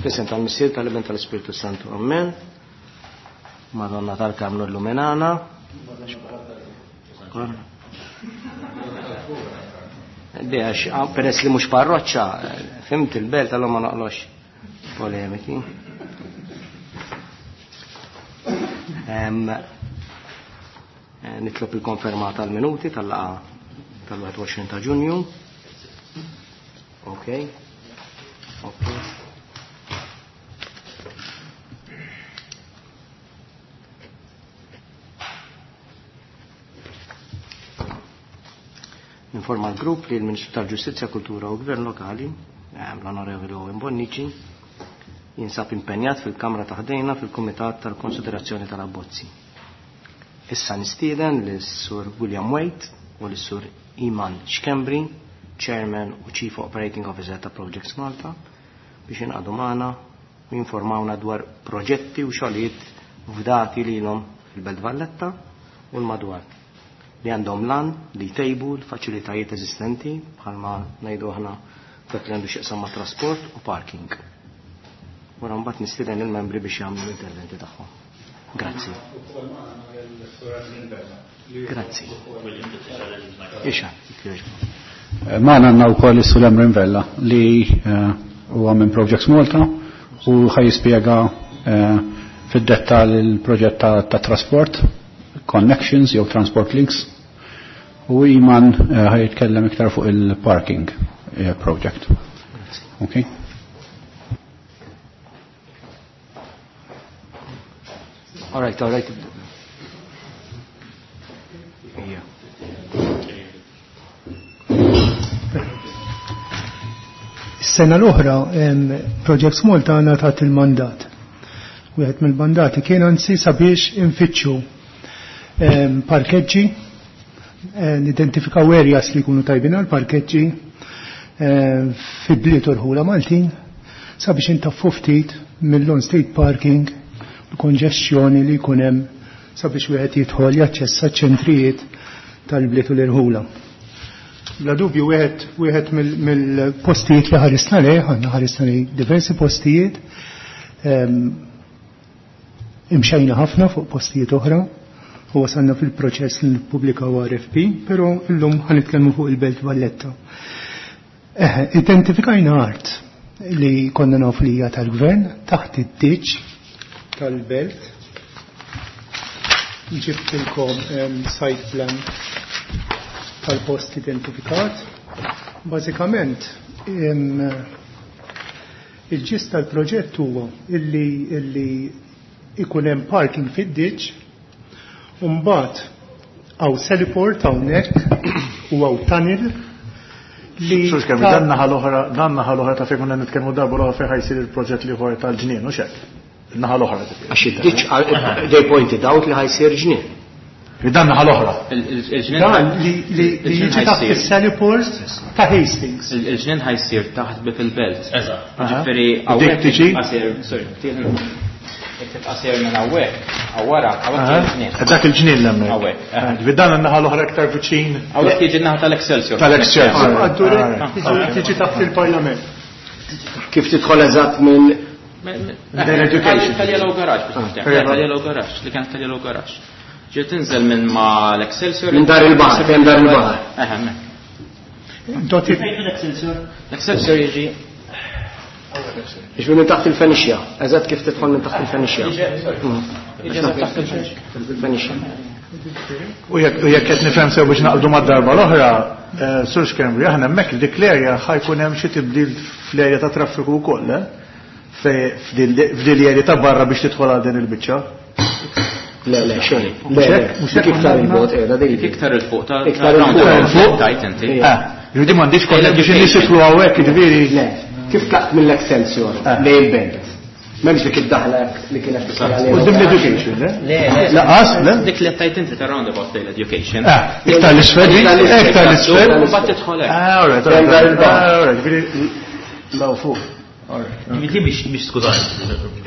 F'isem tal-Missier tal-Iben tal-Ispirtu Santu. Amen. Madonna tal-Karmnu Illuminana. Għax, peress li mhux parroċċa, fimt il-belt allura ma noqlox polemiki. Nitlob il-konferma tal-minuti tal-laqa tal-21 ta' Ġunju. Ok. Ok. Informa l-grupp li l-Ministru tal-Ġustizzja, Kultura u Gvern Lokali, l-Onorevoli Owen Bonnici, jinsab impenjat fil-Kamra ta' ħdejna fil-Kumitat tal-Konsiderazzjoni tal-Abbozzi. Issa nistieden lis-Sur William Waite u lis-Sur Iman Schembri, Chairman u Chief Operating Officer ta' Projects Malta, biex inqadu magħna u jinformawna dwar proġetti u xogħlijiet fdati lilhom fil-Belt Valletta u l-madwar li għandhom lan li jtejbu l-faċilitajiet eżistenti bħalma ngħidu aħna dak li għandu x'jaqsam ma' trasport u parking. Wara mbagħad nistieden il-membri biex jagħmlu l-interventi tagħhom. Grazzi. Grazzi. Ixa, Magħna għandna wkoll is-Sur Emrin Vella li huwa minn Projects Malta u ħaj jispjega fid-dettall il-proġett ta' trasport, connections jew transport links, u Iman ħaj jitkellem iktar fuq il-parking project. Okay. All right, all right. Yeah. Is-sena l-oħra Projects Malta ngħatat il-mandat. Wieħed mill-mandati kien anzi sabiex infittxu parkeġġi, nidentifikaw areas li jkunu tajbin għal parkeġġi fi bliet u rħula Maltin sabiex intaffu ftit mill-on state parking l-konġestjoni li jkun hemm sabiex wieħed jidħol jaċċessa ċentrijiet tal-bliet u l-irħula. Bla dubju wieħed mill-postijiet li ħarisna lejh, għandna ħarisna lejh diversi postijiet, imxejna ħafna fuq postijiet oħra u wasalna fil-proċess li nippubblikaw RFP, però llum ħanitkellmu fuq il-Belt Valletta. Identifikajna art li konna nafu li hija tal-gvern taħt id-ditx tal-belt. Ġibtilkom site plan tal-post identifikat. Bażikament, il-ġist tal-proġett huwa illi ikun hemm parking fid-ditx, u mbagħad hawn heliport hawnhekk u hawn tunnel li Sur Schembri, dan naħa l-oħra, dan naħa l-oħra ta' fejn konna nitkellmu darba l-oħra fejn ħajsir il-proġett li ieħor tal-ġnien, u xek? Naħa l-oħra. Għax id-ditx, they pointed out li ħajsir ġnien. Li dan naħa l-oħra. Il-ġnien Dan li il-ġnien jiġi taħt ħajsir. is-heliport ta' Hastings. Il-ġnien ħajsir taħt bib il-belt. Eżatt. Ġifieri Dik hawnhekk tiġi? tibqa' sejr, sorry, jekk tibqa' sejr minn hawnhekk, hawn wara, hawnhekk jiġi l-ġnien. Dak il-ġnien l-hemmhekk. Hawnhekk, aha. Ġifieri dan in-naħa l-oħra iktar viċin. Hawnhekk jiġi n-naħa tal-Excelsior. Tal-Excelsior. Għaddu tiġi taħt il-Parlament. Kif tidħol eżatt minn Education. Tal-Yellow Garage, biex nifhem. Tal-Yellow Garage, li kienet tal-Yellow Garage. Ġiet tinżel minn ma l-Excelsior. Minn dar il-baħar, fejn dar il-baħar. Eħe, hemmhekk. Doti. L-Excelsior? L-Excelsior jiġi. Biex minn taħt il-Fenixja, eżatt kif tidħol minn taħt il-Fenixja. Jiġi eżatt taħt il-Fenixja. Il-Fenixja. U jekk qed nifhem sew biex naqbdu mad-darba l-oħra, Sur Schembri, aħna hemmhekk dik l-erja ħajkun hemm xi tibdil fl-erja ta' traffiku wkoll, eh? F'dil l-erja ta' barra biex tidħol għal din il-biċċa. Le, le, xejn. Mhux Le, le. hekk, mhux hekk Dik iktar konna il-bot, qiegħda dejjem. Dik iktar il-fuq ta' Iktar il-fuq. ta' Il-fuq. tajt inti. Ġifieri m'għandix kollha biex in-nies jidħlu hawnhekk, jiġifieri. Le, kif tlaqt mill-Excelsior lejn il-belt? M'hemmx dik id-daħla li kienet tisal għalija. U dim l-education, le? Le, le. Laqas, le? Dik li tajt inti ta' roundabout lejn l-education. Iktar l-isfel, Iktar l-isfel, iktar l-isfel. U mbagħad tidħol hekk. All right, all right, Hemm dar il-baħar. all right, ġifieri law fuq. Ġifieri din mhix mhix skużani,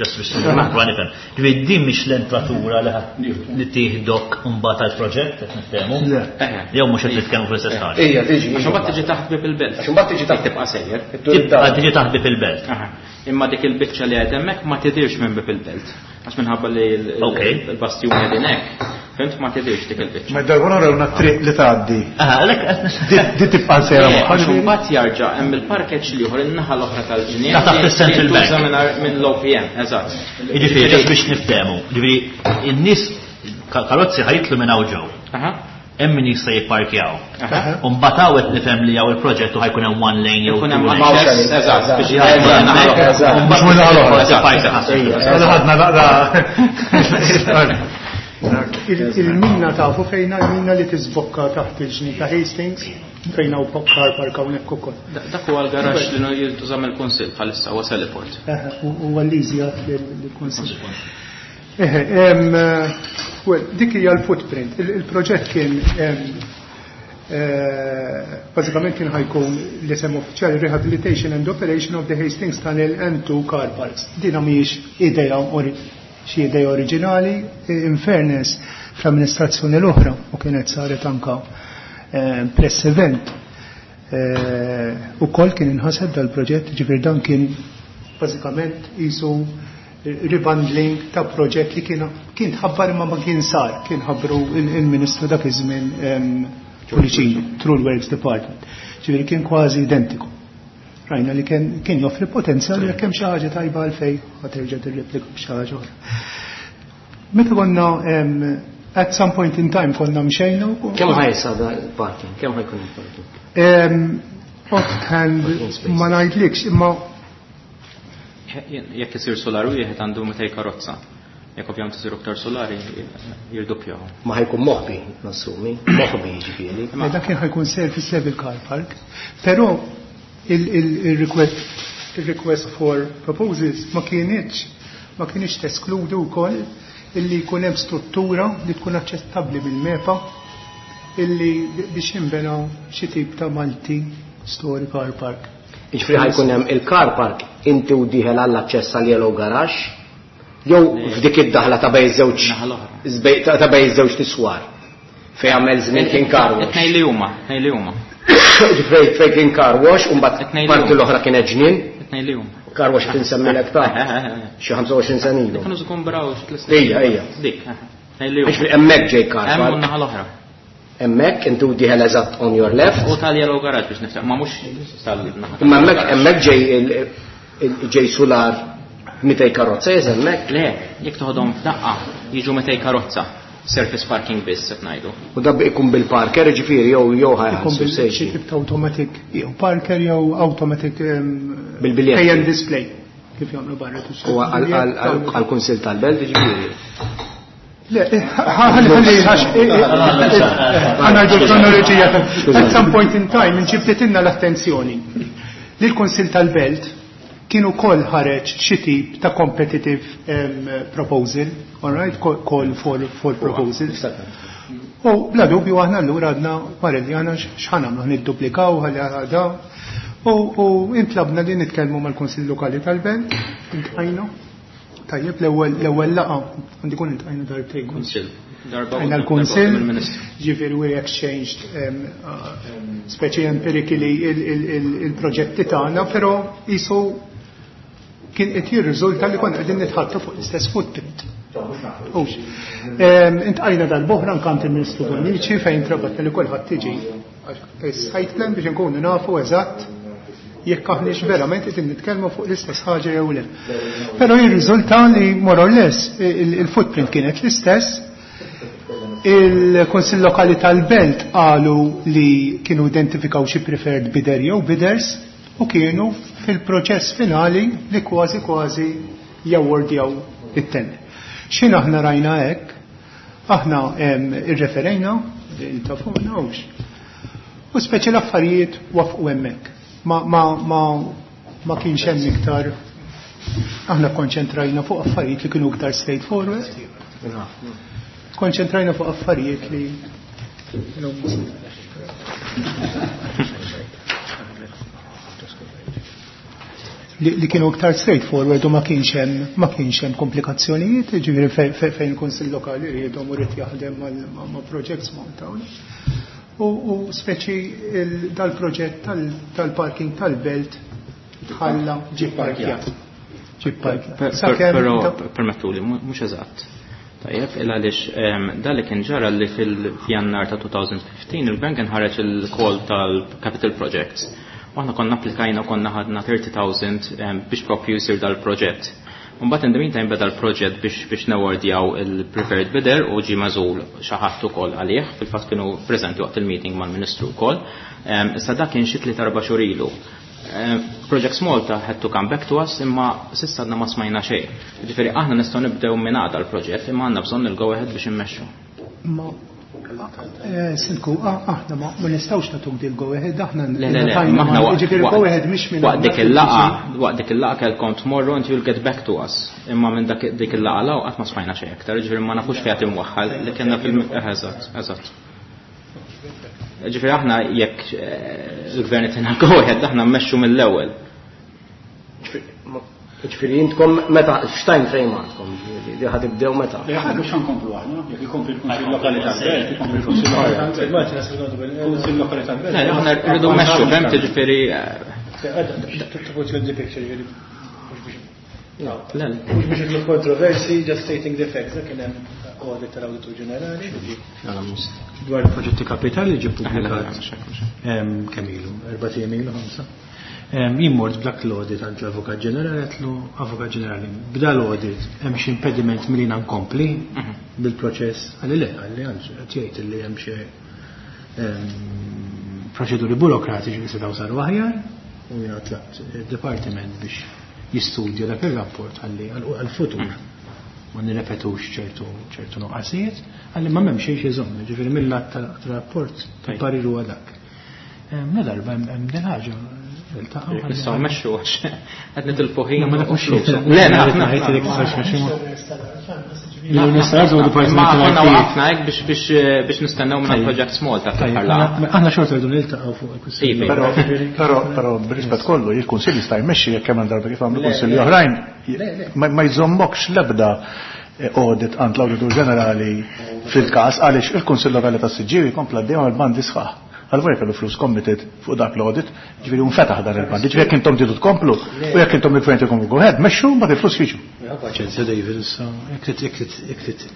just biex nipprova nifhem. Ġifieri din mhix l-entratura li li tieħdok imbagħad għall-proġett qed niftehmu? Jew mhux qed nitkellmu fl-istess ħaġa. Ejja, tiġi. Għax imbagħad tiġi taħt bib il-belt. Għax imbagħad tiġi taħt tibqa' sejjer. Tibqa' tiġi taħt bib il-belt. Imma dik il-biċċa li qed hemmhekk ma tidirx minn bib il-belt. Għax minħabba li l-bastjun qegħdin hekk, fimt ma tidirx dik il-biċċa. Ma darba naraw triq li tgħaddi. Għalhekk Di tibqa' sejra magħha. Għax imbagħad jarġa' hemm il-parkeġġ l-ieħor in-naħa l-oħra tal-ġnien. Ta' taħt is-Central Bank. Minn l-OPM, eżatt. Jiġifieri just biex niftehmu, jiġifieri in-nies karozzi ħajtlu minn hawn ġew. Hemm min jista' jipparkjaw. U mbagħad hawn qed nifhem li hawn il-proġett u ħajkun hemm one lane jew Ikun hemm access, eżatt, biex Ħadna naqra. Il-mina tafu fejna il-mina li tiżbokka taħt il-ġni ta' Hastings fejna u car park hawnhekk ukoll. Dak huwa l-garaxx li jintuża mill-Kunsill bħalissa huwa Sallyport. U għall-iżjat lill-Kunsill. Well, dik hija l-footprint. Il-proġett kien bażikament kien ħajkun l-isem uffiċjali Rehabilitation and Operation of the Hastings Tunnel and Two Car Parks. Dina mhijiex idea xi idea oriġinali, in fairness fl-amministrazzjoni l-oħra u kienet saret anka press event. Ukoll kien inħaseb dal-proġett, ġifier dan kien bażikament isu rebundling ta' proġett li kien kien tħabbar imma ma kien sar, kien ħabbru il-Ministru dak iż-żmien Pullicino, Through Works Department. Ġifieri kien kważi identiku. Rajna li kien joffri potenzjal jekk hemm xi ħaġa tajba għalfejn ħa terġa' tirreplika b'xi ħaġa oħra. Meta konna at some point in time konna mxejna u Kemm ħajsa da il-parking? Kemm ħajkun il-parking? Offhand ma ngħidlikx imma Jekk isir solar wieħed għandu 200 karozza. Jekk ovvjament isiru aktar solari jirdoppjaw. Ma ħajkun moħbi, nassumi, moħbi jiġifieri. Ma dak kien ħajkun service level car park, però il-request for proposals ma kienx teskludu wkoll illi jkun hemm struttura li tkun aċċettabbli mill-MEPA illi biex jinbena xi tip ta' multi story car park. Jiġifieri ħajkun hemm il-car park inti u dieħel għall-aċċess għal Yellow Garage jew f'dik id-daħla ta' bejn żewġ ta' bejn żewġ tiswar fejn għamel żmien kien car wash. Tnejn li huma, tnejn li huma. Ġifieri fejn kien car wash u mbagħad parti l-oħra kienet ġnien. Tnejn li huma. Car wash qed insemmilek ta' xi 25 sena ilu. Kienu żkun braw xi tliet snin. Ejja, ejja. Dik, tnejn li huma. Ġifieri hemmhekk ġej car Hemm park. u naħa l-oħra. Hemmhekk inti u dieħel eżatt on your left. U tal-Yellow Garage biex niftaħ, ma mhux tal-naħa. Imma hemmhekk ġej solar 200 karozza jeż hemmhekk? Le, jekk toħodhom f'daqqa jiġu 200 karozza. Surface parking biss qed ngħidu. U da ikun bil-parker, ġifieri jew jew ħajħallsu Ikun bil- sejġi. xi tip ta' automatic jew parker jew automatic Bil-biljetti. pay and display kif jagħmlu barra tixtri. U għall-Kunsill tal-Belt ġifieri. Le, ħalli, ħalli, ħalli, ħalli, kronoloġija. At some point in time, inġibditilna l-attenzjoni li l-Kunsill tal-Belt kienu kol ħareġ xi tip ta' competitive proposal, all right, call for proposals. U bla dubju aħna allura għadna wara li aħna x'ħan nagħmlu, nidduplikaw ħalli għadha. U intlabna li nitkellmu mal-Kunsill Lokali tal-Belt, intqajna. Tajjeb, l-ewwel laqgħa għandi kun intqajna darbtejn. Kunsill. Darba Għajna u l-Kunsill, darba mill-Ministru. ġifieri we exchanged speċi empirically il-proġetti tagħna, però isu kien qed jirriżulta li konna qegħdin nitħattu fuq l-istess footprint. Ux. Intqajna dal-boħra nkant il-Ministru Bonnici fejn trabatta li kulħadd tiġi site plan biex nkunu nafu eżatt jekk aħniex verament qed nitkellmu fuq l-istess ħaġa jew le. Però jirriżulta li more or less il-footprint kienet l-istess. Il-Kunsill Lokali tal-Belt qalu li kienu identifikaw xi preferred bidder jew bidders u kienu fil-proċess finali li kważi kważi jawardjaw it-tender. X'in aħna rajna hekk, aħna irreferejna ta' fuq nawx. U speċi l-affarijiet wafqu hemmhekk. Ma kienx hemm iktar, aħna konċentrajna fuq affarijiet li kienu iktar straightforward. Konċentrajna fuq affarijiet li kienu. li kienu iktar straightforward u ma kienx hemm komplikazzjonijiet, ġifieri fejn il-Kunsill Lokali riedhom u ried jaħdem ma' Projects Malta. U speċi dal-proġett tal-parking tal-belt tħalla ġie parkjat. Però permettuli, mhux eżatt. Tajjeb, il għaliex dan li kien ġara li fil-Jannar ta' 2015 il-Gvern kien ħareġ il-call tal-Capital Projects. U aħna konna applikajna u konna ħadna 30,000 biex propju jsir dal-proġett. Mbagħad in the meantime beda l-proġett biex nawardjaw il-preferred bidder u ġie magħżul xi ħadd ukoll għalih, fil-fatt kienu preżenti waqt il-meeting mal-Ministru wkoll. Issa dak kien xi 3-4 xhur ilu. Projects Malta had to come back to us imma s'issa għadna ma smajna xejn. Ġifieri aħna nistgħu nibdew minn għada l-proġett imma għandna bżonn il-go ahead biex immexxu. Ma Sindku, aħna ma nistgħux nagħtuk dil go ahead, aħna Le, le, le, ma aħna ġifieri go ahead mhix minn waqt dik il-laqgħa, waqt dik il-laqgħa kellkom tmorru and you'll get back to us. Imma minn dak dik il-laqgħa law qatt ma smajna xejn aktar, ġifieri ma nafux fejn qed imwaħħal li kellna fil- eżatt, eżatt. Ġifieri aħna jekk il-gvern itina go ahead, aħna mmexxu mill-ewwel. Ġifieri intkom meta x'time frame għandkom, ġifieri li ħad tibdew meta? Le, aħna mhux ħankomplu aħna, jekk ikompli l-Kunsill Lokali tal-Belt, ikompli l-Kunsill Lokali tal-Belt. Kunsill Lokali tal-Belt. Le, aħna rridu mmexxu, fhemt, ġifieri, To put you in the picture, ġifieri, mhux biex Le, le. Mhux biex idlu kontroversi, just stating the facts, dak kien hemm audit tal-Awditur Ġenerali dwar il-proġetti kapitali ġie ppubblikat kemm ilu, 4 ijiem ilu, 5. Jien mort b'dak l-audit għand l-Avukat Ġenerali, għedtlu Avukat Ġenerali, b'da l-audit hemm xi impediment milli jiena nkompli bil-proċess? Qalli le, qalli anzi, qed jgħid li hemm xi proċeduri burokratiċi li setgħu saru aħjar, u jiena tlabt id-dipartiment biex jistudja dak ir-rapport ħalli għall-futur ma nirrepetux ċertu nuqqasijiet, għalli ma m'hemm xejn xi jżomm, ġifieri mill-att tal-rapport parir huwa dak. La darba hemm din ħaġa iltaqgħu ħalli Nistgħu mmexxu għax qed nitilfu ħin. Ma nafux u flus. xejn. Le, Le, naf, naf, naf, naf, naf. naf, naf, naf. Li nistgħu nagħtu dipartiment Ma konna tal-IT. waqafna hekk biex nistennew minn Projects Malta fl-aħħar laqgħa. Aħna xorta rridu niltaqgħu fuq il-kwistjoni. Iva. Però, però, b'rispett kollu, il-Kunsill jista' jmexxi jekk hemm darba kif għamlu kunsilli oħrajn, ma jżommokx l-ebda audit għand l-Awditur Ġenerali fil-każ għaliex il-Kunsill Lokali tas-Siġġiewi kompla dejjem għall-bandi sħaħ. Għal-vojja kellu flus committed fuq dak l-audit, ġifieri unfetaħ dan il-bandi, ġifieri jekk intom tridu tkomplu u jekk intom il-gvern tikomplu go ahead, mexxu mbagħad il-flus jiġu. Ja, paċenzja David, issa, jekk trid, jekk trid, jekk trid,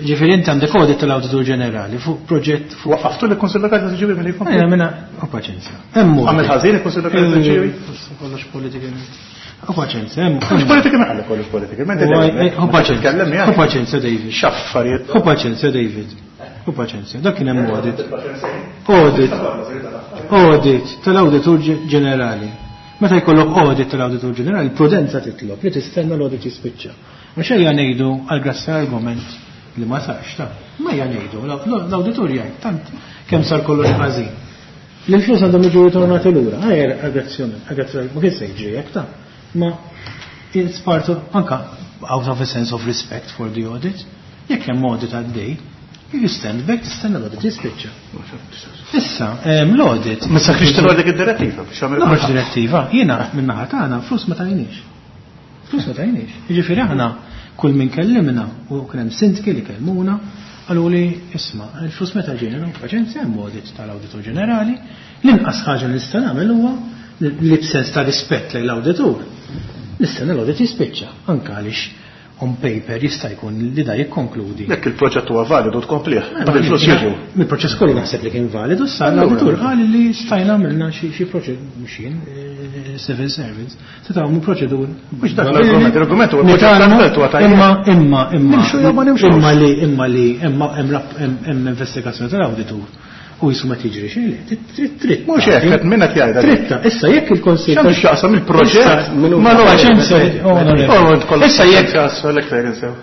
ġifieri inti għandek audit tal-Awditur Ġenerali fuq proġett fuq Waqqaftu l-Kunsill Lokali tas-Siġġiewi milli jkompli? Ejja, minna, u paċenzja. Hemm audit. Għamel ħażin il-Kunsill Lokali tas-Siġġiewi? Kollox politika. U paċenzja, hemm. Kollox politika, ma għalek kollox politika. Ma inti U dejjem, u ma paċenzja. titkellem miegħek. U paċenzja, David. X'affarijiet. U paċenzja, David. U paċenzja, dak kien hemm audit. Audit. Audit tal-Awditur Ġenerali. Meta jkollok audit tal-Awditur Ġenerali, prudenza titlob li tistenna l-audit jispiċċa. Ma xejja ngħidu għal grazzi argument li ma sarx ta' ma hija ngħidu l-awditur jgħid tant kemm sar kollox ħażin. Li l-flus għandhom jiġu ritornati lura. Ejja aggrazzjoni, aggrazzjoni, ma kien se jiġri hekk ta' ma it's part of, anka out of a sense of respect for the audit, jekk hemm audit għaddej, you stand back, tistenna l-audit jispiċċa. Issa, l-audit. Ma sakrix tilgħu dik id-direttiva biex jagħmel Noħroġ direttiva, jiena min-naħa tagħna flus ma tajniex. Flus ma tajniex. Jiġifieri aħna kull min kellimna u kien hemm sindki li kellmuna, qalu li isma' il-flus meta ġejna nagħmlu paċenzja hemm audit tal-Awditur Ġenerali, l-inqas ħaġa li nista' nagħmel huwa li b'sens ta' rispett lejn l-awditur. Nistenna l-audit jispiċċa, anke għaliex on paper jista' jkun li da jikkonkludi. Jekk il-proġett huwa validu tkomplih, Ma ma il-flus jiġu. Il-proċess kollu naħseb li kien validu, sa l-awditur qal li stajna għamilna xi proċed mhux jien, civil servants, se tagħmlu proċedur. Mhux dak l-argument, l-argument huwa l-proġett tal-belt huwa tajjeb. Imma, imma, imma, Nimxu jew ma nimxux. imma li, imma li, imma hemm rap-, hemm, hemm investigazzjoni tal-awditur. U jisu ma tiġri xejn, le, trid, trid, Mhux hekk, qed min qed jgħidha. Tritta, issa jekk il-Konsill X'għandu x'jaqsam il-proġett Issa, ma ma paċenzja. paċenzja, onorevoli. Oh, int kollok Issa jekk paċenzja, għalhekk fejn insew.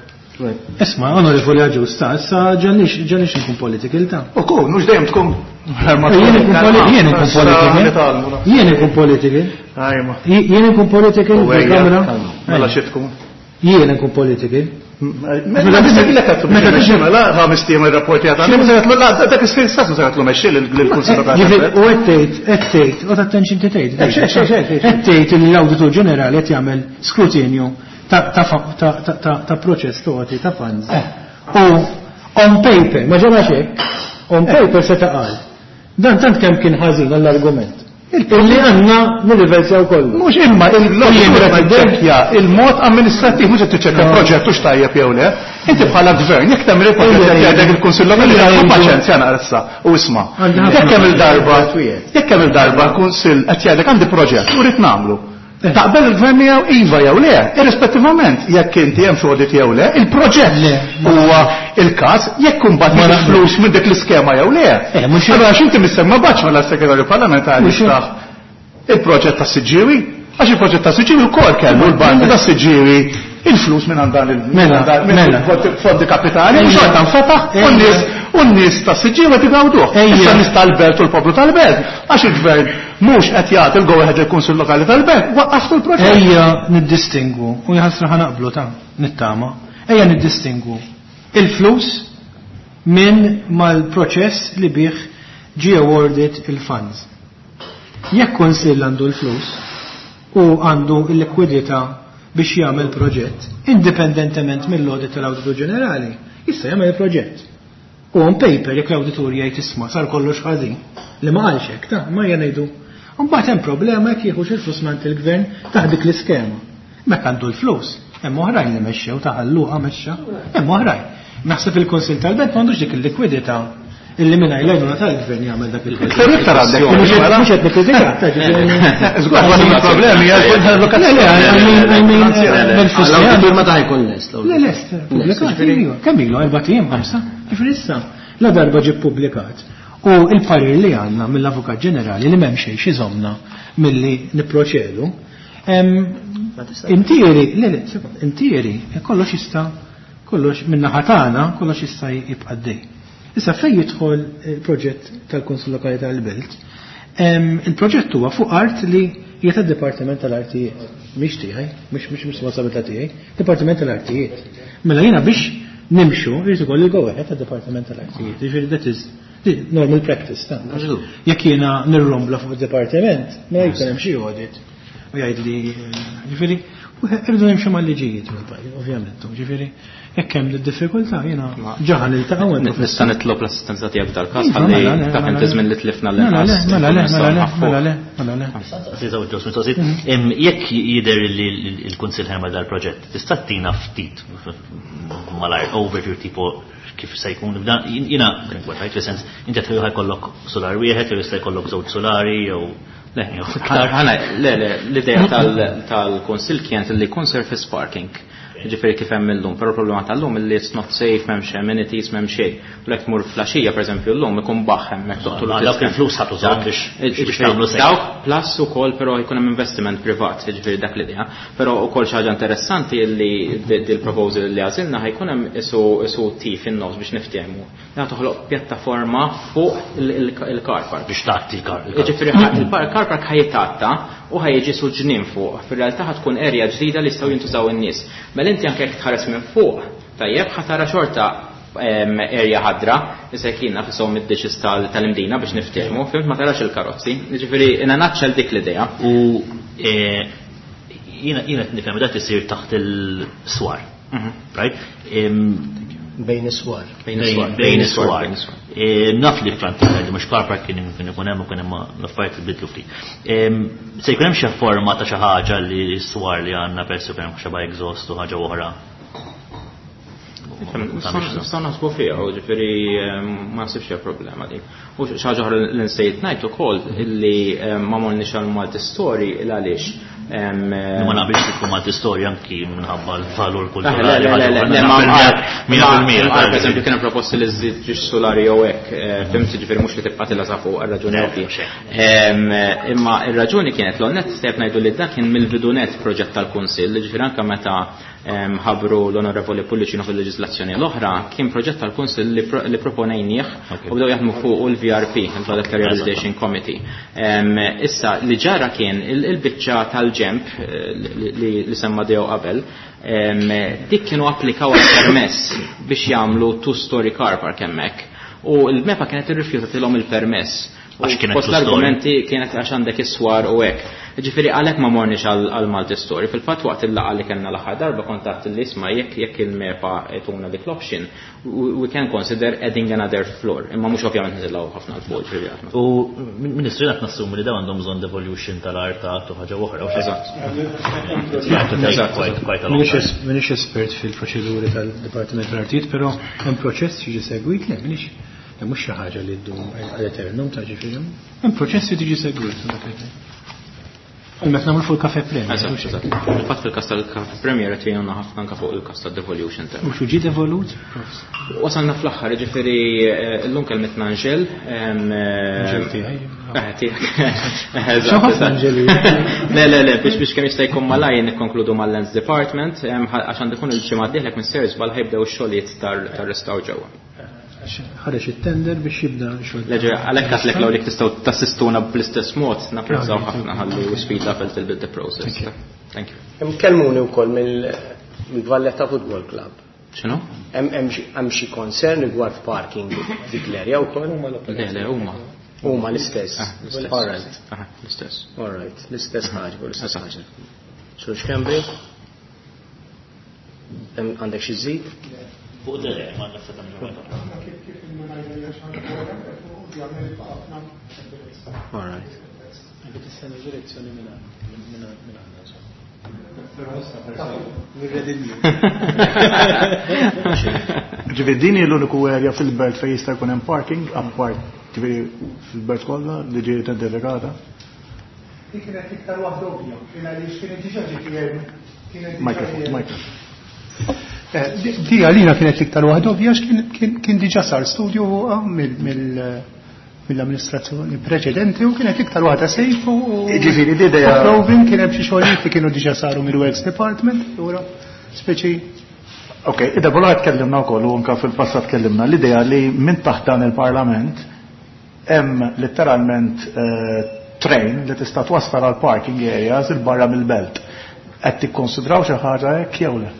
Isma', onorevoli Agius, ta' issa ġanix nkun political ta'. U kun, mhux dejjem tkun. Jien ikun jien ikun political. Jien ikun political. Ajma. Jien ikun political U ejja, fil-kamra. Mela xi tkun. Jiena nkun political. Mela mela ħames tiem ir-rapporti għad għandek, dak is-sens se mexxi lill-Kunsill Lokali. U qed tgħid, qed tgħid, u attention ti tgħid. Qed tgħid li l-Awditur Ġenerali qed jagħmel skrutinju ta' proċess togħti ta' funds. U on paper, ma ġara hekk, on paper se taqal. Dan tant kemm kien ħażin għall-argument. Illi għandna nirriversjaw kollu. Mhux imma il-loġika il-mod amministrattiv mhux qed tiċċekkja proġett hux tajjeb jew le. Inti bħala gvern jekk tagħmel il-proġett qed jgħidlek il-Kunsill Lokali paċenzja naqra issa u isma'. Jekk hemm il-darba jekk hemm il-darba l-Kunsill qed jgħidlek għandi proġett u rrid nagħmlu. Taqbel il-gvern miegħu iva jew le, irrispettivament jekk inti hemm xi audit jew le, il-proġett huwa il-każ jekk imbagħad ma flus minn dik l-iskema jew le. Allura għax inti missemma baċ mela s-segretarju parlamentari jiftaħ il-proġett ta' Siġġiewi, għax il-proġett ta' Siġġiewi wkoll kellu l-bandi ta' Siġġiewi il-flus minn għand dan il-fondi kapitali, u xorta nfetaħ u n-nies u n-nies ta' Siġġiewi qed igawduh. Issa n-nies tal-belt u l-poplu tal-belt, għax il-gvern mhux qed jagħti l-go ahead lill-Kunsill Lokali tal-Belt, waqqaftu l-proġett. Ejja niddistingwu, u jħassra ħa naqblu ta' nittama, ejja niddistingwu il-flus minn mal-proċess li bih ġie awarded il-funds. Jekk kunsill għandu l-flus u għandu l-likwidità biex jagħmel proġett, indipendentement mill-audit tal-Awditur Ġenerali, jista' jagħmel il-proġett. U on paper jekk l-awditur jgħid isma' sar kollox ħażin, li ma qalx hekk, ta' ma hija ngħidu. Mbagħad hemm problema jekk jieħux il-flus mingħand il-gvern taħt dik l-iskema. Mekk għandu l-flus, hemm oħrajn li mexxew ta' ħalluqa mexxa, hemm oħrajn. Naħseb il-Kunsill tal-Belt m'għandux dik il-likwidità illi mingħajr l-għajnuna tal-gvern jagħmel dak il Iktar iktar għandek. Mhux qed nikkritika, ta' ġifieri. Żgur, waħda mill-problemi hija l-allokazzjoni. Le, le, I mean, mill-flus li L-awditur meta ħajkun lest? Le, lest, pubblikat, iva. Kemm ilu, 4 ijiem, 5? Ġifieri issa, la darba ġie ppubblikat. U il-parir li għandna mill-Avukat Ġenerali li m'hemm xejn x'iżommna milli nipproċedu. Intieri, le, le, sekond, intieri, kollox jista' kollox min-naħa tagħna, kollox jista' jibqa' dej. Issa fejn jidħol il-proġett tal-Kunsill Lokali tal-Belt, il-proġett huwa fuq art li hija tad-Dipartiment tal-Artijiet. Mhix tiegħi, mhux mhux responsabilità tiegħi, Dipartiment tal-Artijiet. Mela jiena biex nimxu jrid ikolli go ahead tad-Dipartiment tal-Artijiet. Jiġifieri that is normal practice ta'. Jekk jiena nirrombla fuq id-dipartiment, mela jkun hemm xi audit u jgħid li ġifieri irridu nimxu mal-liġijiet mill-pajjiż, ovvjament, ġifieri jekk hemm diffikultà jiena ġaħan niltaqgħu għandu. Nista' nitlob l-assistenza tiegħek dal-każ Iva, ħalli mela, le, ta' mela, inti żmien li tlifna Mela, le, l-inqas. mela, le, mela, le, Nistgħu mela, le, mela, le. Mistoqsijiet, jekk jidher li l-Kunsill ħemel dal-proġett, tista' tina ftit malajr overview tipo kif se jkun dan jiena kien fis-sens inti qed ħajkollok solar wieħed jew jista' jkollok żewġ solari jew Le, ħana, le, le, l-idea tal-Kunsill kienet li jkun surface parking. Ġifieri kif hemm illum, però l-problema tal-lum illi it's not safe, m'hemmx amenities, m'hemm xejn. U lek tmur flaxija, pereżempju, llum ikun baħ hemmhekk toqtol Ma dawk il-flus ħatu żgħar biex tagħmlu safe. Dawk plus ukoll però jkun hemm investiment privat, ġifieri dak l-idea. Però ukoll xi ħaġa interessanti illi dil-proposal li għażilna ħajkun hemm isu T fin-nofs biex niftehmu. Da toħloq pjattaforma fuq il-car park. Biex tgħatti il-car. Ġifieri il-car park ħajtatta u ħajġi su ġnien fuq. Fir-realtà ħatkun area ġdida li jistgħu jintużaw in-nies. Mela inti anke jekk tħares minn fuq, tajjeb ħatara xorta area ħadra, issa jekk jiena fisshom id-dishes tal-Imdina biex niftehmu, fimt ma tarax il-karozzi. Ġifieri in a nutshell dik l-idea. U jiena qed nifhem dak isir taħt il-swar. Right? Bejn is-swar. Bejn is-swar. Bejn is-swar. Bejn is-swar. Naf li Franti li mhux car park kien ikun hemm u kien hemm l-affarijiet li bidlu ftit. Se jkun hemm xi forma ta' xi ħaġa li s-swar li għandna peress jkun hemm xi exhaust u ħaġa oħra. Nistgħu naħsbu fiha, u ġifieri ma nsibx hija problema dik. U xi ħaġa oħra li nsejt ngħid ukoll illi ma morniex għal multi-story il għaliex. Ma naqbilx li tkun multi-story anki minħabba l-valur Le, kulturali. le, le, le, le, ma Mija fil-mija, ma per eżempju kien hemm proposti li żżid ġiex solari jew hekk, fimt ġifieri mhux li tibqa' tilha sa fuq għar-raġuni Le, ovvja. xejn. Imma ir-raġuni kienet l-onnet sejb ngħidu li dak kien mill-bidunet proġett tal-Kunsill, ġifieri anke meta ħabru l-Onorevoli Pullicino fil-leġislazzjoni l-oħra, kien proġett tal-Kunsill li proponejnieh u bdew jaħdmu fuq il-VRP, il-Valletta Rehabilitation Committee. Issa li ġara kien il-biċċa tal tal-ġemp li semma Deo qabel, dik kienu applikaw għal permess biex jagħmlu two-story car park hemmhekk. U l-MEPA kienet irrifjutatilhom il-permess. Għax kienet Fost l-argumenti kienet għax għandek is-swar u hekk. Ġifieri għalhekk ma morniex għal multi-story. Fil-fatt waqt il-laqgħa li kellna l-aħħar darba kontatt li isma' jekk il-MEPA tuna dik l-option, we can consider adding another floor. Imma mhux ovvjament nitilgħu ħafna l fuq ġifieri aħna. U Ministru qed nassumi li dawn għandhom bżonn devolution tal-art u ħaġa oħra. Eżatt. M'iniex espert fil-proċeduri tal-Dipartiment tal-Artijiet, però hemm proċess jiġi segwit, le m'iniex mhux xi ħaġa li ddum għal eternum ta' ġifieri. Hemm proċess li tiġi segwit. Għal meta nagħmlu fuq il-Cafe Premier. Eżatt, eżatt. Fil-fatt fil-każ tal-Cafe Premier qed jgħinuna ħafna anke fuq il-każ tad-devolution ta' U xu ġie devolut? Wasalna fl-aħħar, ġifieri llum kelmitna Angel. Angel tiegħi. Tiegħek. Eżatt. ħafna Angeli. Le, le, le, biex kemm jista' jkun malaj nikkonkludu mal-Lands Department, għax għandu jkun il-ġimgħa d-dieħla minn Sir Żball ħajbdew ix-xogħlijiet tar-restawr ġewwa. Ħareġ it-tender biex jibda xogħol. Leġe, għalhekk għatlek law li tistgħu tassistuna bl-istess mod, napprezzaw ħafna ħalli we speed up a little bit the process. Thank you. Hemm kellmuni wkoll mill-Valletta Football Club. X'inhu? Hemm xi concern rigward parking dik l-area wkoll? Le, le, huma. Huma l-istess. All right. L-istess. All right, l-istess ħaġa, l-istess ħaġa. Sur Schembri? Għandek xi żid? Fuq dele, ma nafsa tagħmlu. All right. Tistenna direzzjoni minn għandna. Ġifieri din hi l-uniku area fil-belt fejn jista' jkun hemm parking apart ġifieri fil-belt kollha li ġiet identifikata. Dik kienet iktar waħda ovvja, għaliex kienet diġà ġiet kienet Microphone, microphone. Di għalina kienet iktar waħda ovvja kien diġà sar studju fuqha mill-amministrazzjoni preċedenti u kienet iktar waħda safe u Ġifieri l-idea Provin kien hemm xi xogħlijiet li kienu diġà saru mill-Works Department, allura speċi Ok, id-darba tkellimna wkoll u anke fil-passat tkellimna l-idea li minn taħt dan il-Parlament hemm letteralment train li tista' twassal għal parking areas il barra mill-belt. Qed tikkonsidraw xi ħaġa hekk jew le?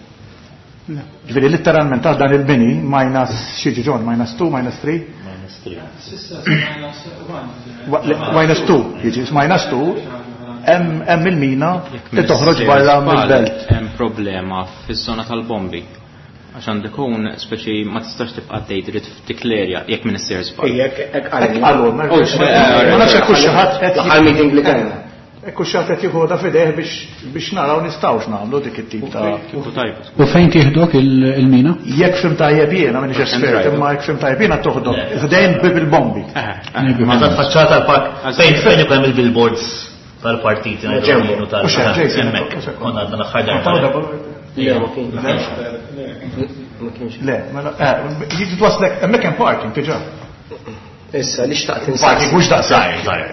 Ġifieri letteralment taħt dan il-bini minus xi ġon, minus 2, minus 3? Minus 3. Minus 2, jiġi minus 2, hemm il-mina li toħroġ barra mill-belt. Hemm problema fiż-żona tal-bombi. Għax għandek ikun speċi ma tistax tibqa' tgħid trid f'dik l-area jekk minn issir żball. Jekk hekk qallu. Qallu, ma nafx hekk xi ħadd qed L-aħħar meeting li kellna. Hekk xi ħadd qed jieħodha f'idejh biex naraw nistgħux nagħmlu dik it-tip ta' Kieku tajba. U fejn tieħdok il-mina? Jekk fim tajjeb jiena m'iniex espert, imma jekk fim tajjeb jiena toħdok ħdejn bib il-bombi. Ma ta' faċċata l-park fejn ikun hemm il-billboards tal-partiti ngħidu tal- U xejn, Jason, hemmhekk. u xejn. Konna għadna l-aħħar darba. Le, ma kienx. Ma kienx. Le, mela, jiġi twaslek, hemmhekk hemm parking diġà. Issa, li xtaqt insaqsi. Parking mhux daqs żgħir, żgħir.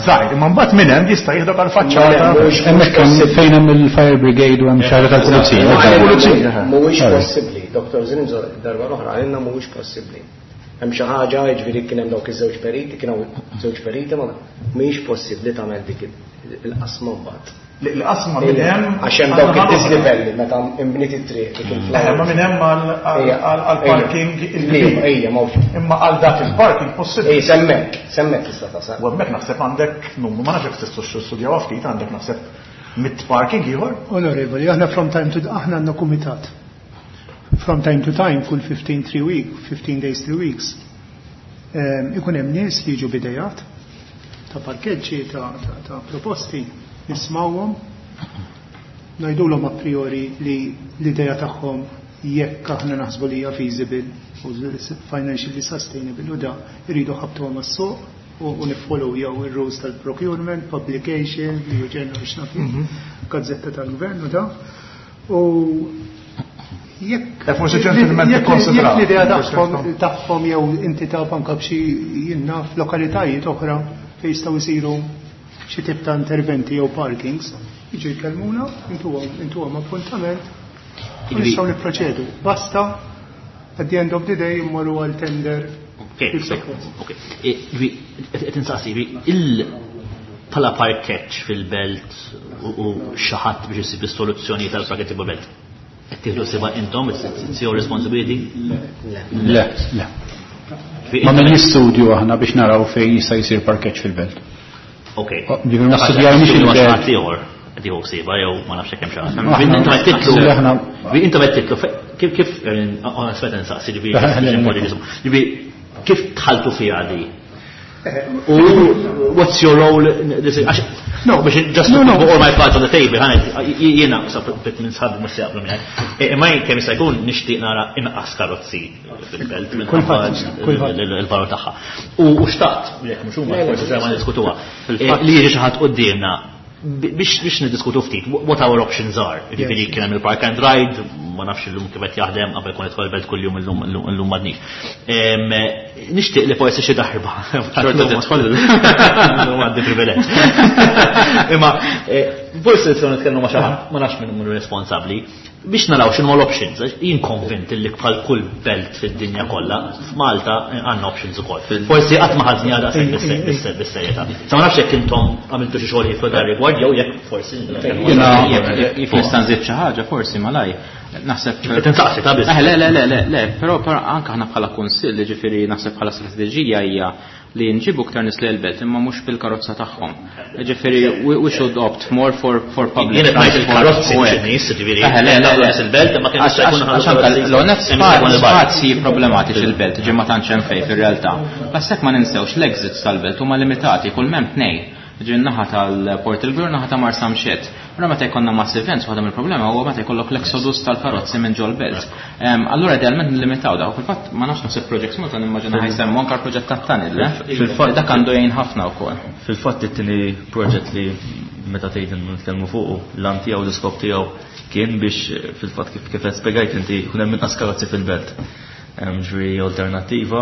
Żgħir, imma mbagħad minn hemm jista' jieħdok għal faċċata. Hemmhekk hemm fejn hemm il-fire brigade u hemm xi ħaġa tal-pulizija. Tal-pulizija. Mhuwiex possibbli, Dr. Zrinzo darba l-oħra għalina mhuwiex possibbli. Hemm xi ħaġa, jiġifieri kien hemm dawk iż-żewġ periti, kien hawn żewġ periti, ma mhijiex possibbli tagħmel dik il-qasma mbagħad. L-qasma minn hemm Għax hemm dawk id-dislivelli meta imbniet it-triq dik il-flowers. Ma minn hemm għall-parking il-kbir. Ejja, ma hux. Imma għal dak il-parking possibbli. Ej, semmek, semmek tista' tasal. U hemmhekk naħseb għandek numru, ma nafx jekk tistgħux tistudjaw ftit, għandek naħseb mit parking ieħor. Onorevoli, aħna from time to aħna għandna kumitat. From time to time, kull 15 3 week, 15 days 3 weeks, ikun hemm nies li jiġu bidejat ta' parkeġġi, ta' proposti, nismawhom, ngħidulhom a priori li l-idea tagħhom jekk aħna naħsbu li hija feasible u financially sustainable u da jridu ħabtuhom għas-suq u nifollow jew ir-rules tal-procurement, publication, li ġenna biex naf gazzetta tal-gvern u da. U jekk Forsi ġentilment ikkonsidraw. jekk l-idea tagħhom jew inti taf anke b'xi jinnna f'lokalitajiet oħra fejn jistgħu jsiru xi tip ta' interventi jew parkings, jiġu jkellmuna, intuhom appuntament, u nistgħu nipproċedu. Basta, at the end of the day immorru għal tender. Ok, ok. Qed insaqsi, Bħala parkeġġ fil-belt u xi ħadd biex isib is-soluzzjoni tal-parkeġġ fil-belt. Qed tieħdu ħsiebha intom, it's your responsibility? Le, le. Ma minn studju aħna biex naraw fejn jista' jsir parkeġġ fil-belt. Ok. Ġifieri ma studjajniex il-belt. Ieħor qed jieħu ħsiebha jew ma nafx kemm xi ħadd. Intom qed titlu intom qed titlu kif kif onestament insaqsi ġifieri kif tħaltu fiha di? U what's your role? No, biex just no, no. all my cards on the table, ħanet, jiena bit minn sħabi mhux se jaqblu miegħek. Imma jien kemm jista' jkun nixtieq nara inqas karozzi fil-belt minħabba il-valur tagħha. U xtaqt, jekk mhux huma forsi se ma niddiskutuha, li jiġi xi ħadd quddiemna biex biex niddiskutu ftit what our options are. Ġifieri kien hemm il-park and ride, ma nafx illum kif qed jaħdem qabel kont nidħol belt kuljum illum illum m'għadnix. Nixtieq li forsi xi darba. Xorta tidħol. Illum għandi privileġġ. Imma forsi nistgħu nitkellmu ma' xi ħadd, ma nafx min hu responsabbli biex naraw x'inhu l-options, jien konvint li bħal kull belt fid-dinja kollha, f'Malta għandna options ukoll. Forsi qatt ma ħadni għadha bis-serjetà. Sa ma nafx jekk intom għamiltu xi xogħol fuq dan rigward jew jekk forsi. Jekk nista' nżid xi ħaġa forsi malaj. Naħseb. Qed insaqsi ta' biss. Le, le, le, le, le, però anke aħna bħala kunsill, ġifieri naħseb bħala strateġija hija li nġibu ktar nies l-belt imma mhux bil-karozza tagħhom. Ġifieri we should opt more for public Jien qed il-karozzi mhux in-nies, ġifieri. Le, le, le, il-belt imma kemm jista' jkun għax anke l-onet spazji problematiċi il-belt, ġi ma tantx hemm fejn fir-realtà. Bas hekk ma ninsewx l-exits tal-belt huma limitati kull m'hemm tnejn. Ġi naħa tal-Port il-Kbir naħa ta' Marsamxett. Ora meta jkollna mass events, waħda mill-problema huwa meta jkollok l-exodus tal-karozzi minn ġol belt. Allura idealment nlimitaw dak. Fil-fatt ma nafx naħseb Projects Malta nimmaġina ħa jsemmu anke l-proġett tat-tunnel, eh? Fil-fatt dak għandu jgħin ħafna wkoll. Fil-fatt it-tieni proġett li meta tgħid nitkellmu fuqu, l-għan tiegħu l-iskop tiegħu kien biex fil-fatt kif qed spjegajt inti jkun hemm inqas karozzi fil-belt. Ġifieri alternattiva.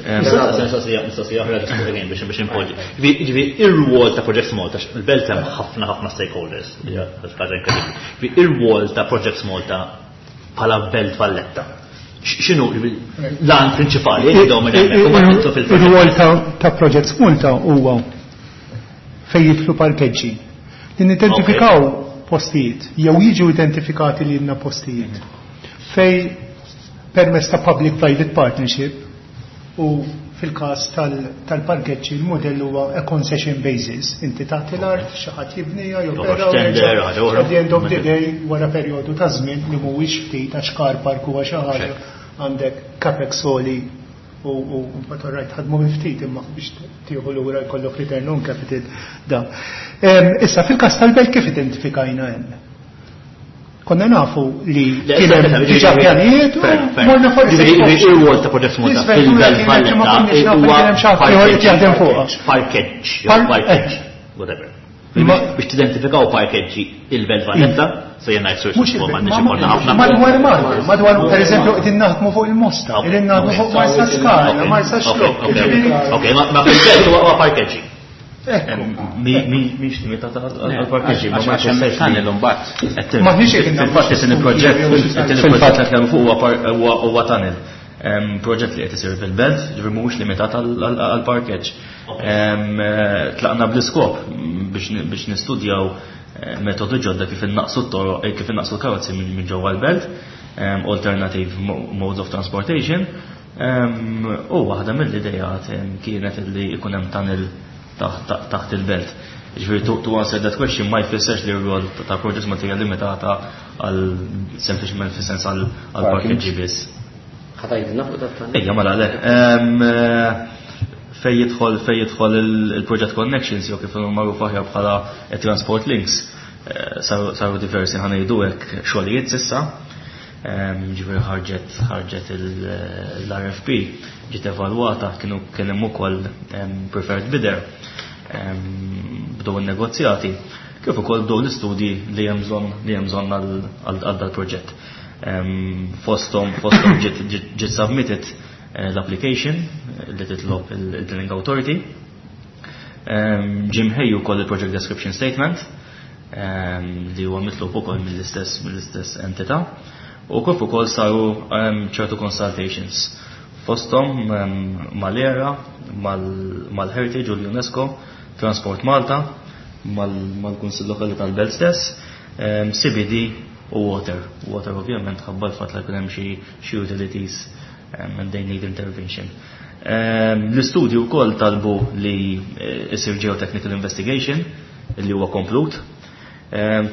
Mistoqsija oħra biex inpoġġi. Ġifieri ir-rwol ta' Projects Malta, il-belt hemm ħafna ħafna stakeholders, ħaġa inkredibbli. Ġifieri ir-rwol ta' Projects Malta bħala Belt Valletta. X'inhu l-għan prinċipali Ir-rwol ta' Projects Malta huwa fejn jidħlu parkeġġi. Li nidentifikaw postijiet, jew jiġu identifikati li għandna postijiet. Fej permezz ta' public-private partnership u fil-każ tal-parkeġġi il-modell huwa a concession basis. Inti tagħti l-art, xi ħadd jibnija jew at the end of the day wara perjodu ta' żmien li mhuwiex ftit għax car park huwa xi ħaġa għandek capex soli u mbagħad rajt ħadmu ftit imma biex tieħu lura jkollok return on capital da. Issa fil-każ tal-belt kif identifikajna hemm? Konna nafu li kien hemm diġà pjanijiet u morna forsi. Ir-rwol ta' Projects Malta fil-Belt Valletta huwa jaħdem fuqha. Parkeġġ, parkeġġ, whatever. Biex tidentifikaw parkeġġi il-Belt Valletta, se jena jisur m'għandniex ikollna ħafna. Madwar Malta, madwar per eżempju qegħdin naħdmu fuq il-Mosta, qegħdin naħdmu fuq Marsaskala, Marsaxlokk. Ok, ma fil-belt huwa parkeġġi. Mhix limitata għal-parkeġġi, ma għax hemm il-tunnel imbagħad. Maħniex Fil-fatt it-tieni proġett, it-tieni proġett li nitkellmu fuq huwa tunnel. Proġett li qed isir fil-belt, ġifieri mhuwiex limitat għal-parkeġġ. Tlaqna bl-iskop biex nistudjaw metodi ġodda kif innaqsu t-toroq, kif innaqsu l-karozzi minn ġewwa l-belt, alternative modes of transportation. U waħda mill-idejat kienet li jkun hemm tunnel taħt il-belt. Ġifieri to answer that question ma jfissirx li r-rol ta' Projects Malta hija limitata għal sempliċement fis-sens għal parkeġġi biss. Ħa tgħidilna fuq dat Ejja, mela le. Fej jidħol il-Project Connections jew kif magħruf aħjar bħala Transport Links, saru diversi ħa ngħidu hekk xogħlijiet s'issa. Ġifieri ħarġet l-RFP, ġiet evalwata, kienu kien hemm ukoll preferred bidder. Bdew in-negozjati, kif ukoll bdew l-istudji li hemm bżonn li hemm bżonn għal dal-proġett. Fosthom ġiet submitted l-application li titlob il-Planning Authority. Ġie mħejji wkoll il-Project Description Statement li huwa mitlub ukoll mill-istess entità. U kif ukoll saru ċertu consultations fosthom mal-ERA, mal-Heritage u l-UNESCO. Transport Malta, mal-Kunsill Lokali tal-Belt stess, CBD u Water. Water ovvjament ħabba l-fatt li jkun hemm xi utilities and they need intervention. L-istudju wkoll talbu li isir geotechnical investigation li huwa komplut.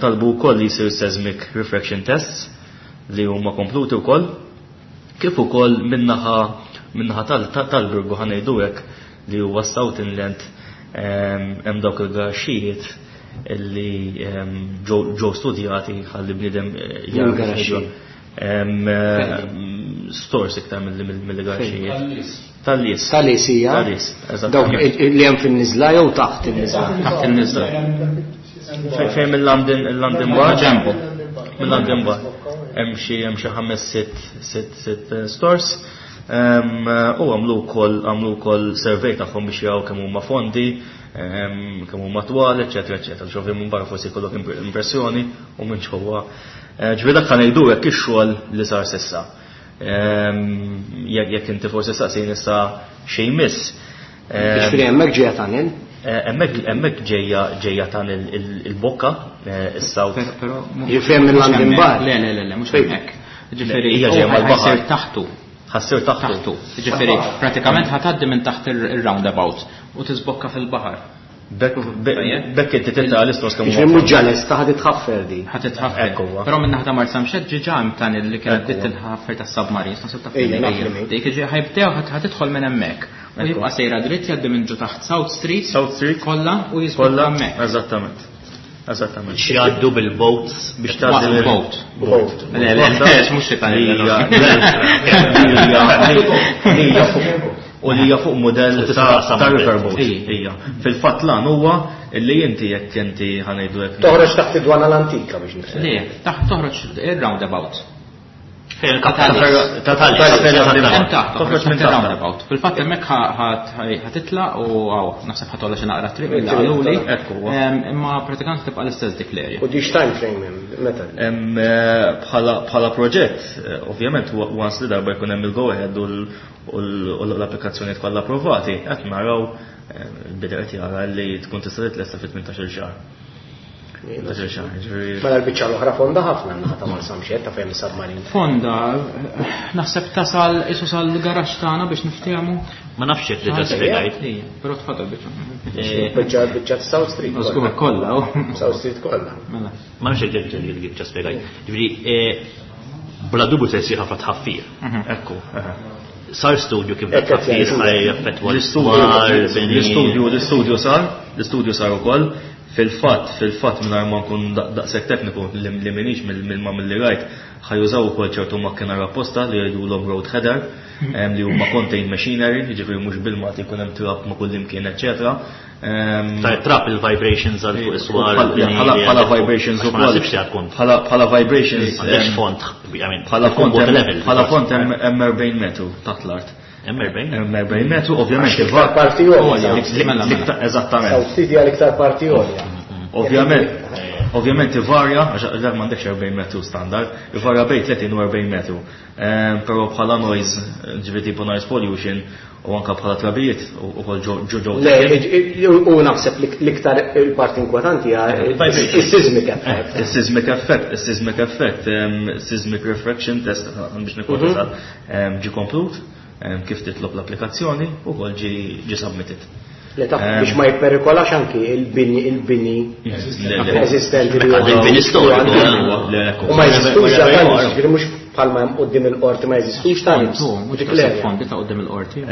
Talbu wkoll li jsir seismic refraction tests li huma kompluti wkoll. Kif ukoll min-naħa tal-Birgu ħa ngħidu hekk li huwa South Inland hemm dawk il-garaxxijiet li ġew studjati ħalli bniedem jara Garaxxi. Stores iktar mill-garaxxijiet. Tal-lis. Tal-lis hija. Tal-lis, eżatt. Dawk li hemm fin-niżla jew taħt in-niżla? Taħt in-niżla. Fejn mill-London, il-London Bar. Ġembu. Mill-London Bar. Hemm xi ħames sitt stores. U għamlu wkoll survey tagħhom biex jaraw kemm huma fondi, kemm huma twal, eċetera, eċetera. Ġovi minn barra forsi jkollok impressjoni u minn ġewwa. Ġifieri dak ngħidu hekk ix-xogħol li sar s'issa. Jekk inti forsi saqsin issa xejn miss. Ġifieri hemmhekk ġejja tunnel? Hemmhekk ġejja tunnel il-bokka, is-South. Però Ġifieri hemm il-London Bar. Le, le, le, le, mhux hemmhekk. Ġifieri Hija ġejja mal-baħar. ħassir taħtu. Ħassir taħtu. Taħtu. Ġifieri pratikament ħatgħaddi minn taħt ir-roundabout u tiżbokka fil-baħar. Bekk inti titla' l-istors kemm Ġifieri mhux ġales ta' ħad titħaffer di. Ħad titħaffer. Ekku huwa. Però minn naħa ta' Marsamxett ġiġa hemm tunnel li kienet Ekku bdiet huwa. tinħaffer tas-submarines, naħseb taf Ejja, min naf hija. li min. Dik ġi ħajbdew ħad tidħol minn hemmhekk. U jibqa' sejra dritt jgħaddi minn ġo taħt South Street. South Street. Kollha u jiżbokka Kollha, hemmhekk. Eżattament. Eżattament. Biex jgħaddu bil-boats. Biex tgħaddi Waqt boat. Boat. Le, le, le, mhux xi tunnel. Hija u li hija fuq modell U tista' taqsam ta' il-belt. riverboat. Ija. Ija. Fil-fatt lan huwa li inti jekk inti ħanejdu hekk. Toħroġ taħt id-dwana l-antika biex nifhem. Le, taħt toħroġ ir-roundabout. Fejn Ta' ta' Hemm taħt, Toħroġ minn taħt taħt. ir-roundabout. Fil-fatt hemmhekk ħatitla u għaw, naħseb ħatolla xi naqra triq mill qaluli. Ekku huwa. Imma pratikament tibqa' l-istess dik l-area. U di time frame hemm meta? Hemm bħala proġett, ovvjament once li darba jkun hemm il-go ahead u l-applikazzjonijiet kollha approvati, qed naraw il-bidel qed jara li tkun tista' titlesta fi 18-il xahar. 18-il xahar, ġifieri. Mela l-biċċa l-oħra fonda ħafna naħa ta' Marsamxett ta' fejn is-submarine. Fonda, naħseb tasal isu sal-garaxx tagħna biex niftehmu. Ma nafx jekk diġà spjegajt. Ija, però tfadal biċċa. Biċċa South Street. Żgur kollha. kollha. u. South Street kollha. Mela. Ma nafx jekk diġà spjegajt. Ġifieri, bla dubju se jsir ħafna tħaffir. Ekku. Sar studju kif Ekk qed tħaffir jgħidu. ħaj jaffettwa L-istudju l-istudju sar, l-istudju sar ukoll. Fil-fatt, fil-fatt mingħajr ma nkun daqshekk tekniku li m'iniex mill-ma milli rajt, ħajużaw ukoll ċertu makkinar apposta li jgħidulhom road header, li huma contained machinery, jiġifieri mhux bil-mat jkun hemm trap ma' kull imkien, eċetera. Ta' trap il-vibrations għal fuq is-swar, il-bini li Bħala għandek fuq. vibrations Għax ma ukoll. naħsibx li għad tkun. Bħala vibrations, Għandekx font, I mean, bħala tkun font water hemm- level. bħala font hemm 40 metru taħt l-art. Hemm 40? Hemm 40 metru, ovvjament Għax l-iktar parti għolja. Mela, mela. Eżattament. South Street hija l-iktar parti għolja. Ovvjament, ovvjament ivarja, għax dak m'għandekx 40 metru standard, ivarja bejn 30 u 40 metru. Però bħala noise, ġifieri tipo noise pollution, u anka bħala trabijiet u kol ġo ġo Le, u naħseb l-iktar il-parti inkwetanti hija Vibration. il-seismic effect. Il-seismic effect, il-seismic effect, seismic refraction test, biex nikun eżatt, ġi komplut, kif titlob l-applikazzjoni u kol ġi submitted. Le taf biex ma jipperikolax anki il-bini Le, le. eżistenti li Mekka huwa il-bini storiku, li huwa Le, le, U ma jeżistux Le, le, dan, le, ġifieri mhux bħalma hemm quddiem il-qorti ma jeżistux dan. Tu, mhux Dik taħseb l-area. fondi ta' quddiem il-qorti.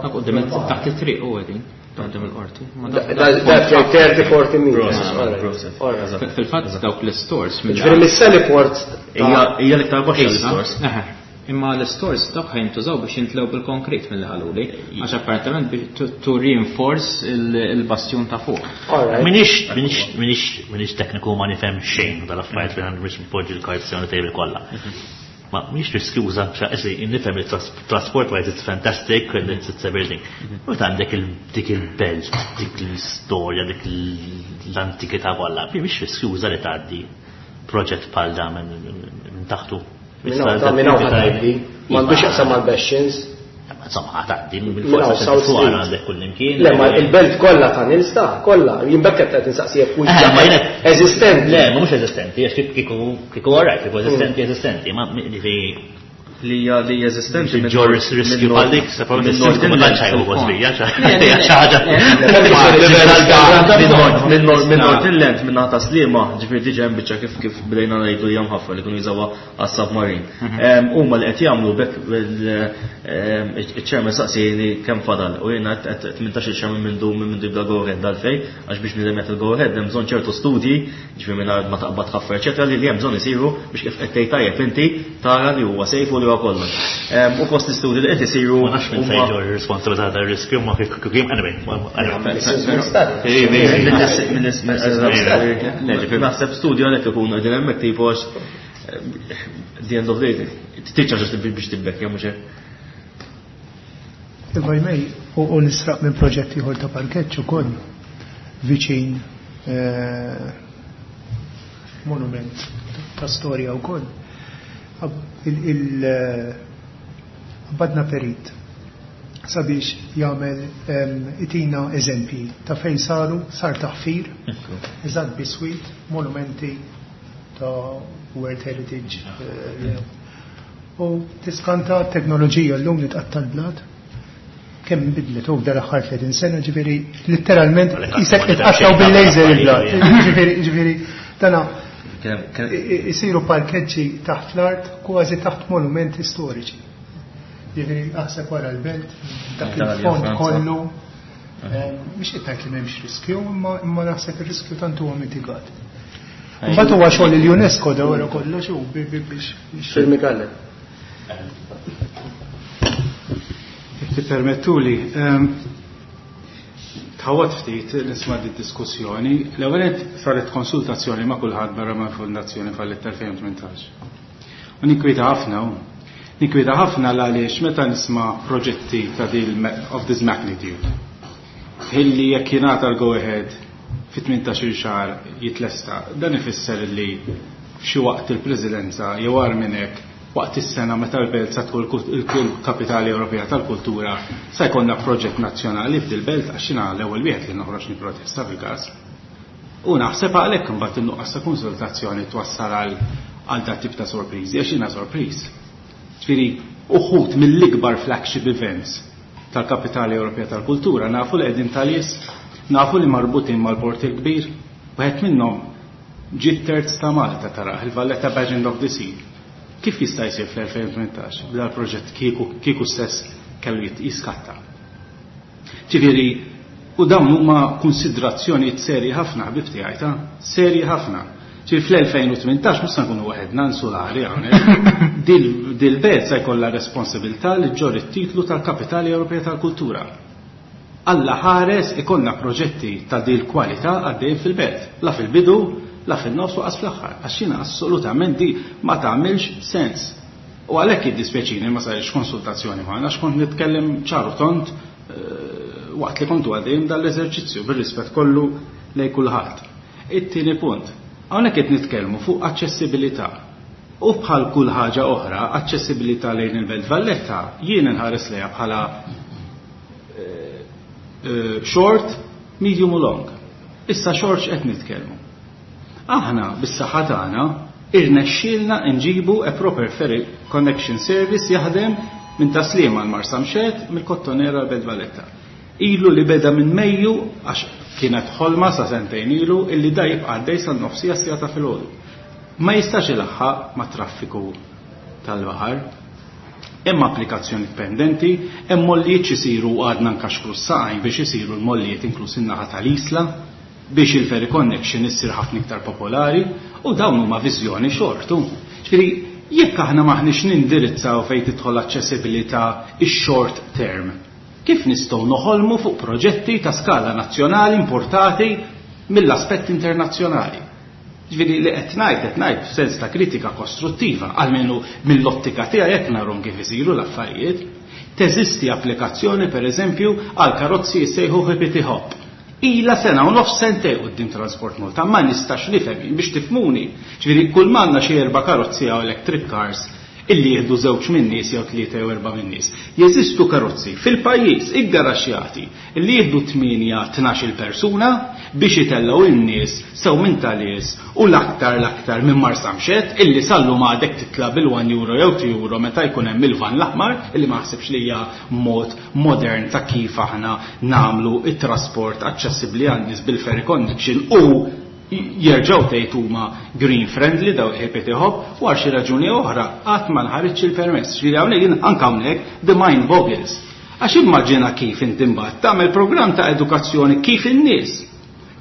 Ta' quddiem taħt it-triq u qegħdin ta' quddiem il-qorti. Ma Dak 30 40 meters. Process, Alright. process. Alright. Eżatt. Fil-fatt dawk l-stores mill- Ġifieri mis-Sallyport Hija l-iktar baxxa Issa, l-istores. eħe. Imma l-stores dawk ħajntużaw biex jintlew bil-konkret mill qaluli, għax apparentament biex to reinforce il-bastjun ta' fuq. Alright. Minix tekniku ma nifhem xejn dal-affarijiet li għandu biex npoġġi l-cards on the table kollha. Ma minix riskjuża, xa esi nifhem li transport wise it's fantastic and it's everything. U għandek dik il-belt, dik l-istorja, dik l-antikità kollha, mhix riskjuża li tgħaddi proġett bħal dan minn taħtu. Minn hawn ta' minn hawn ħa tgħaddi. M'għandux jaqsam mal-Bastions. Insomma, tgħaddi mill-forza fuq għandek kullimkien. Le, ma il-belt kollha ta' nilsta, kollha, jien bekk qed insaqsi jekk hux eżistenti. Le, ma mhux eżistenti, għax kieku kieku orajt, kieku eżistenti eżistenti, ma ġifieri li hija li eżistenti minn ġorris riskju bħal dik, se probabbli ma tantx ħajju kosbija, xi ħaġa. Minn North Inland, minn naħa Sliema, ġifieri diġà hemm biċċa kif kif bdejna ngħidu hija mħaffa li kienu jużawha għas-submarine. Huma li qed jagħmlu bekk iċ-chairman saqsieni kemm fadal u jiena qed 18-il xahar minn mindu minn mindu jibda go ahead dal-fej għax biex nidem jagħti go ahead hemm bżonn ċertu studji, ġifieri mingħajr ma taqbad ħaffer eċetera li hemm bżonn isiru biex kif qed tgħid tajjeb inti tara li huwa safe u li huwa kollox. U fost l-istudji li qed isiru. Ma nafx minn fejn ġor ir-responsabilità tar-riskju ma kif anyway. Naħseb studju għalhekk ikunu qegħdin hemmhekk tipo għax the end of the day, tiċċa biex tibbek, jew mhux hekk. If I may, u nisraq minn proġett ieħor ta' parkeġġ ukoll viċin monument ta' storja wkoll. Il-badna perit sabiex jagħmel itina eżempji ta' fejn saru sar taħfir, eżatt biswit, monumenti ta' World Heritage. U tiskanta t-teknoloġija llum li tqatta' l-blat kemm bidlet u dal-aħħar 30 sena, ġifieri letteralment isek tqattaw bil-laser il-blat. Ġifieri dana isiru parkeġġi taħt l-art kważi taħt monumenti storiċi. Ġifieri aħseb wara l-belt, dak il-fond kollu. Mhux qed ngħid li m'hemmx riskju, imma naħseb ir-riskju tant huwa mitigat. Mbagħad huwa xogħol il-UNESCO da wara kollox u biex. Sir Mikael. Jekk tippermettuli, tħawwad ftit nisma' di diskussjoni. L-ewwel saret konsultazzjoni ma' kulħadd barra mal-Fondazzjoni Fallet 2018. U ninkwieta ħafna hu. Ninkwieta ħafna għaliex meta nisma' proġetti ta' dil of this magnitude. Illi jekk jingħata l-go ahead fi 18 xahar jitlesta, dan ifisser li f'xi waqt il-Presidenza jew agħar minn hekk waqt is-sena meta l-belt sa tkun il-Kapitali Ewropea tal-Kultura sa jkollna proġett nazzjonali f'dil-belt għax jiena l-ewwel wieħed li noħroġ nipprotesta fil-każ. U naħseb għalhekk imbagħad in-nuqqas ta' konsultazzjoni twassal għal dat tip ta' sorpriżi għax jiena sorpriż. Ġifieri uħud mill-ikbar flagship events tal-Kapitali Ewropea tal-Kultura nafu li qegħdin tal-is, nafu li marbutin mal-Port il-Kbir, wieħed minnhom ġie terz ta' Malta taraħ il-Valletta Pageant of the Sea. Kif jista' jsir fl-2018 bla proġett kieku stess kellu jiskatta? Ġifieri, u dawn huma konsidrazzjonijiet serji ħafna ħbib tiegħi ta' serji ħafna. Ġifieri fl-2018 mhux se nkunu waħedna insulari hawnhekk. Dil-belt se jkollha responsabilità li ġġorr it-titlu tal-Kapitali Ewropea tal-Kultura. Alla ħares ikollna proġetti ta' dil kwalità għaddejjin fil-belt, la fil-bidu, la fil-nofs u qas fl-aħħar, għax jiena assolutament di ma tagħmilx sens. U għalhekk jiddispjaċini ma sarix konsultazzjoni magħna għax kont nitkellem ċar u tond waqt li kontu għaddejjin dal-eżerċizzju bir-rispett kollu lejn kulħadd. It-tieni punt, hawnhekk qed nitkellmu fuq aċċessibilità. U bħal kull ħaġa oħra, aċċessibilità lejn il-Belt Valletta jien inħares lejha bħala short, medium u long. Issa short x'qed nitkellmu. Aħna bis-saħħa tagħna irnexxielna nġibu a proper ferry connection service jaħdem minn Taslima għal Marsamxett mill-Kottonera għal Belt Valletta. Ilu li beda minn Mejju għax kienet ħolma sa sentejn ilu illi da jibqa' għaddej san-nofsija sija ta' filgħodu. Ma jistax ilaħħaq ma' traffiku tal-baħar. Hemm applikazzjoni pendenti, hemm mollijiet x'isiru u għadna nkaxkru s-saqajn biex isiru l-mollijiet inkluż in-naħa tal-Isla biex il-ferry connection issir ħafna iktar popolari u dawn huma viżjoni xortu. Ġifieri, jekk aħna maħniex nindirizzaw fejn tidħol aċċessibilità ix-short term, kif nistgħu noħolmu fuq proġetti ta' skala nazzjonali importati mill-aspett internazzjonali? Ġifieri li qed ngħid qed ngħid f'sens ta' kritika kostruttiva, almenu mill-ottika tiegħi qed narhom kif isiru l-affarijiet. Teżisti applikazzjoni pereżempju għal karozzi jissejħu hippity hop. Ila sena u nofs sentej quddiem Transport Malta, ma nistax nifhem biex tifhmuni. Ġifieri kull m'għandna xi 4 karozzi għaw electric cars Illi jieħdu żewġ min-nies jew tlieta jew erbgħa min-nies. Jeżistu karozzi fil-pajjiż iggaraxjati li jieħdu tmienja, 12-il persuna biex itellgħu in-nies sew minn Talies u l-aktar l-aktar minn Marsamxett illi sal-lum għadek titla' bil-one euro jew two euro meta jkun hemm il-vann l-aħmar illi ma naħsibx li hija mod modern ta' kif aħna nagħmlu t-trasport aċċessibbli għan-nies bil-ferry connection u jerġgħu tgħid huma green friendly daw il-ħipiet iħobb u għal xi raġuni jew oħra qatt ma nħariġx il-permess. Ġifieri hawnhekk jien anke hawnhekk the mind boggles. Għax immaġina kif inti mbagħad tagħmel programm ta' edukazzjoni kif in-nies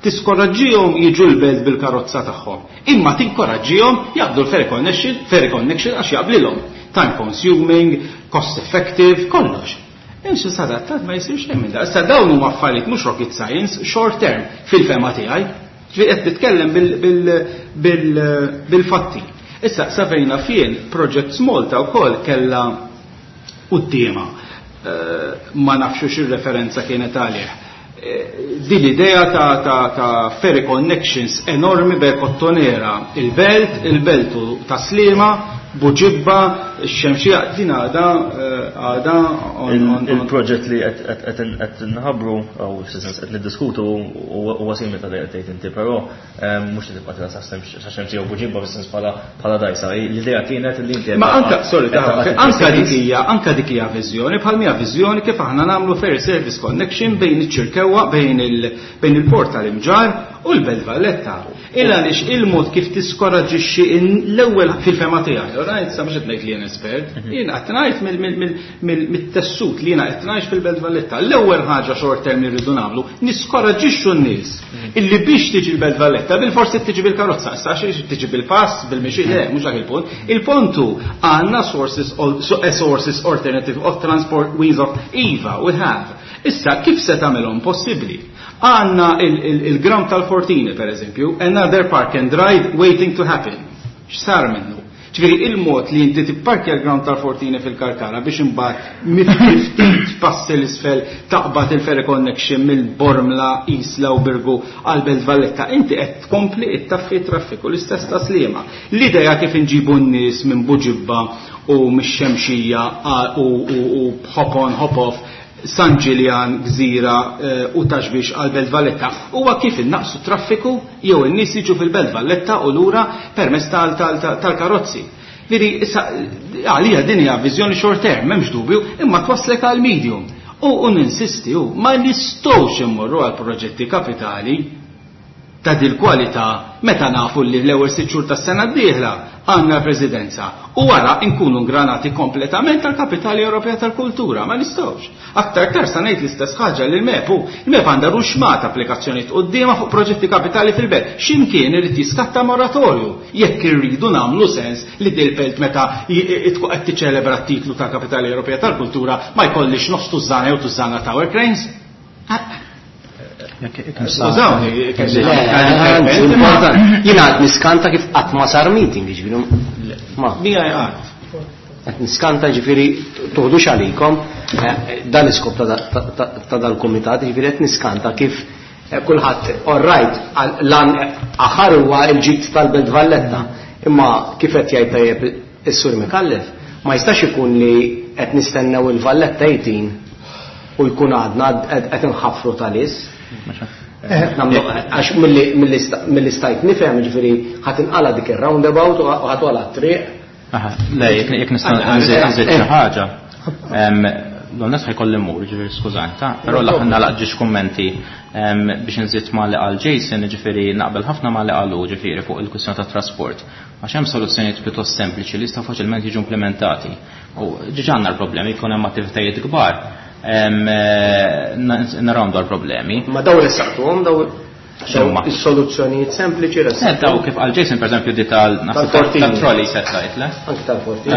tiskoraġġihom jiġu l-belt bil-karozza tagħhom, imma tinkoraġġihom jaqbdu l-ferry connection, ferry connection għax jaqblilhom. Time consuming, cost effective, kollox. Imxi sadattant ma jsir xejn minn dan. Issa dawn huma affarijiet mhux rocket science, short term fil-fehma tiegħi. Ġifieri qed nitkellem bil-fatti. Issa sa fejn naf jien Projects Malta wkoll kellha quddiemha eh, ma nafx xi referenza kienet għalih. Eh, din l-idea ta', ta, ta ferry connections enormi bej Kottonera, il-Belt, il-Belt u ta' Sliema, Buġibba, x-Xemxija, din għada eh, għada Il-proġett li qed nħabbru u sens qed niddiskutu huwa simili ta' li qed tgħid inti, però mhux li tibqa' tilha sa Xemxija u Buġibba fis-sens bħala dajsa. L-idea kienet li inti Ma anka, sorry, anka dik hija, anka dik hija viżjoni bħal mija viżjoni kif aħna nagħmlu ferry service connection bejn iċ-Ċirkewwa bejn il-port tal-Imġarr u l-Belt Valletta. Il għaliex il-mod kif tiskoraġġixxi l-ewwel fil-fema tiegħi, right, sa mhux qed ngħid li jien espert, jien qed ngħid mit-tessut li jiena qed ngħix fil-Belt Valletta. L-ewwel ħaġa short term li rridu nagħmlu, niskoraġġixxu n-nies illi biex tiġi l-Belt Valletta bil-forsi tiġi bil-karozza, issa għax tiġi bil-pass, bil-mixi, le, mhux dak il-punt. Il-punt hu għandna sources, eh, sources alternative of transport ways of iva, we have. Issa kif se tagħmilhom possibbli? Għandna il-ground tal-Fortini, per eżempju, another park and ride waiting to happen. X'sar minnu? Ġifieri il-mod li inti tipparkja l-ground tal-Fortini fil-Karkara biex imbagħad ftit passi 'l isfel taqbad il-ferry connection mill-Bormla, Isla u Birgu għal Belt Valletta, inti qed tkompli ttaffi t-traffiku l-istess ta' Sliema. L-idea kif inġibu n-nies minn Buġibba u mix-Xemxija u hop on hop off San Ġiljan, Gżira u Ta' Xbiex għal Belt Valletta huwa kif innaqqsu t-traffiku jew in-nies jiġu fil-Belt Valletta u lura permezz tal-karozzi. Vidi, issa għalija din hija viżjoni short term, m'hemmx dubju, imma twasslek għal medium. U ninsisti hu, ma nistgħux immorru għal proġetti kapitali ta' dil-kwalità meta nafu li l-ewwel sitt xhur tas-sena d-dieħla għandna l-Presidenza u wara nkunu ngranati kompletament għall-Kapitali Ewropea tal-Kultura. Ma nistgħux. Aktar tard sa ngħid l-istess ħaġa lill-MEP hu. Il-MEP għandha ruxxmata applikazzjonijiet quddiemha fuq proġetti kapitali fil-belt. Xi mkien irid jiskatta moratorju jekk irridu nagħmlu sens li dil-belt meta tkun qed tiċċelebra t-titlu tal-Kapitali Ewropea tal-Kultura ma jkollhiex nofs tużżana jew tużżana tower cranes. Skużawni, Jina għad niskanta kif qatt ma sar meeting, ġifieri. Ma. Mija qatt. Qed niskanta ġifieri toħdux għalikom eh, dan iskop ta' dal-kumitat, ġifieri qed niskanta kif eh, kulħadd all right lan aħar huwa l-ġid tal-Belt Valletta, imma kif qed jgħid tajjeb is-Sur Mikallef, ma jistax ikun li qed nistennew il-Valletta 18 u jkun għadna qed inħaffru tal-is. Għax milli stajt nifhem, ġifieri ħadd inqala dik ir-roundabout u ħadd wara t-triq. Le, jekk nista' nżid xi ħaġa. L-għonet ħajkolli mmur, ġifieri skużani, ta' però l-aħħar nagħlaq ġiex kummenti biex nżid ma' li qal Jason, ġifieri naqbel ħafna ma' li qalu ġifieri fuq il-kwistjoni tat-trasport. Għax hemm soluzzjonijiet pjuttost sempliċi li jistgħu faċilment jiġu implimentati. U ġiġa għandna l-problemi, jkun hemm attivitajiet kbar, narawhom dawn problemi. Ma daw ressaqtuhom daw Is-soluzzjonijiet sempliċi ressaqtuhom. Eh, daw kif qal Jason pereżempju di tal-trolley set tajt, le? Anki tal-forti.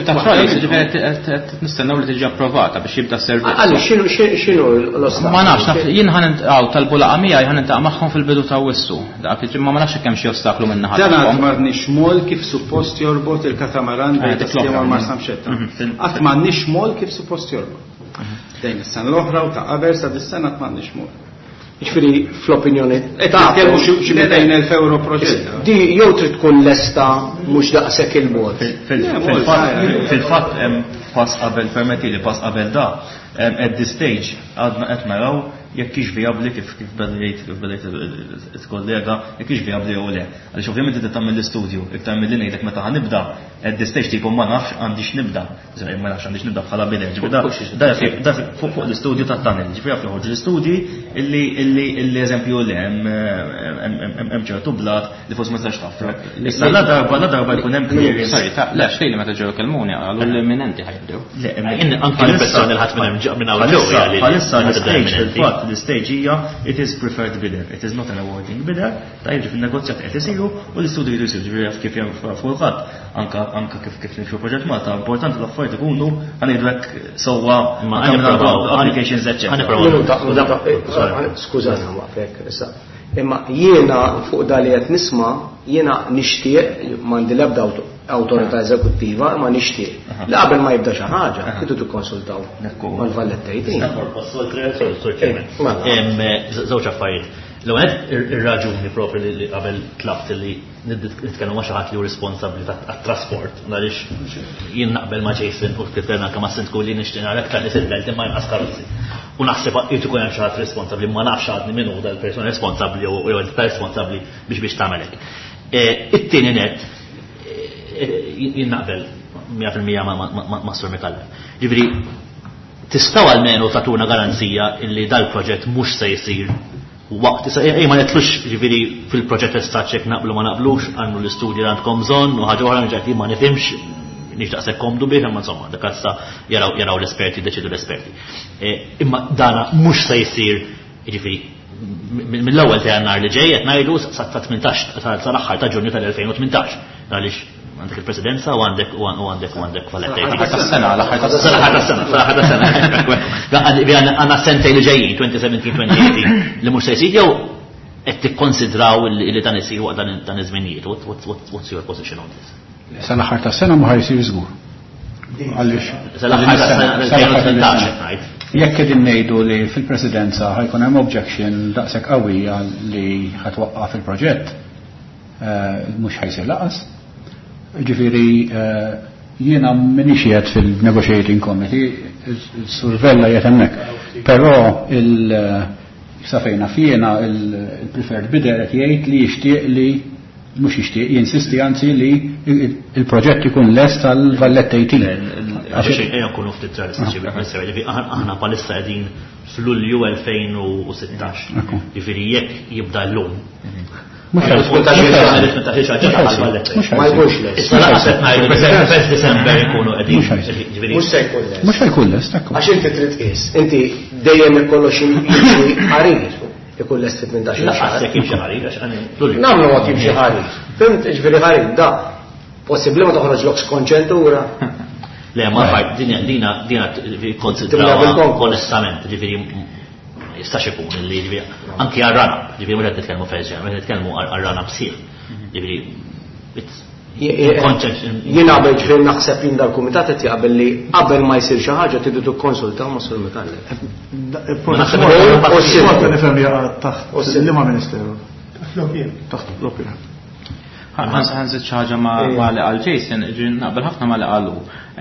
Tal-trolley, ġifieri nistennew li tiġi approvata biex jibda s-servizz. Għalli, x'inhu l-ostaklu? Ma nafx, jien ħan tal-bulaqa miegħi ħan intaqa' magħhom fil-bidu ta' wissu. Dak ma ma nafx kemm xi ostaklu minn naħa. Dan għad m'għandniex mol kif suppost jorbot il-katamaran bejn tas-Sliema u l-Marsamxetta. Qatt m'għandniex mol kif suppost jorbot. Dejn is-sena l-oħra u ta' qabel sa dis-sena qatt m'għandniex mol. Ġifieri fl-opinjoni tagħkom xi 200,000 euro proġett. Di jew trid tkun lesta mhux daqshekk il-bogħod. Fil-fatt pass qabel permetti li pass qabel da at this stage għadna qed naraw jekk hix vijabbli kif kif beda jgħid kif beda jgħid il-kollega jekk hix vijabbli jew le. Għaliex ovvjament inti tagħmel l-istudju iktar milli ngħidlek meta ħa nibda at this stage tipo ma nafx għandix nibda. Ma nafx għandix nibda bħala bidel. Ġifieri da fuq l-istudju tat-tunnel, ġifieri jaf joħorġu l-istudji illi illi illi eżempju li hemm ċertu blat li forsi ma tistax taf. Issa la darba la darba jkun hemm clearance. Sorry, ta' le xejn meta ġew kellmuni qalu li l-imminenti ħajbdew. Le, Anke l-impressjoni li ħadd minn hemm minn hawn ġew hija li Bħalissa l-stage fil-fatt l-stage hija it is preferred bidder, it is not an awarding bidder, ta' jiġi fin-negozjat qed isiru u l-istudju jridu jsiru ġifieri jaf kif hemm kulħadd anka anka kif kif nimxu proġett Malta, importanti l-affarijiet ikunu ħa ngħidu hekk sewwa Ma anke minn ħa nipprovaw applications eċċetera. Ħa nipprovaw. Skużani waqfek, issa. Imma jiena fuq da li qed nisma' jiena nixtieq m'għandi l-ebda awtorità eżekuttiva, imma nixtieq li qabel ma jibda xi ħaġa, tridu tikkonsultaw mal-Valletta 18. Żewġ affarijiet. L-ewwel ir-raġuni propri li qabel tlabt li nitkellmu ma' xi ħadd li hu responsabbli tat-trasport għaliex jien naqbel ma' Jason u titkellem anke ma' Sindku li nixtieq nara aktar nies il-belt imma inqas karozzi. U naħseb irid ikun hemm xi ħadd responsabbli ma nafx għadni min hu dal-persuna responsabbli jew entità responsabbli biex biex tagħmel hekk. It-tieni net jien naqbel 100% ma' Sur Micallef. Ġifieri tistgħu almenu tagħtuna garanzija illi dal-proġett mhux se jsir waqt, issa, ej, ma netlux ġifieri fil-proġett estaċ jekk naqblu ma naqblux, għandu l-istudji li għandkom bżonn u ħaġa oħra nġajt ma nifhimx, nix daqshekk komdu bih, imma insomma, dak issa jaraw l-esperti, deċidu l-esperti. Imma dana mhux se jsir, ġifieri, mill-ewwel ta' Jannar li ġej qed ngħidu sa ta' 18 sal-aħħar ta' Ġunju tal-2018. Għaliex għandek il-presidenza u għandek u għandek u għandek Valletta. L-aħħar tas-sena, l-aħħar tas-sena. L-aħħar tas-sena, l-aħħar tas-sena. Għandna sentejn li ġejjin, 2017-2018, li mhux se jsir jew qed tikkonsidraw li dan isir waqt dan iż-żminijiet. What's your position on this? Sal-aħħar tas-sena ma ħajsir żgur. Għaliex Sal-aħħar tas-sena 2018 qed ngħid. Jekk qegħdin ngħidu li fil-presidenza ħajkun hemm objection daqshekk qawwija li ħatwaqqaf il-proġett, mhux ħajsir laqas. Ġifieri jiena m'iniex qiegħed fil-negotiating committee, Sur Vella qiegħed hemmhekk. Però sa fejna fjena il-preferred bidder qed jgħid li jixtieq li mhux jixtieq, jinsisti anzi li il-proġett ikun lest tal-Valletta 18. Għax ejja nkunu ftit realistiċi biex nsew, ġifieri aħna bħalissa qegħdin f'Lulju 2016. Ġifieri jekk jibda llum. Mhux Ma jkunx lest. Issa laqas qed ngħidu li first December ikunu qegħdin. Ġifieri Mhux se jkun lest. Mhux se jkun lest, ekku. Għax inti trid tqis, inti dejjem ikollok xi jimxi ħarir. Ikun lest fit 18 Laqas xahar. jekk jimxi ħarir, għax għani Lulju. Nagħmlu mod jimxi ħarir. Fimt, ġifieri ħarir, da possibbli ma toħroġlok skonċentura. Le, ma fajt, dina, dina, dina konsidrawha Timla bil-konkos. onestament, ġifieri jistax ikun li ġifieri anki għar-rana, ġifieri mhux qed nitkellmu feġġa, mhux qed nitkellmu għar-rana bsieħ. Ġifieri it's Jien qabel ġifieri naħseb jien dal-kumitat qed jaqbel li qabel ma jsir xi ħaġa tridu tikkonsultaw ma' Sur Micallef. Malta nifhem jaqa' taħt liema ministeru. Taħt l-opin. Ħanżid xi ħaġa ma li qal Jason, ġifieri naqbel ħafna ma li qalu.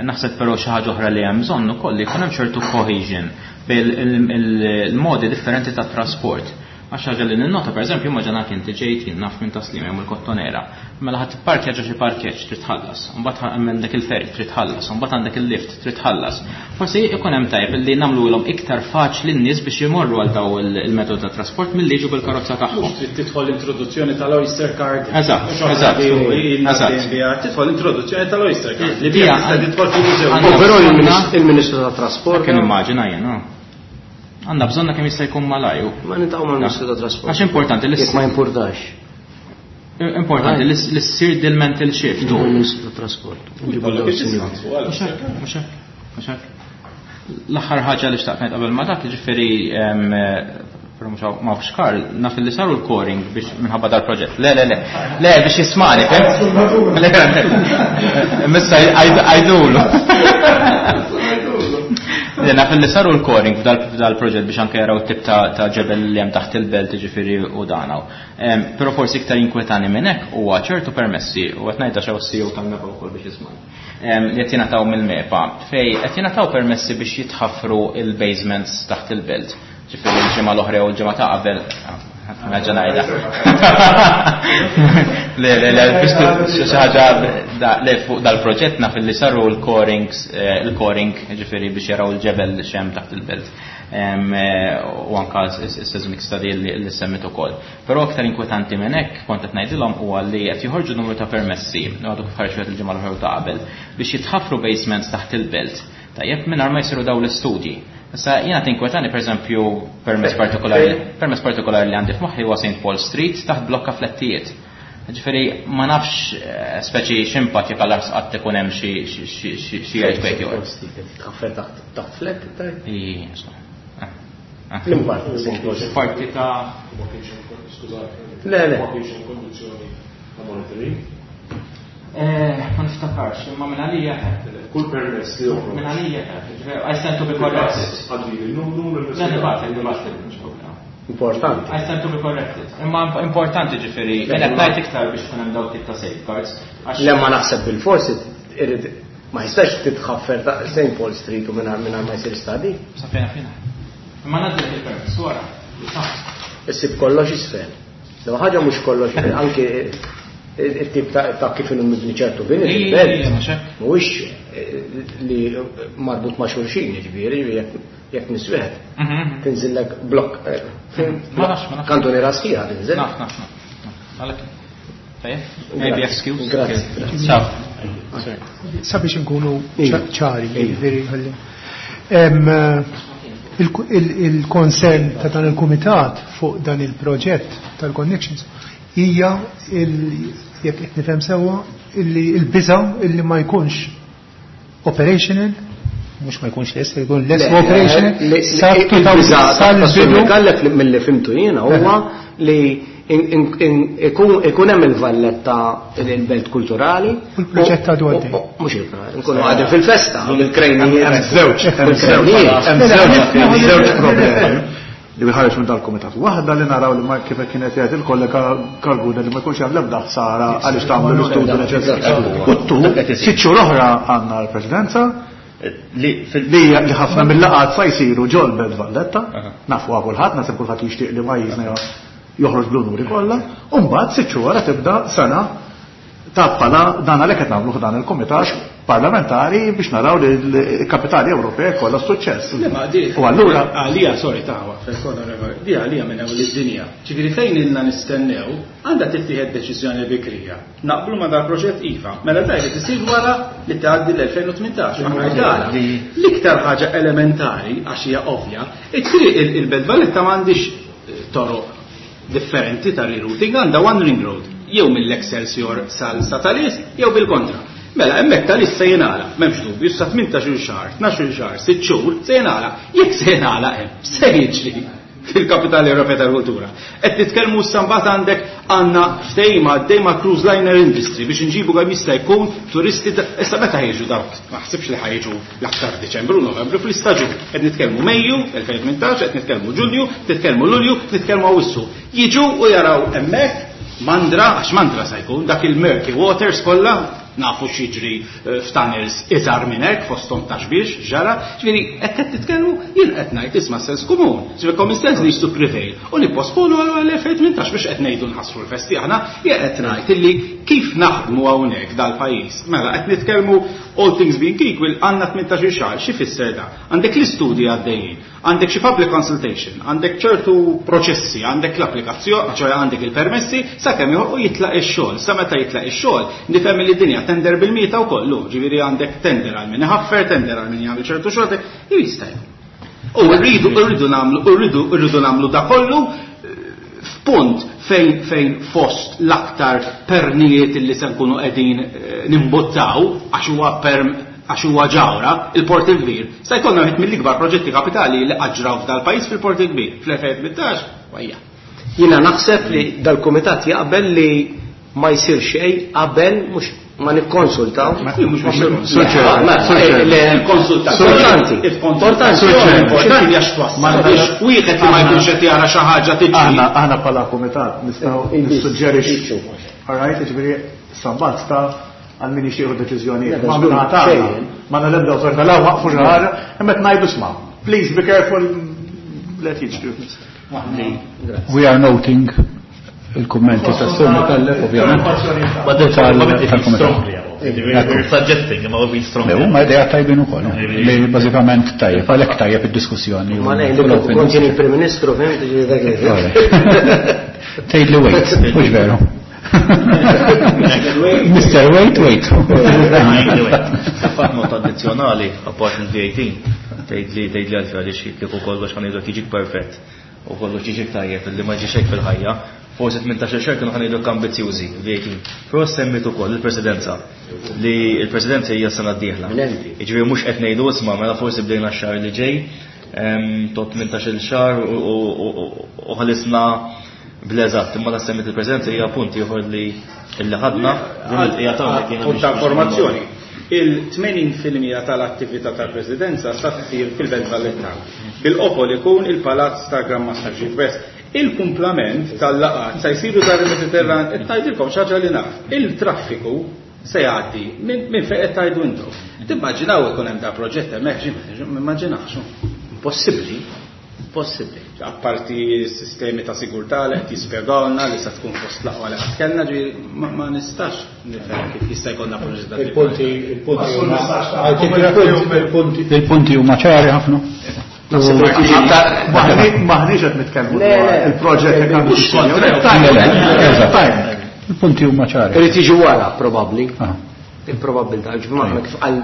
Naħseb però xi ħaġa oħra li hemm bżonn ukoll li jkun hemm ċertu cohesion bejn il-modi differenti ta' trasport. Għax ħaġa li ninnota, per eżempju, ma ġanak inti ġejt jien naf minn Taslima jew mill-Kottonera. Mela ħadd tipparkja ġo xi parkeġġ trid tħallas, imbagħad għandek il-ferry trid tħallas, imbagħad għandek il-lift trid tħallas. Forsi ikun hemm tajjeb li nagħmluhom iktar faċli n-nies biex imorru għal daw il-metodu ta' trasport milli jiġu bil-karozza tagħhom. Mhux trid tidħol introduzzjoni tal-Oyster Card. Eżatt, Mhux oħra eżatt, li ilna eżatt. dejjem biha. Tidħol introduzzjoni tal-Oyster Card. Li Dija, biha tista' tidħol fil-mużew. għandna U però bżonna- il-Ministru tat-Trasport. Kien immaġina jien, no? Għandna bżonna kemm jista' jkun malajr. Ma nintaqgħu mal-Ministru tat-Trasport. Għax importanti li Jekk ma jimpurtax. Importanti li ssir dil-mental shift. Il-Ministru tat-Trasport. Jkollok id-discount fuq għal. Mhux hekk, mhux hekk, mhux hekk. L-aħħar ħaġa li xtaqt ngħid qabel ma dak, ġifieri, però mhux hawn, ma nafx Karl, naf li saru l-coring biex minħabba dal-proġett. Le, le, le. Le, biex jismani, fem? Le, le. Missa għajdulu. Le naf li saru l-coring f'dal-proġett biex anke jaraw tip ta' ġebel li hemm taħt il-belt ġifieri u danaw. Però forsi iktar inkwetani minn hekk huwa ċertu permessi u qed ngħidha xew CEO tal-MEPA wkoll biex jisma'. Li qed jingħataw mill-MEPA fej qed jingħataw permessi biex jitħaffru il-basements taħt il-belt. Ġifieri l-ġimgħa l-oħra u l-ġimgħa ta' qabel Nerġa' ngħidha. Le, le, le, xi ħaġa le fuq dal-proġett naf li saru l-corings, il-coring, ġifieri biex jaraw il-ġebel x'hemm taħt il-belt. U anka s-seismic study li semmit ukoll. Però aktar inkwetanti minn hekk kont qed ngħidilhom huwa li qed joħorġu numru ta' permessi, għadu kif ħareġ il-ġimgħa l-oħra ta' qabel, biex jitħaffru basements taħt il-belt. Tajjeb mingħajr ma jsiru dawn l-istudji. Issa jiena tinkwetani pereżempju permess partikolari, permess partikolari li għandi f'moħħi huwa St. Paul Street taħt blokka flettijiet. Ġifieri ma nafx speċi x'impatt jekk għal qatt ikun hemm xi earthquake jew. Tħaffer taħt flett tajt? L-impatt St. Paul Street. Parti ta' Le, le. Ma niftakarx, imma minn għalija. Kull permess li joħroġ. Minn għalija. I stand to be corrected. Għaddi il-numru Le, nibgħat, nibgħat, mhux problema. Importanti. I stand to be corrected. Imma importanti ġifieri, jien qed ngħid iktar biex ikun hemm dawn tip ta' safeguards. Le ma naħseb bil-forsi irid ma jistax titħaffer ta' St. Paul Street u mingħajr ma jsir study. Sa fejn fina. Imma ngħaddi il-permess wara. Issib kollox isfel. Lew ħaġa mhux kollox, anke it-tip ta' kif inhu mibni ċertu bini fil-belt, mhuwiex li marbut ma' xulxin, jiġifieri jekk niswieħed. Tinżillek blokk. Ma nafx, ma nafx. Kantuniera sħiħa tinżel. Naf, naf, naf. Għalhekk. Tajjeb? Maybe excuse. Grazzi. Ciao. Sabiex inkunu ċari, jiġifieri ħalli. Il-konsern ta' dan il-kumitat fuq dan il-proġett tal-connections hija jekk qed nifhem sewwa illi l-biża' illi ma jkunx operational, mhux ma jkunx lest, jkun lest operational, sa il-biża' Micallef milli fimtu jiena huwa li ikun hemm il-Valletta il-belt kulturali. U l-proġett għadu għaddej. Mhux il-proġett, nkunu għadin fil-festa, bil-krejnijiet. Hemm żewġ, hemm żewġ, hemm żewġ problemi li ħareġ minn dal-kumitat. Waħda li naraw li ma kif kienet jgħid il-kollega Karguna li ma jkunx hemm l-ebda ħsara għaliex tagħmlu l-istudju neċessarju. U tu, sitt xhur oħra għandna l-Presidenza li ħafna mill-laqgħat sa jsiru ġol Belt Valletta, nafu kulħadd, naħseb kulħadd jixtieq li pajjiżna joħroġ bl-unuri kollha, u mbagħad sitt xhur wara tibda sena ta' bħala dan għalhekk qed nagħmlu dan il-kumitat parlamentari biex naraw li l-kapitali Ewropea kollha suċċess. Le, ma di- U allura għalija, sorry, taħwa, fil-konna reva, di għalija minn ewwel id-dinja. Ġifieri fejn ilna nistennew, għandha tittieħed deċiżjoni bikrija. Naqblu ma dal-proġett iva, mela daj li tisir wara li tgħaddi l-2018. Aħna għala. L-iktar ħaġa elementari, għax hija ovvja, it-triq il-Belt Valletta m'għandix toroq differenti ta' rerouting, għandha one ring road, jew mill-Excelsior sal sa Talis, jew bil-kontra. Mela, hemmhekk Talis se jingħalaq, m'hemmx dubju, sa 18 xahar, 12 xahar, 6 xhur se jingħalaq. Jekk se jingħalaq hemm, se jiġri fil-Kapitali Ewropea tal-Kultura. Qed titkellmu issa mbagħad għandek għandna ftehim għaddej ma' Cruise Liner Industry biex inġibu kemm jista' jkun turisti issa meta ħejġu dawk, ma ħsibx li ħajġu l-aktar Diċembru, Novembru fl-istaġun. Qed nitkellmu Mejju 2018, qed nitkellmu Ġunju, nitkellmu Lulju, nitkellmu Awwissu. Jiġu u jaraw hemmhekk mandra, għax mandra se jkun dak il-murky waters kollha, nafu x'jiġri f'tunnels iżgħar minn hekk fosthom ta' xbiex ġara, ġifieri hekk qed titkellmu jien qed ngħid isma' sens komun, ġifieri common sense needs to prevail u nipposponu għal 2018 biex qed ngħidu nħassru l-festi aħna, jien qed ngħid illi kif naħdmu hawnhekk dal-pajjiż. Mela qed nitkellmu all things being equal għandna 18 xahar, xi fisser da? Għandek l-istudji għaddejjin, għandek xi public consultation, għandek ċertu proċessi, għandek l-applikazzjoni, ċoħe għandek il-permessi, sakemm joħolqu jitlaq ix-xogħol. Sa meta jitlaq ix-xogħol, nifhem li d-dinja tender bil-mieta wkoll, ġifieri għandek tender għal min iħaffer, tender għal min jagħmel ċertu xogħol, jista' jkun. U rridu nagħmlu da kollu f'punt fejn fost l-aktar pernijiet li se nkunu qegħdin nimbuttaw għax huwa perm għax huwa ġawra, il-Port il-Kbir. Se jkollna wieħed mill-ikbar proġetti kapitali li qaġraw f'dal-pajjiż fil-Port il-Kbir. Fl-2018, wajja. Jiena naħseb li dal-kumitat jaqbel li ma jsir xejn qabel mhux ma nikkonsultaw. Importanti. Importanti għax twassal biex wieħed li ma jkunx qed jara xi ħaġa tiġi. Aħna bħala kumitat nistgħu nissuġġerixxu. All right, jiġifieri sabbat ta' għal min jixtiequ deċiżjonijiet. Ma minna tagħna, ma l-ebda awtorità la waqfu xi ħaġa, imma qed ngħidu isma' please be careful let jiġri. We are noting il-kummenti ta' Sur Micallef, ovvjament. Tal-kumitat. Suggesting, imma we strongly. Le, huma idea tajbin ukoll, li bażikament tajjeb, għalhekk tajjeb id-diskussjoni. Ma le, kont jien il-Prim Ministru, fhimt, ġifieri dak li. Tgħid li wait, mhux veru. Mr. Wait, wait. Fatt not addizzjonali, apart mill-VAT, tgħid li tgħid li għalfejn għaliex kieku kollox ħa ngħidlek jiġik perfett u kollox jiġik tajjeb illi ma ġiex hekk fil-ħajja. Forsi 18 xahar kienu ħa ngħidlek ambizzjużi VAT. Però semmit ukoll il-presidenza li l-presidenza hija s-sena d-dieħla. Jiġifieri mhux qed ngħidu isma' mela forsi bdejna x-xahar li ġej, tot 18-il xahar u ħalisna bl-eżatt, imma la semmit il-presidenza hija punt ieħor li illi ħadna hija tagħna kien Punt ta' informazzjoni. Il-80% tal-attività tal-Presidenza sa ssir fil-Belt Valletta. Bil-qofol ikun il-Palazz ta' Gran Mastru Gilbert. Il-kumplament tal-laqgħat sa jsiru dar il-Mediterran, qed ngħidilkom xi ħaġa li naf. Il-traffiku se jgħaddi minn fejn qed tgħidu intom. Timmaġinaw ikun hemm da proġett hemmhekk, immaġinax. Impossibbli. Possibbli. Apparti s-sistemi ta' sigurtà li qed jispjegawlna li se tkun fost l-aqwa li qatt kellna, ġifieri ma nistax nifhem kif jista' jkollna proġett ta' Il-punti, il-punti huma, il-punti huma ċari ħafna. Maħniex qed nitkellmu dwar il-proġett li għandu Eżatt. Il-punti huma ċari. Irid jiġi wara probabbli. Il-probabilità, ġifieri aħna kif qal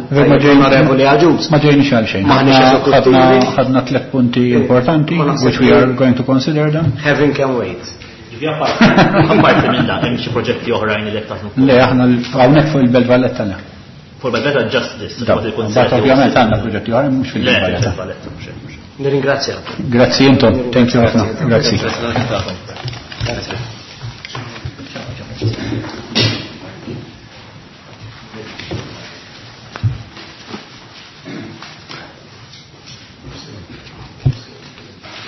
onorevoli Agius. Ma ġejniex għal xejn. Maħniex eżekuttivi. Ħadna tliet punti importanti, which we are going to consider them. Heaven can wait. Ġifieri apparti minn dan, hemm xi proġetti oħrajn li qed taħdmu. Le, aħna hawnhekk fuq il-Belt Valletta le. Fuq il-Belt Valletta just this, Da, fuq il-Kunsill. Mbagħad ovvjament għandna proġetti oħrajn mhux fil-Belt Le, Valletta. fil-Belt Valletta, mhux hekk, mhux hekk. Nirringrazzja. Grazzi intom, thank you ħafna. Grazzi. Grazzi.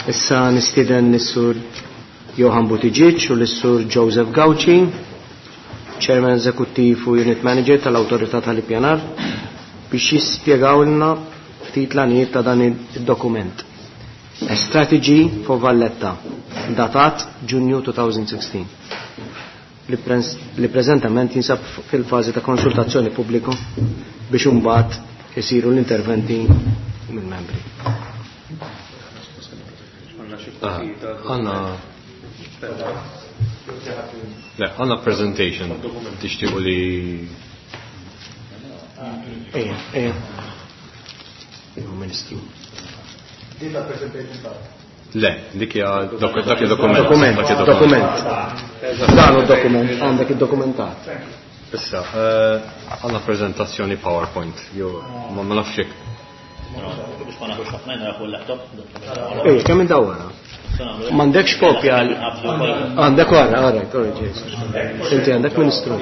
Issa nistieden lis-Sur Johan Buttigieg u lis-Sur Joseph Gauci, Chairman Eżekuttiv u Unit Manager tal-Awtorità tal-Ippjanar, biex jispjegawlna ftit l-għanijiet ta' dan id-dokument. A Strategy for Valletta, datat Ġunju 2016, li preżentament jinsab fil-fażi ta' konsultazzjoni pubbliku biex imbagħad isiru l-interventi mill-membri. Għanna Le, għanna presentation tixtiequ li Ejja, ejja. Ejja, Ministru. Din la presentation ta' Le, dik hija dak hija dokument. Dokument, Dak hija dokument. Dan hu dokument, għandek id-dokumentat. Issa, għandna prezentazzjoni PowerPoint, jew ma nafx jekk. Biex ma naħux ħafna jien fuq il-laptop. Ejja, kemm indawwara? M'għandekx kopja għal għandek wara, all right, all right, Jason. Inti għandek Ministru.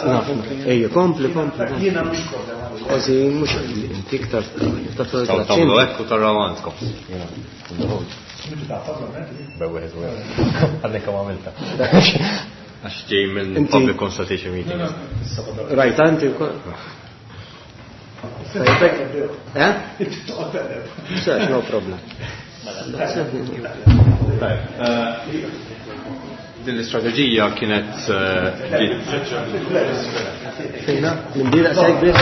Naf, ejja, kompli, kompli. Jiena mhux problema. Kważi mhux inti iktar ta' Tagħmlu hekk u taraw għandkom. Bewwieħed wieħed. Għandek kemm għamilta. Għax ġej minn Inti- public consultation meeting. Rajt inti wkoll. Eh? Sax, no problem. Din l-istrateġija kienet ġiet Fejna? Minn di daqshekk biss?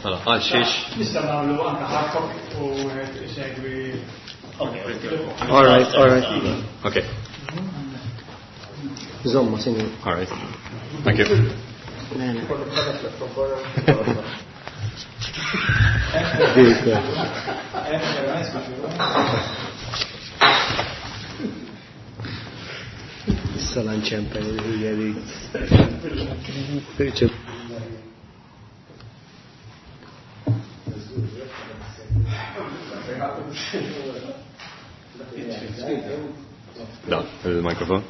Mela, għal xiex. Nista' nagħmlu anke hard copy u segwi. All right, all right. Okay. Zomma, sinjur. All right. Thank you. Issa lanċempe hija li. Da, il-mikrofon.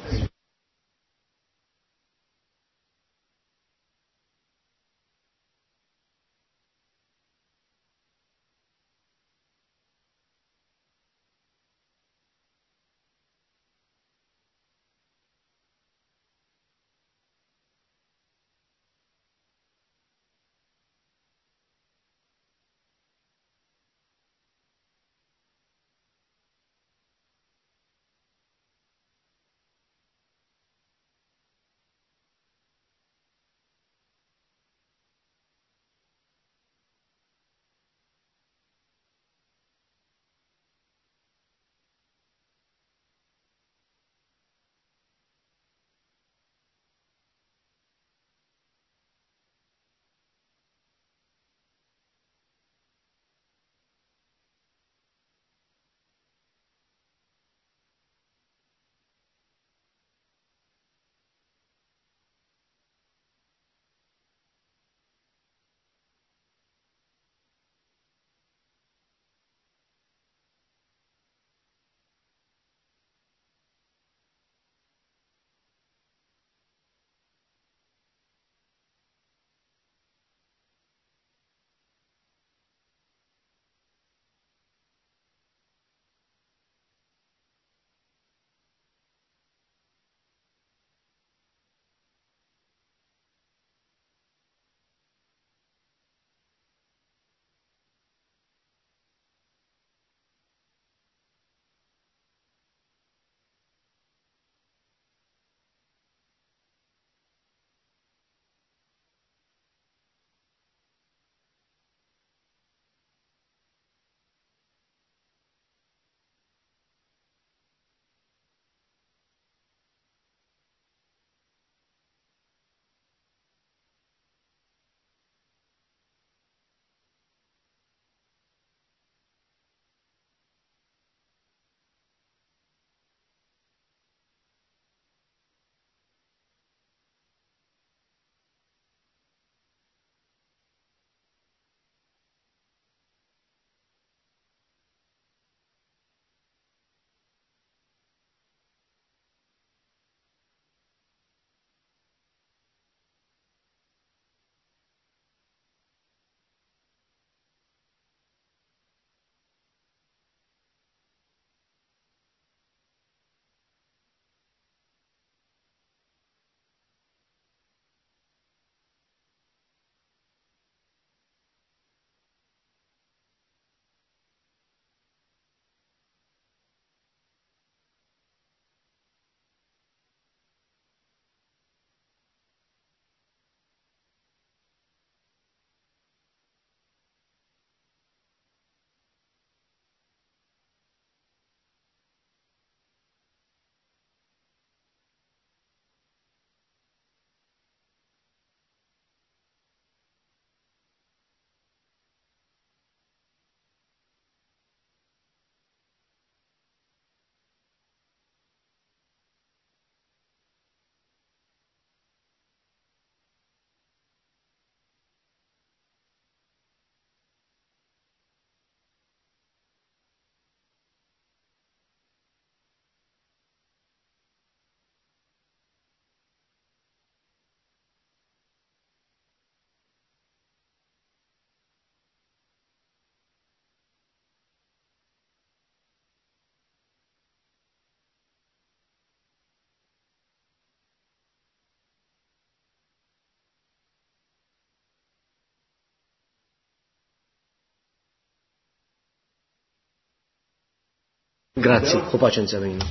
Grazzi, u paċenzja bejna.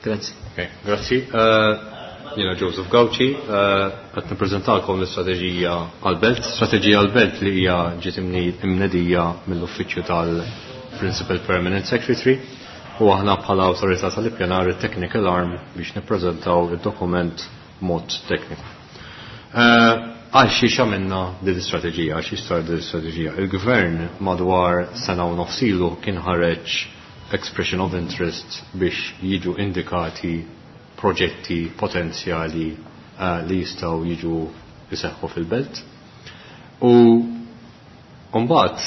Grazzi. Okay, grazzi. Jiena Joseph Gauci, qed nippreżentalkom l-istrateġija għall-belt. Strateġija għall-belt li hija ġiet imnedija mill-uffiċċju tal-Principal Permanent Secretary u aħna bħala awtorità tal-ippjanar it-technical arm biex nippreżentaw id-dokument mod tekniku. Għal xiex għamilna din l-istrateġija, għal xiex sar din l-istrateġija. Il-gvern madwar sena u nofsilu kien ħareġ expression of interest biex jiġu indikati proġetti potenzjali li jistgħu jiġu jseħħu fil-belt. U mbagħad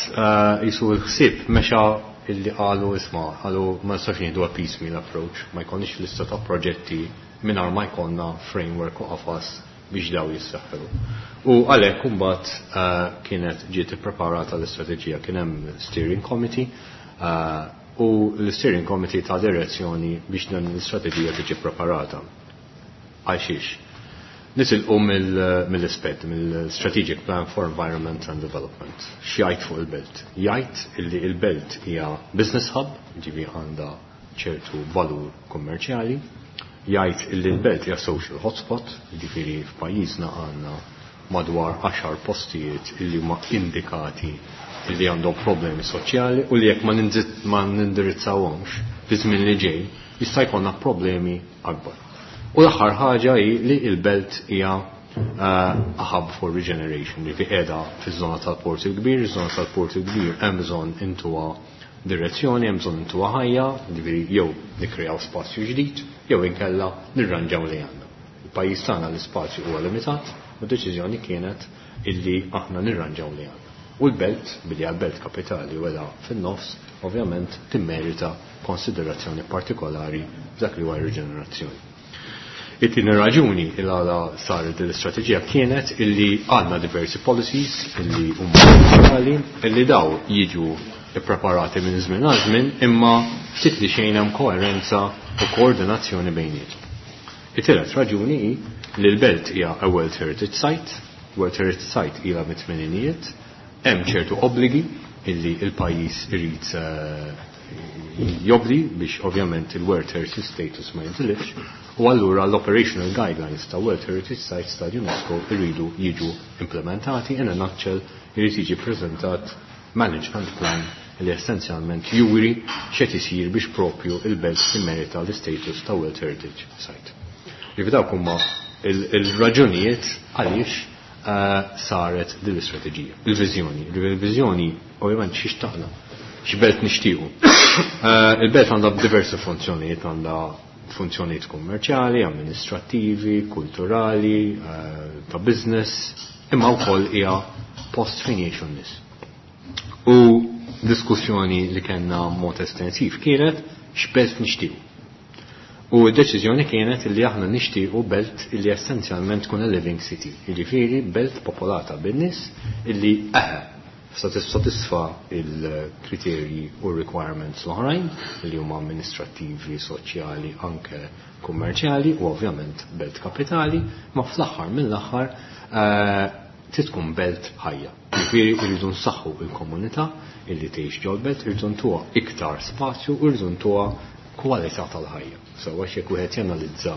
jisu l-ħsieb mexa illi qalu isma' qalu ma nistax nieħdu a piecemeal approach, ma jkollniex lista ta' proġetti mingħajr ma jkollna framework u qafas biex daw jissaħħu. U għalhekk imbagħad kienet ġiet ippreparata l-istrateġija, kien hemm steering committee u l-steering committee ta' direzzjoni biex dan l-istrateġija tiġi preparata. Għal xiex? Nitilqu mill-SPED, mill-Strategic Plan for Environment and Development. X'jgħid fuq il-belt? Jgħid illi il-belt hija business hub, ġifi għandha ċertu valur kummerċjali, jgħid illi l-belt hija social hotspot, ġifieri f'pajjiżna għandna madwar 10 postijiet illi huma indikati illi għandhom problemi soċjali u li jekk ma nindirizzawhomx fi żmien li ġej jista' jkollna problemi akbar. U l-aħħar ħaġa hi li l-belt hija a hub for regeneration, li qiegħda fiż-żona tal-Port il-Kbir, iż-żona tal-Port il-Kbir hemm bżonn intuha direzzjoni, hemm bżonn intuha ħajja, ġifieri jew nikkreaw spazju ġdid, jew inkella nirranġaw li għandna. Il-pajjiż tagħna l-ispazju huwa limitat u d-deċiżjoni kienet illi aħna nirranġaw li għandna. U l-belt, billi għal-belt kapitali u għedha fin-nofs, ovvjament timmerita konsiderazzjoni partikolari f'dak li huwa riġenerazzjoni. It-tieni raġuni il għala saret din l-istrateġija kienet illi għandna diversi policies illi huma uffiċjali illi daw jiġu ippreparati minn żmien għal żmien imma ftit li xejn hemm koerenza u koordinazzjoni bejniethom. It-tielet raġuni hi li l-belt hija a World Heritage Site, World Heritage Site ilha mit-tmeninijiet, hemm ċertu obbligi illi il-pajjiż irid jobdi biex ovvjament il-World Heritage Status ma jintilifx, u allura l-Operational Guidelines ta' World Heritage Sites ta' UNESCO irridu jiġu implementati. In a nutshell, irid jiġi preżentat management plan li essenzjalment juri x'qed isir biex propju il-belt timmerita l-status ta' World Heritage Site. Jiġifieri dawk huma il-raġunijiet għaliex saret din l-istrateġija. Il-viżjoni. Il-viżjoni ovvjament xi xtaqna, x'belt nixtiequ. Il-belt għandha diversi funzjonijiet, għandha funzjonijiet kummerċjali, amministrattivi, kulturali, ta' business, imma wkoll hija post fejn jgħixu n-nies. U diskussjoni li kellna mod estensiv kienet x'belt nixtiequ. U d-deċiżjoni kienet li aħna nixtiequ belt illi essenzjalment tkun a living city, jiġifieri belt popolata bin-nies illi satisfa il-kriterji u requirements l-oħrajn li huma amministrattivi, soċjali, anke kummerċjali u ovvjament belt kapitali, ma fl-aħħar mill-aħħar trid tkun belt ħajja. Jiġifieri rridu nsaħħu il-komunità illi tgħix ġol-belt, irridu ntuha iktar spazju u rridu ntuha kwalità tal-ħajja. So għax jekk wieħed janalizza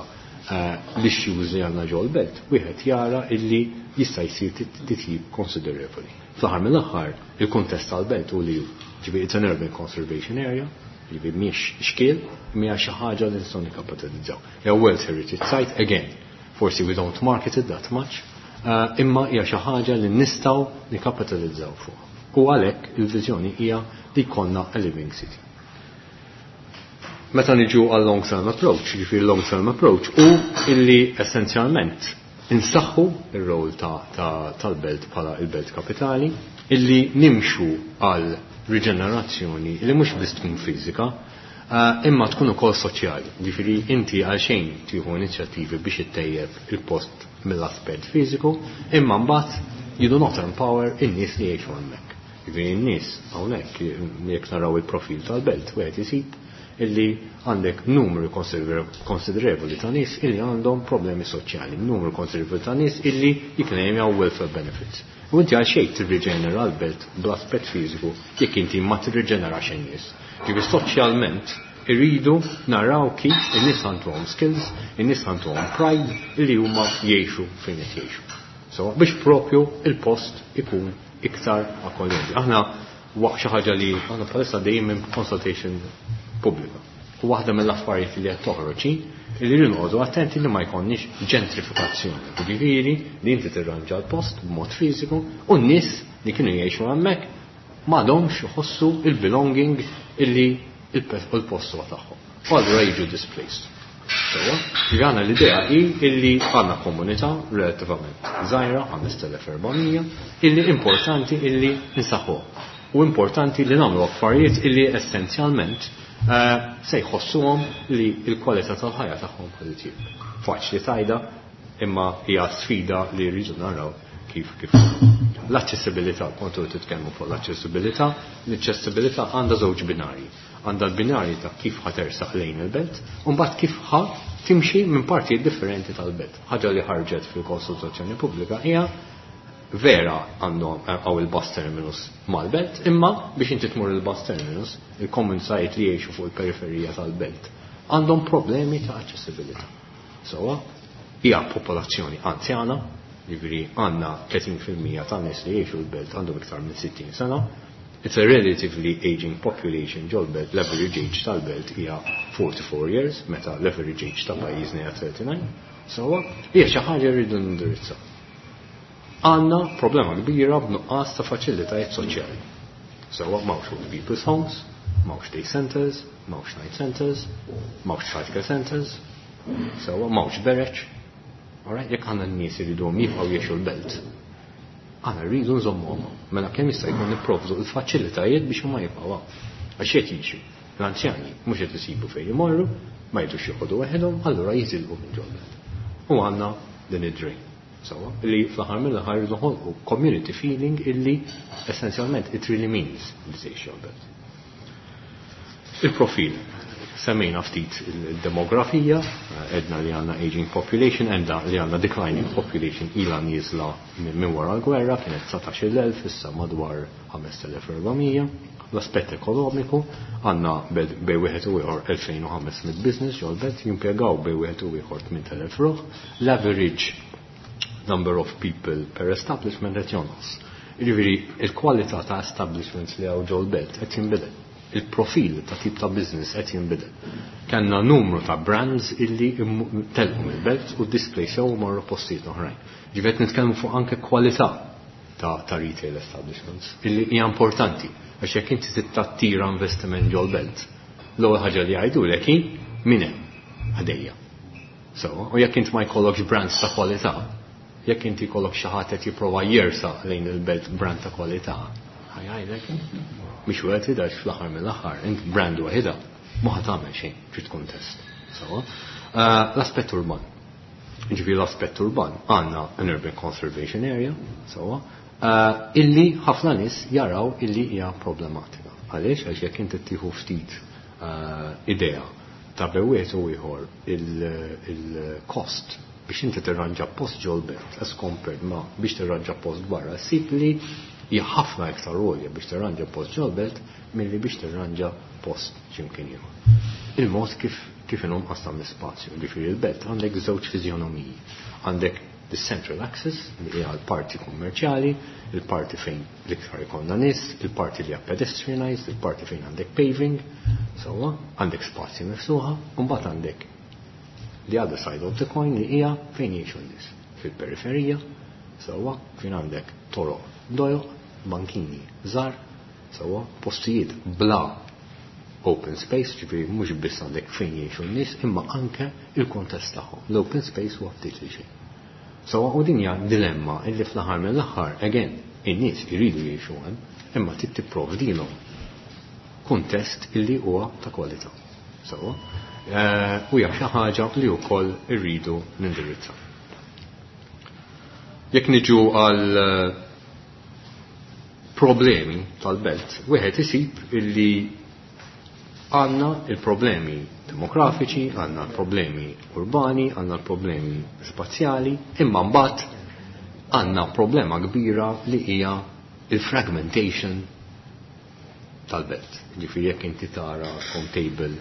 l-issues li għandna ġol-belt, wieħed jara illi jista' jsir titjib konsiderevoli. Fl-aħħar mill-aħħar, il-kuntest tal-belt u li ġifieri it's an urban conservation area, ġifieri mhix xkiel, mhija xi ħaġa li nistgħu nikkapitalizzaw. Hija World Heritage Site, again, forsi we don't market it that much, imma hija xi ħaġa li nistgħu nikkapitalizzaw fuq. U għalhekk il-viżjoni hija li jkollna a living city. Meta niġu għal long term approach, ġifieri long term approach, u illi essenzjalment insaħħu ir-rol tal-belt bħala il-belt kapitali, illi nimxu għal riġenerazzjoni li mhux biss tkun fiżika, imma tkun ukoll soċjali. Ġifieri inti għal xejn tieħu inizjattivi biex ittejjeb il-post mill-aspett fiżiku, imma mbagħad you do not empower in-nies li jgħixu hemmhekk. Ġifieri n-nies hawnhekk jekk naraw il-profil tal-belt wieħed isib illi għandek numru konsiderevoli ta' nies illi għandhom problemi soċjali, numru konsiderevoli ta' nies illi jikklejmjaw welfare benefits. U inti għal xejn tirriġenera l-belt bl-aspett fiżiku jekk inti ma tirriġenerax in-nies. Ġifieri soċjalment Irridu naraw kif in-nies għandhom skills, in-nies għandhom pride li huma jgħixu fejn qed jgħixu. So, biex propju il-post ikun iktar akkoljenti. Aħna waqt xi ħaġa li aħna bħalissa dejjem minn consultation pubblika. U waħda mill-affarijiet li qed toħroġ hi li rridu noqogħdu attenti li ma jkollniex ġentrifikazzjoni. Jiġifieri li inti tirranġa l-post b'mod fiżiku u n-nies li kienu jgħixu hemmhekk m'għadhomx iħossu il-belonging illi il-post huwa tagħhom. U allura jiġu displaced. Sewwa, jiġifieri aħna l-idea hi illi għandna komunità relattivament żgħira, 5400, illi importanti illi nsaħħuha. U importanti li nagħmlu affarijiet illi essenzjalment se jħossuhom li l-kwalità tal-ħajja tagħhom ħa titjieb. Faċli tgħidha, imma hija sfida li rridu naraw kif kif. L-aċċessibilità, kontu titkellmu fuq l-aċċessibilità, l-aċċessibilità għandha żewġ binarji. Għandha l-binarji ta' kif ħa tersaq lejn il-belt, u mbagħad kif ħa timxi minn partijiet differenti tal-belt. Ħaġa li ħarġet fil-konsultazzjoni pubblika hija vera għandhom għaw il-bus terminus mal-belt, imma biex inti tmur il-bus terminus, il-komunitajiet li jgħixu fuq il-periferija tal-belt għandhom problemi ta' aċċessibilità. Sewwa, hija popolazzjoni anzjana, jiġifieri għandna 30% tan-nies li jgħixu l-belt għandhom iktar minn 60 sena. It's a relatively aging population ġol-belt, l-average age tal-belt hija 44 years, meta l-average age ta' pajjiżna hija 39. Sewwa, hija xi ħaġa rridu nindirizzaw. Għandna problema kbira b'nuqqas ta' faċilitajiet soċjali. Sewwa, m'hawnx old people's homes, m'hawnx day centers, m'hawnx night centers, m'hawnx childcare centers, sewwa, m'hawnx bereċ. Alright, jekk għandna n-nies iriduhom jibqgħu jgħixu l-belt, aħna rridu nżommuhom. Mela kemm jista' jkun nipprovdu l-faċilitajiet biex huma jibqgħu hawn. Għax qed jiġri, l-anzjani mhux qed isibu fejn imorru, ma jridux joqogħdu waħedhom, allura jitilqu minn ġol-belt. U għandna din id-drain. Sewwa, li fl-aħħar mill-aħħar rridu noħolqu community feeling illi essenzjalment it really means li tgħix ġol-belt. Il-profil. Semmejna ftit il-demografija, edna li għandna aging population, edna li għandna declining population ila nieżla minn wara l-gwerra, kienet 19,000, issa madwar 5400. L-aspett ekonomiku, għandna bej wieħed u ieħor 2500 business ġol-belt, jimpjegaw bej wieħed u ieħor 8000 ruħ. L-average number of people per establishment qed jonqos. Jiġifieri il-kwalità ta' establishments li hawn ġol-belt qed jinbidel. Il-profil ta' tip ta' business qed jinbidel. Kellna numru ta' brands illi telqu mill-belt u displacew u marru postijiet oħrajn. Ġifieri qed nitkellmu fuq anke kwalità ta' retail establishments illi hija importanti għax jekk inti tittattira investiment ġol-belt, l-ewwel ħaġa li jgħidulek hi min hemm ħdejja. So, u jekk inti ma jkollokx brands ta' kwalità, jekk inti jkollok xi ħadd qed jipprova jersaq lejn il-belt brand ta' kwalità, ħajgħidlek mhix worth it għax fl-aħħar mill-aħħar int brand waħedha ma ħa tagħmel xejn trid tkun test. So, l-aspett urban. Ġifieri l-aspett urban għandna an urban conservation area, sewwa, illi ħafna nies jaraw illi hija problematika. Għaliex? Għax jekk inti tieħu ftit idea ta' bejn wieħed u ieħor il-cost biex inti tirranġa post ġol-belt as compared ma biex tirranġa post barra, ssib li hija ħafna iktar għolja biex tirranġa post ġol-belt milli biex tirranġa post x'imkien ieħor. Il-mod kif inhom qasam l-ispazju, ġifieri l-belt għandek żewġ fiżjonomiji. Għandek the central axis li hija l-parti kummerċjali, il-parti fejn l-iktar ikollna nies, il-parti li hija pedestrianized, il-parti fejn għandek paving, sewwa, għandek spazji miftuħa, u mbagħad għandek the other side of the coin li hija fejn jgħixu n-nies, fil-periferija, sewwa, fejn għandek toroq dojoq, bankini żgħar, sewwa, postijiet bla open space, ġifieri mhux biss għandek fejn jgħixu n-nies, imma anke il-kontest tagħhom. L-open space huwa ftit li xejn. Sewwa, u din hija dilemma illi fl-aħħar mill-aħħar, again, in-nies iridu jgħixu hemm, imma trid tipprovdilhom kuntest illi huwa ta' kwalità. Sewwa, u hija xi ħaġa li wkoll irridu nindirizzaw. Jekk niġu għal problemi tal-belt, wieħed isib illi għandna il-problemi demografiċi, għandna problemi urbani, għandna problemi spazjali, imma mbagħad għandna problema kbira li hija il-fragmentation tal-belt. Ġifieri jekk inti tara table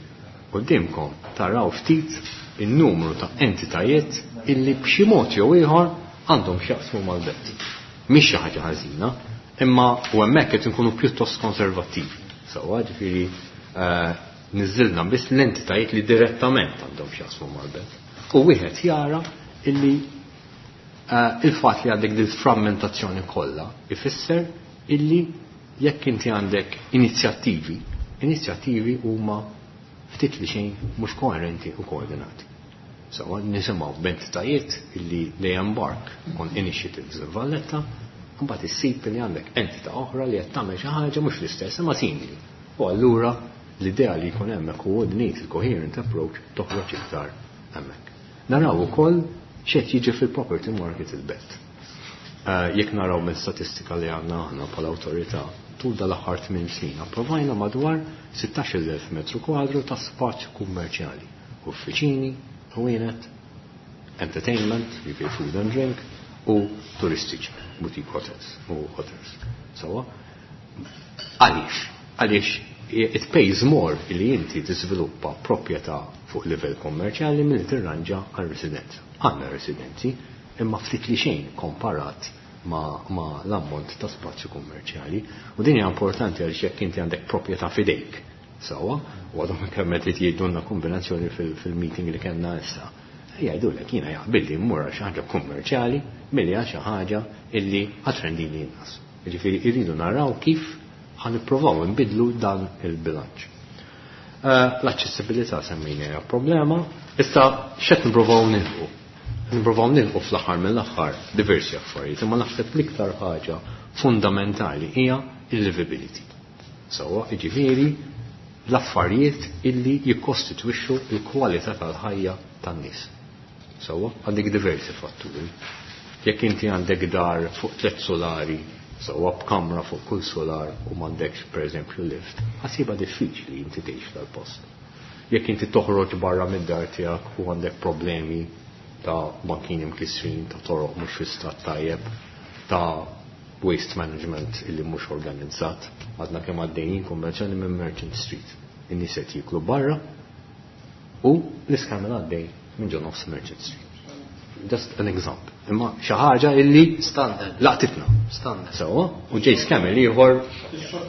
Quddiemkom taraw ftit in-numru ta' entitajiet illi b'xi mod jew ieħor għandhom x'jaqsmu mal-belt. Mhix xi ħaġa ħażina, imma u hemmhekk qed inkunu pjuttost konservattivi. Sewwa, ġifieri niżżilna biss l-entitajiet li direttament għandhom x'jaqsmu mal-belt. U wieħed jara illi il-fatt li għandek dil-frammentazzjoni kollha ifisser illi jekk inti għandek inizjattivi, inizjattivi huma ftit li xejn mhux koerenti u koordinati. Sewwa, nisimgħu b'entitajiet illi they embark on initiatives in Valletta, mbagħad issib li għandek entità oħra li qed tagħmel xi ħaġa mhux l-istess imma simili. U allura l-idea li jkun hemm a coordinated coherent approach toħroġ iktar hemmhekk. Naraw ukoll x'qed jiġi fil-property market il-belt. Jekk naraw minn statistika li għandna aħna bħala awtorità, tul dal-aħħar 8 snin approvajna madwar 16,000 metru kwadru ta' spazju kummerċjali, uffiċini, ħwienet, entertainment, jiġifieri food and drink, u turistiċi, boutique hotels u hotels. Sewwa? Għaliex? Għaliex it pays more li inti tiżviluppa proprjetà fuq livell kommerċjali milli tirranġa għal residenza. Għandna residenzi, imma ftit li xejn komparat ma l-ammont ta' spazju kummerċjali. U din hija importanti għaliex jekk inti għandek proprjetà f'idejk, sewwa, u għadhom kemm qed jgħidulna kombinazzjoni fil-meeting li kellna issa. Jgħidulek jiena jaqbilli mmur għal xi ħaġa kummerċjali milli għal xi ħaġa illi ħatrendini inqas. Jiġifieri rridu naraw kif ħa nippruvaw nbiddlu dan il-bilanċ. L-aċċessibilità semmejna hija problema. Issa x'qed nippruvaw nilħqu? Nippruvaw nilħqu fl-aħħar mill-aħħar diversi affarijiet, imma naħseb l-iktar ħaġa fundamentali hija il-livability. Sewwa, jiġifieri l-affarijiet illi jikkostitwixxu l-kwalità tal-ħajja tan-nies. Sewwa, għandek diversi fatturi. Jekk inti għandek dar fuq 3 solari, sewwa b'kamra fuq kull solar u m'għandekx pereżempju lift, ħasiba diffiċli inti tgħix dal-post. Jekk inti toħroġ barra mid-dar tiegħek u għandek problemi ta' bankini mkissrin, ta' toroq mhux fi stat tajjeb, ta' waste management illi mhux organizzat, għadna kemm għaddejjin konvenzjoni minn Merchant Street. In-nies qed jieklu barra u l-iskamel għaddej minn ġo nofs Merchant Street. Just an example. Imma xi ħaġa illi Standard. laqtitna. Standard. Sewwa, u ġej skamel ieħor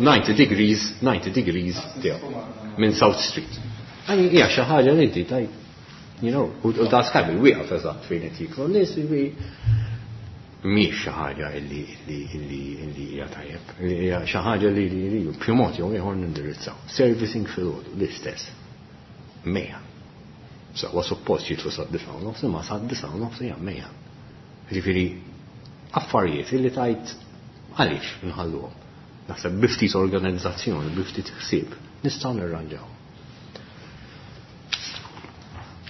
90 degrees, 90 degrees tiegħu minn South Street. Għani hija xi ħaġa li inti tajt, you know, u da skamel wieqaf eżatt fejn qed jieklu n-nies, jiġifieri mhix xi ħaġa illi hija tajjeb. Hija xi ħaġa li li b'xi mod jew ieħor nindirizzaw. Servicing filgħodu l-istess. Mejja. Sewwa suppost jitlu sa disgħa u nofs, imma sa disgħa u nofs hija mejja. Jiġifieri affarijiet illi tajt għaliex nħalluhom. Naħseb bi ftit organizzazzjoni, bi ftit ħsieb, nistgħu nirranġaw.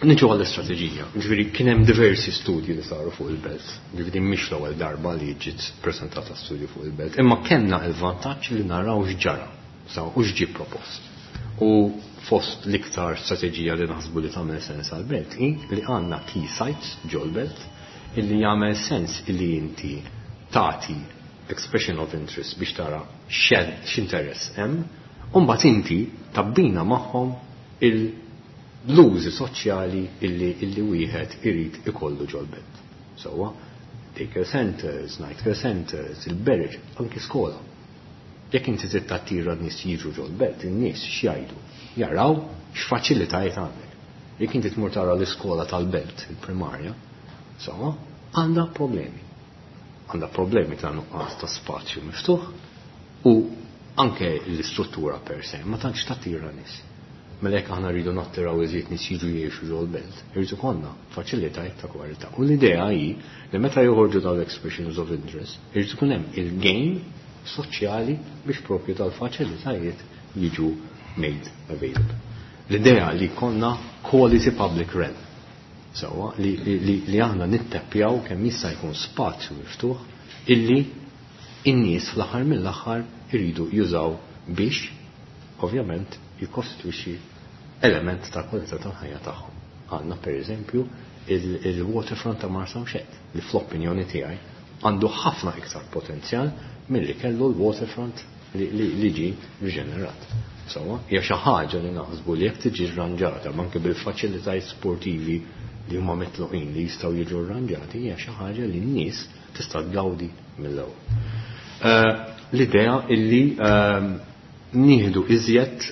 Niġu għall-istrateġija. Ġifieri kien hemm diversi studji li saru fuq il-belt. Ġifieri mhix l-ewwel darba li ġiet preżentata studju fuq il-belt, imma kellna il-vantaġġ li naraw x'ġara, saw u x'ġie propost. U fost l-iktar strateġija li naħsbu li tagħmel sens għall-belt hi li għandna key sites ġol-belt illi jagħmel sens illi inti tagħti expression of interest biex tara x'interess hemm, u mbagħad inti tabbina magħhom l-użi soċjali illi wieħed irid ikollu ġol-belt. Sewwa, daycare centers, night care centers, il-berġ, anki skola. Jekk inti trid tattira n-nies jiġu ġol-belt, in-nies x'jgħidu? Jaraw x'faċilitajiet għandek. Jekk inti tmur tara l-iskola tal-belt, il-primarja, sewwa, għandha problemi. Għandha problemi ta' nuqqas ta' spazju miftuħ u anke l-istruttura per se ma tantx tattira nies. Mela jekk aħna rridu nattiraw iżjed nies jiġu jgħixu ġol-belt, irid ikollna faċilitajiet ta' kwalità. U l-idea hi li meta joħorġu dawn l-expressions of interest, irid ikun hemm il-gain soċjali biex propju tal-faċilitajiet jiġu made available. L-idea li jkollna quality public realm. Sewwa, li aħna nitteppjaw kemm jista' jkun spazju miftuħ illi in-nies fl-aħħar mill-aħħar iridu jużaw biex ovvjament jikkostitwixxi element ta' kwalità tal-ħajja tagħhom. Għandna pereżempju il-waterfront ta' Marsamxett li fl-opinjoni tiegħi għandu ħafna iktar potenzjal milli kellu l-waterfront li ġie riġenerat. Sewwa, hija xi ħaġa li naħsbu li jekk tiġi rranġata anke bil-faċilitajiet sportivi li huma mitluqin li jistgħu jiġu rranġati hija xi ħaġa li n-nies tista' tgawdi mill-ewwel. L-idea illi nieħdu iżjed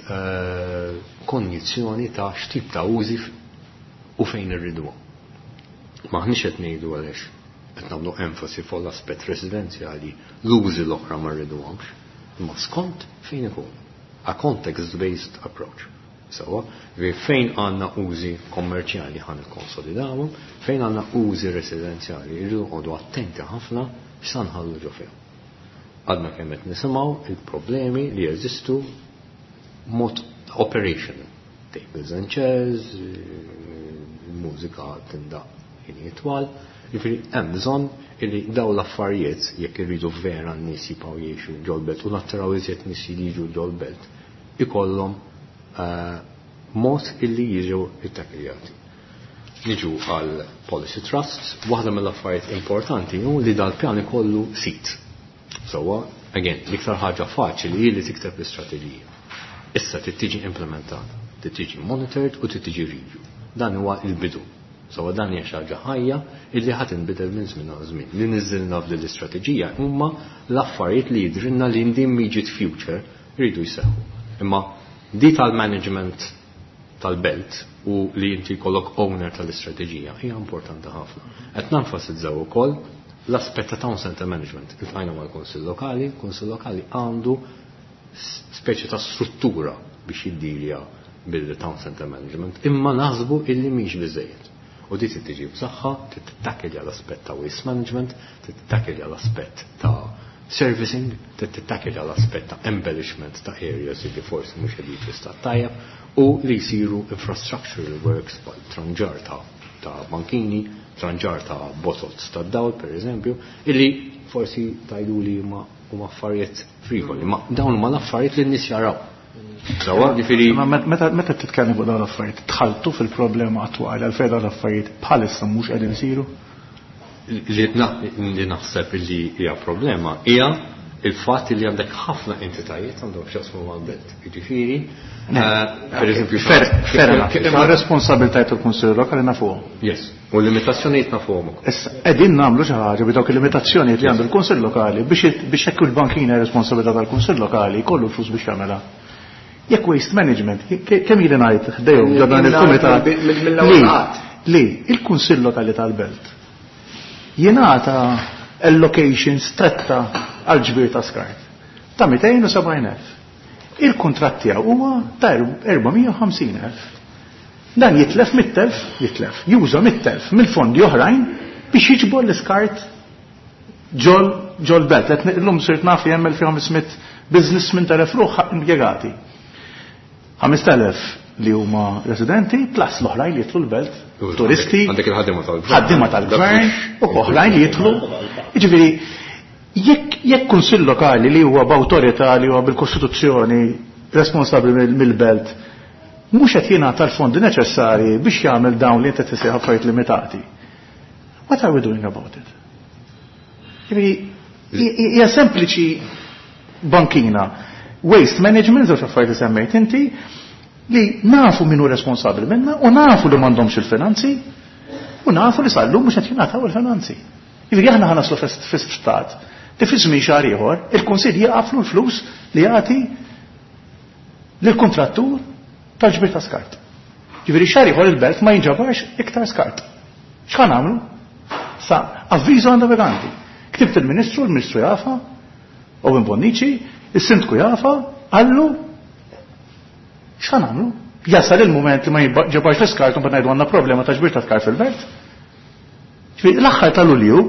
konjizzjoni ta' x'tip ta' użi u fejn irriduhom. M'aħniex qed ngħidu għaliex qed nagħmlu enfasi fuq l-aspett residenzjali l-użi l-oħra ma rriduhomx, imma skont fejn ikun. A context-based approach. Sewwa, ġifieri fejn għandna użi kommerċjali ħa nikkonsolidawhom, fejn għandna użi residenzjali rridu noqogħdu attenti ħafna x'sa nħallu ġo fihom. Għadna kemm qed nisimgħu il-problemi li jeżistu mod operational. Tables and chairs, mużika tindaq ħinijiet twal, jiġifieri hemm bżonn illi daw l-affarijiet jekk irridu vera n-nies jibqgħu jgħixu ġol-belt u nattiraw iżjed nies li jiġu ġol-belt ikollhom mod illi jiġu ittakiljati. Niġu għal policy trusts, waħda mill-affarijiet importanti hu li dal-pjan ikollu sit. Sewwa, again, l-iktar ħaġa faċli hi li tikteb l-istrateġija. Issa trid tiġi implementata, trid tiġi monitored u trid tiġi review. Dan huwa l-bidu. Sewwa dan hija xi ħaġa ħajja illi ħa tinbidel minn żmien għal żmien. Li niżżilna f'din l-istrateġija huma l-affarijiet li jidhrilna li in the immediate future jridu jseħħu. Imma di tal-management tal-belt u li inti jkollok owner tal-istrateġija hija importanti ħafna. Qed nenfasizzaw ukoll l-aspett ta' town center management. Iltqajna mal-Kunsill Lokali, il-Kunsill Lokali għandu speċi ta' struttura biex jiddilja bil-town center management, imma naħsbu illi mhix biżejjed. U di trid tiġi b'saħħa, trid tittakilja l-aspett ta' waste management, trid tittakilja l-aspett ta' servicing, trid tittakilja l-aspett ta' embellishment ta' areas li forsi mhux qegħdin fi stat tajjeb u li jsiru infrastructural works bħal tranġar ta' bankini, tranġar ta' botots ta' dawl per eżempju, illi forsi tajduli huma affarijiet frivoli, ma dawn huma l-affarijiet li n-nies jaraw. Sewwa, ġifieri Ma meta titkellem fuq dawn l-affarijiet, tħaltu fil-problema attwali għalfejn dawn l-affarijiet bħalissa mhux qegħdin isiru? Li naħseb li hija problema hija il-fatt li għandek ħafna entitajiet għandhom x'jaqsmu mal-belt. Jiġifieri, per eżempju, Imma responsabilitajiet tal-Kunsill Lokali nafuhom. Yes. U l-limitazzjonijiet nafuhom ukoll. Issa, qegħdin nagħmlu xi ħaġa bi dawk il-limitazzjonijiet li għandu l-Kunsill Lokali biex hekk il-bankina responsabilità tal-Kunsill Lokali jkollu l-flus biex jagħmilha. Jekk waste management, kemm ili ngħid ħdejhom ġo dan il-kumitat li il-Kunsill Lokali tal-Belt jingħata allocation stretta għal ġbir ta' skart ta' 270,000. Il-kuntratt tiegħu huwa ta' 450,000. Dan jitlef mit-telf, jitlef, juża mit-telf mill-fondi oħrajn biex jiġbor l-iskart ġol belt. Qed illum sirt naf li hemm 1500 business minn telef ruħ impjegati. 5,000 li huma residenti plus l-oħrajn li jidħlu l-belt, turisti, Għandek il-ħaddiema tal-gvern. ħaddiema tal-gvern u oħrajn li jidħlu. Jiġifieri, jekk kunsill lokali li huwa b'awtorità li huwa bil-Kostituzzjoni responsabbli mill-belt mhux qed jingħata l-fondi neċessarji biex jagħmel dawn li inti tisejħ affarijiet limitati. What are we doing about it? Jiġifieri, hija sempliċi bankina. Waste management, żewġ affarijiet li semmejt inti, li nafu min hu responsabbli minna u nafu li m'għandhomx il-finanzi u nafu li sal-lum mhux qed jingħataw il-finanzi. Jiġifieri aħna ħa naslu fi stat li fi żmien xahar ieħor il-Kunsill jaqaflu l-flus li jagħti lill-kuntrattur tal-ġbir ta' skart. Jiġifieri xahar ieħor il-belt ma jinġabarx iktar skart. X'ħa nagħmlu? Sa avviżu għandha veganti. Ktibt il-Ministru, il-Ministru jafa, Owen Bonnici, il-Sindku jafa, qallu x'ħa nagħmlu? Jasal il-moment li ma jinġabarx l-iskart u mbagħad ngħidu għandna problema ta' ġbir ta' skart fil-belt. Ġifieri l-aħħar ta' Lulju,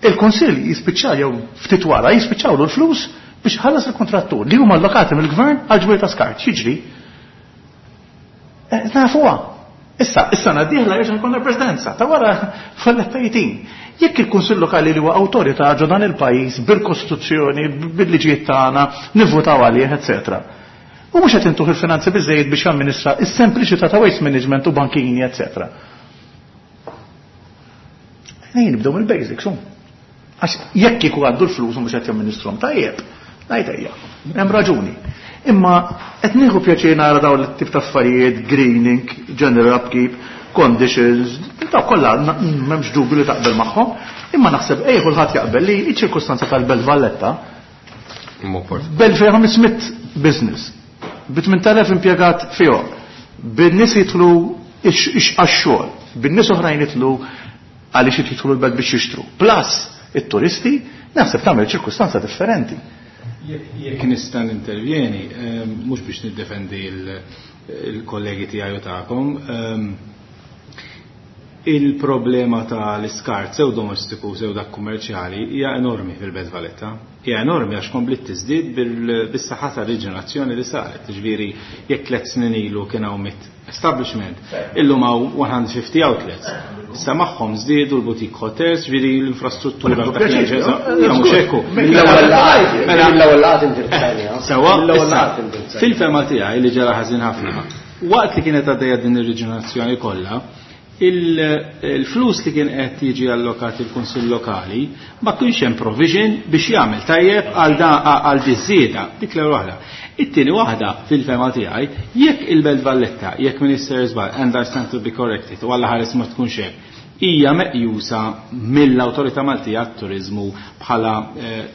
il-Kunsill jispiċċa jew ftit wara jispiċċawlu l-flus biex ħallas il-kontrattur li huma allokati mill-gvern għal ġbir ta' skart. X'jiġri? Nafuha. Issa, is-sena d-dieħla jerġa' jkollna presidenza ta' wara Valletta 18. Jekk il-Kunsill Lokali li huwa awtorità ġo dan il-pajjiż bil-Kostituzzjoni, bil-liġijiet tagħna, nivvutaw għalih, eċetera. U mhux qed intuh il-finanzi biżejjed biex jamministra is-sempliċità ta' waste management u bankini, eċetera. Nejn nibdew mill-basics, hum. Għax jekk kieku għaddu l-flus u mhux qed jamministrhom tajjeb, Ngħid ejja, hemm raġuni. Imma qed nieħu pjaċir nara dawn it-tip ta' affarijiet, greening, general upkeep, conditions, daw kollha m'hemmx dubju li taqbel magħhom, imma naħseb ej kulħadd jaqbel li ċ-ċirkustanza tal-Belt Valletta Belt fejn 500 business, bi 8000 impjegat fihom, bin-nies jidħlu għax-xogħol, bin-nies oħrajn jidħlu għaliex jidħlu l-belt biex jixtru. Plus it-turisti, naħseb tagħmel ċirkustanza differenti. Jekk nista' nintervjeni, mhux biex niddefendi l-kollegi tiegħi u tagħkom, il-problema ta' l-iskart sew domestiku sew dak kummerċjali hija enormi fil-Belt Valletta. Hija enormi għax kompliet tiżdied bis-saħħa tar-riġenerazzjoni li saret. Ġifieri jekk 3 snin ilu kien hawn 100 establishment, illum hawn 150 outlets. Issa magħhom żdiedu l-boutique hotels, ġifieri l-infrastruttura ta' mhux hekk. Mill-ewwel laqgħat indirizzajniha. Sewwa, fil-fehma tiegħi li ġara ħażin ħafna, waqt li kienet għaddejja din ir-riġenerazzjoni kollha, il-flus li kien qed jiġi allokat il-Kunsill Lokali ma kienx hemm provision biex jagħmel tajjeb għal għal diżieda, dik l-ewwel waħda. It-tieni waħda fil-fehma tiegħi, jekk il-Belt Valletta, jekk Minister żball, and I stand to be corrected, u Alla ħares ma tkunx hekk, hija meqjusa mill-Awtorità Maltija għat-Turiżmu bħala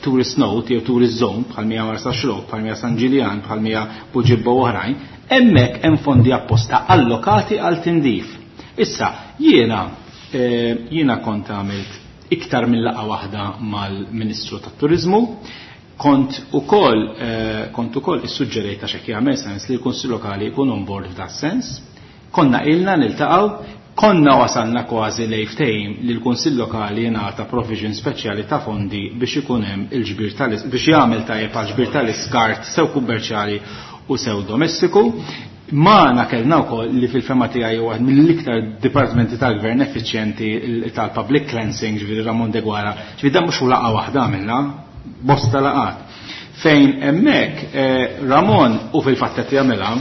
tourist note jew tourist zone bħal mija Marsaxlokk, bħal mija San Ġiljan, bħal mija Buġibba u oħrajn, hemmhekk hemm fondi apposta allokati għal tindif. Issa, jiena kont għamilt iktar minn laqgħa waħda mal-Ministru tat-Turiżmu, kont ukoll kont ukoll issuġġerejt għax hekk jagħmel sens li l-Kunsill Lokali jkun on board f'da sens. Konna ilna niltaqgħu, konna wasalna kważi lejn ftehim li l-Kunsill Lokali jingħata provision speċjali ta' fondi biex ikun hemm il-ġbir tal biex jagħmel tajjeb għal ġbir tal-iskart sew kummerċjali u sew domestiku. Magħna kellna wkoll li fil-fema tiegħi huwa wieħed mill-iktar dipartimenti tal-gvern effiċjenti tal-public cleansing, ġifieri Ramon Deguara, ġifieri dan mhux laqgħa waħda għamilna, bosta laqgħat. Fejn hemmhekk Ramon u fil-fatt qed jagħmilha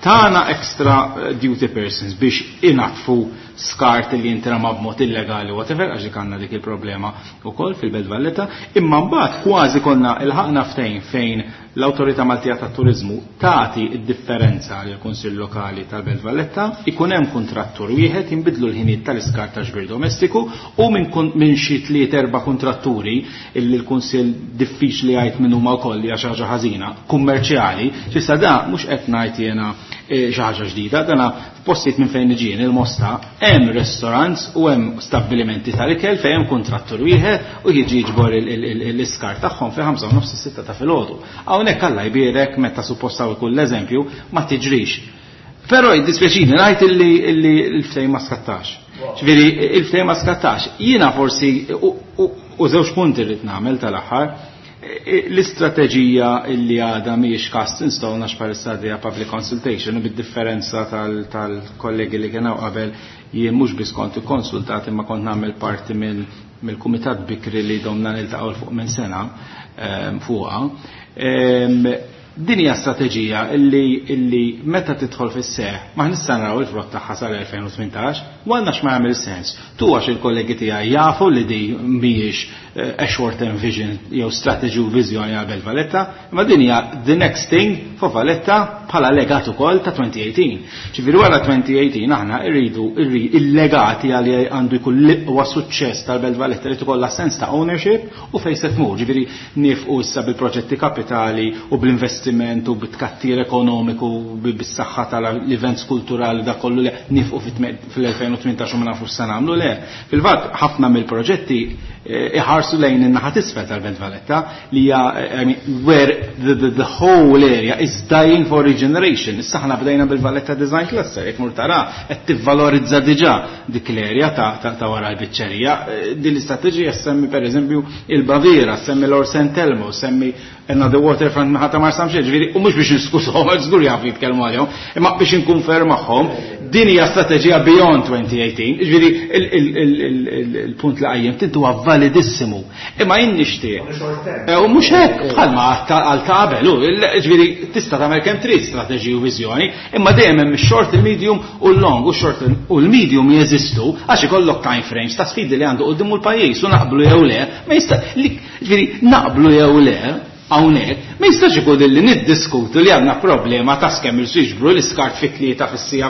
tana extra duty persons biex inatfu skart li jintrama b'mod illegali whatever, għax dik għandna dik il-problema wkoll fil-Belt Valletta, imma mbagħad kważi konna ilħaqna ftehim fejn l-Awtorità Maltija tat-Turiżmu tagħti d-differenza lil Kunsill Lokali tal-Belt Valletta, ikun hemm kuntrattur wieħed jinbidlu l-ħinijiet tal-iskart ta' ġbir domestiku u minn xi tliet erba' kuntratturi illi l-Kunsill diffiċli jgħid min huma wkoll hija xi ħaġa ħażina kummerċjali, s'issa da mhux qed ngħid jiena xi ħaġa ġdida, dana f'postijiet minn fejn niġi jien il-Mosta hemm restaurants u hemm stabbilimenti tal-ikel fejn hemm kuntrattur wieħed u jiġi jiġbor l-iskart tagħhom fi ħamsa u nofs is-sitta ta' filgħodu. Hawnhekk Alla jbierek meta suppost hawn ikun l-eżempju ma tiġrix. Però jiddispjaċini ngħid illi l-ftehim ma skattax. Ġifieri il-ftehim ma skattax. Jiena forsi u żewġ punti rrid nagħmel tal-aħħar. L-istrateġija illi għadha mhijiex cast in stone għax bħalissa għaddejja public consultation u bid-differenza tal-kollegi li kienu qabel jien mhux biss kont ikkonsultat imma kont nagħmel parti mill-kumitat bikri li domna niltaqgħu l fuq minn sena fuqha. Din hija strateġija illi meta tidħol fis-seħħ ma nista' naraw il-frott tagħha sal-2018 u għandna x'ma jagħmel sens. Tu għax il-kollegi tiegħi jafu li di mhijiex a short term vision jew strategy u viżjoni għal Belt Valletta, imma din hija the next thing for Valletta bħala legat ukoll ta' 2018. Ġifieri wara 2018 aħna rridu il-legati għal għandu jkun l-iqwa suċċess tal-Belt Valletta li tkollha sens ta' ownership u fejn se tmur. Ġifieri nifqu issa bil-proġetti kapitali u bl-investiment u bit-tkattir ekonomiku bis-saħħa tal-events kulturali da kollu li nifqu fil-2018 u ma nafux se nagħmlu le. Fil-fatt ħafna mill-proġetti iħarsu lejn in-naħa t'isfel tal-Belt Valletta li hija I mean, where the whole area is dying for regeneration. Issa ħna bdejna bil-Valletta Design Cluster, jekk mur tara qed tivvalorizza diġà dik l-area ta' wara l-biċċerija. Din l-istrateġija semmi pereżempju il-Baviera, semmi l-Or Saint Elmo, semmi another waterfront naħa ta' Marsamxett, ġifieri, u mhux biex niskushom, għax żgur jafu jitkellmu għalihom, imma biex inkun fair magħhom, din hija strateġija beyond 2018, ġifieri il-punt li qajjimt inti huwa validissimu. Imma jien nixtieq. U mhux hekk bħalma għal ta' qabel, ġifieri tista' tagħmel kemm trid strateġiji u viżjoni, imma dejjem hemm ix-short, il-medium u l-long, u x-short u l-medium jeżistu għax ikollok time frames ta' sfidi li għandu qudiem l-pajjiż u naqblu jew le, ma jista' li, ġifieri naqblu jew le, hawnhekk, ma jistax ikun li niddiskutu li għandna problema ta' scammers jiġbru l-iskart fit-tlieta fis-sija.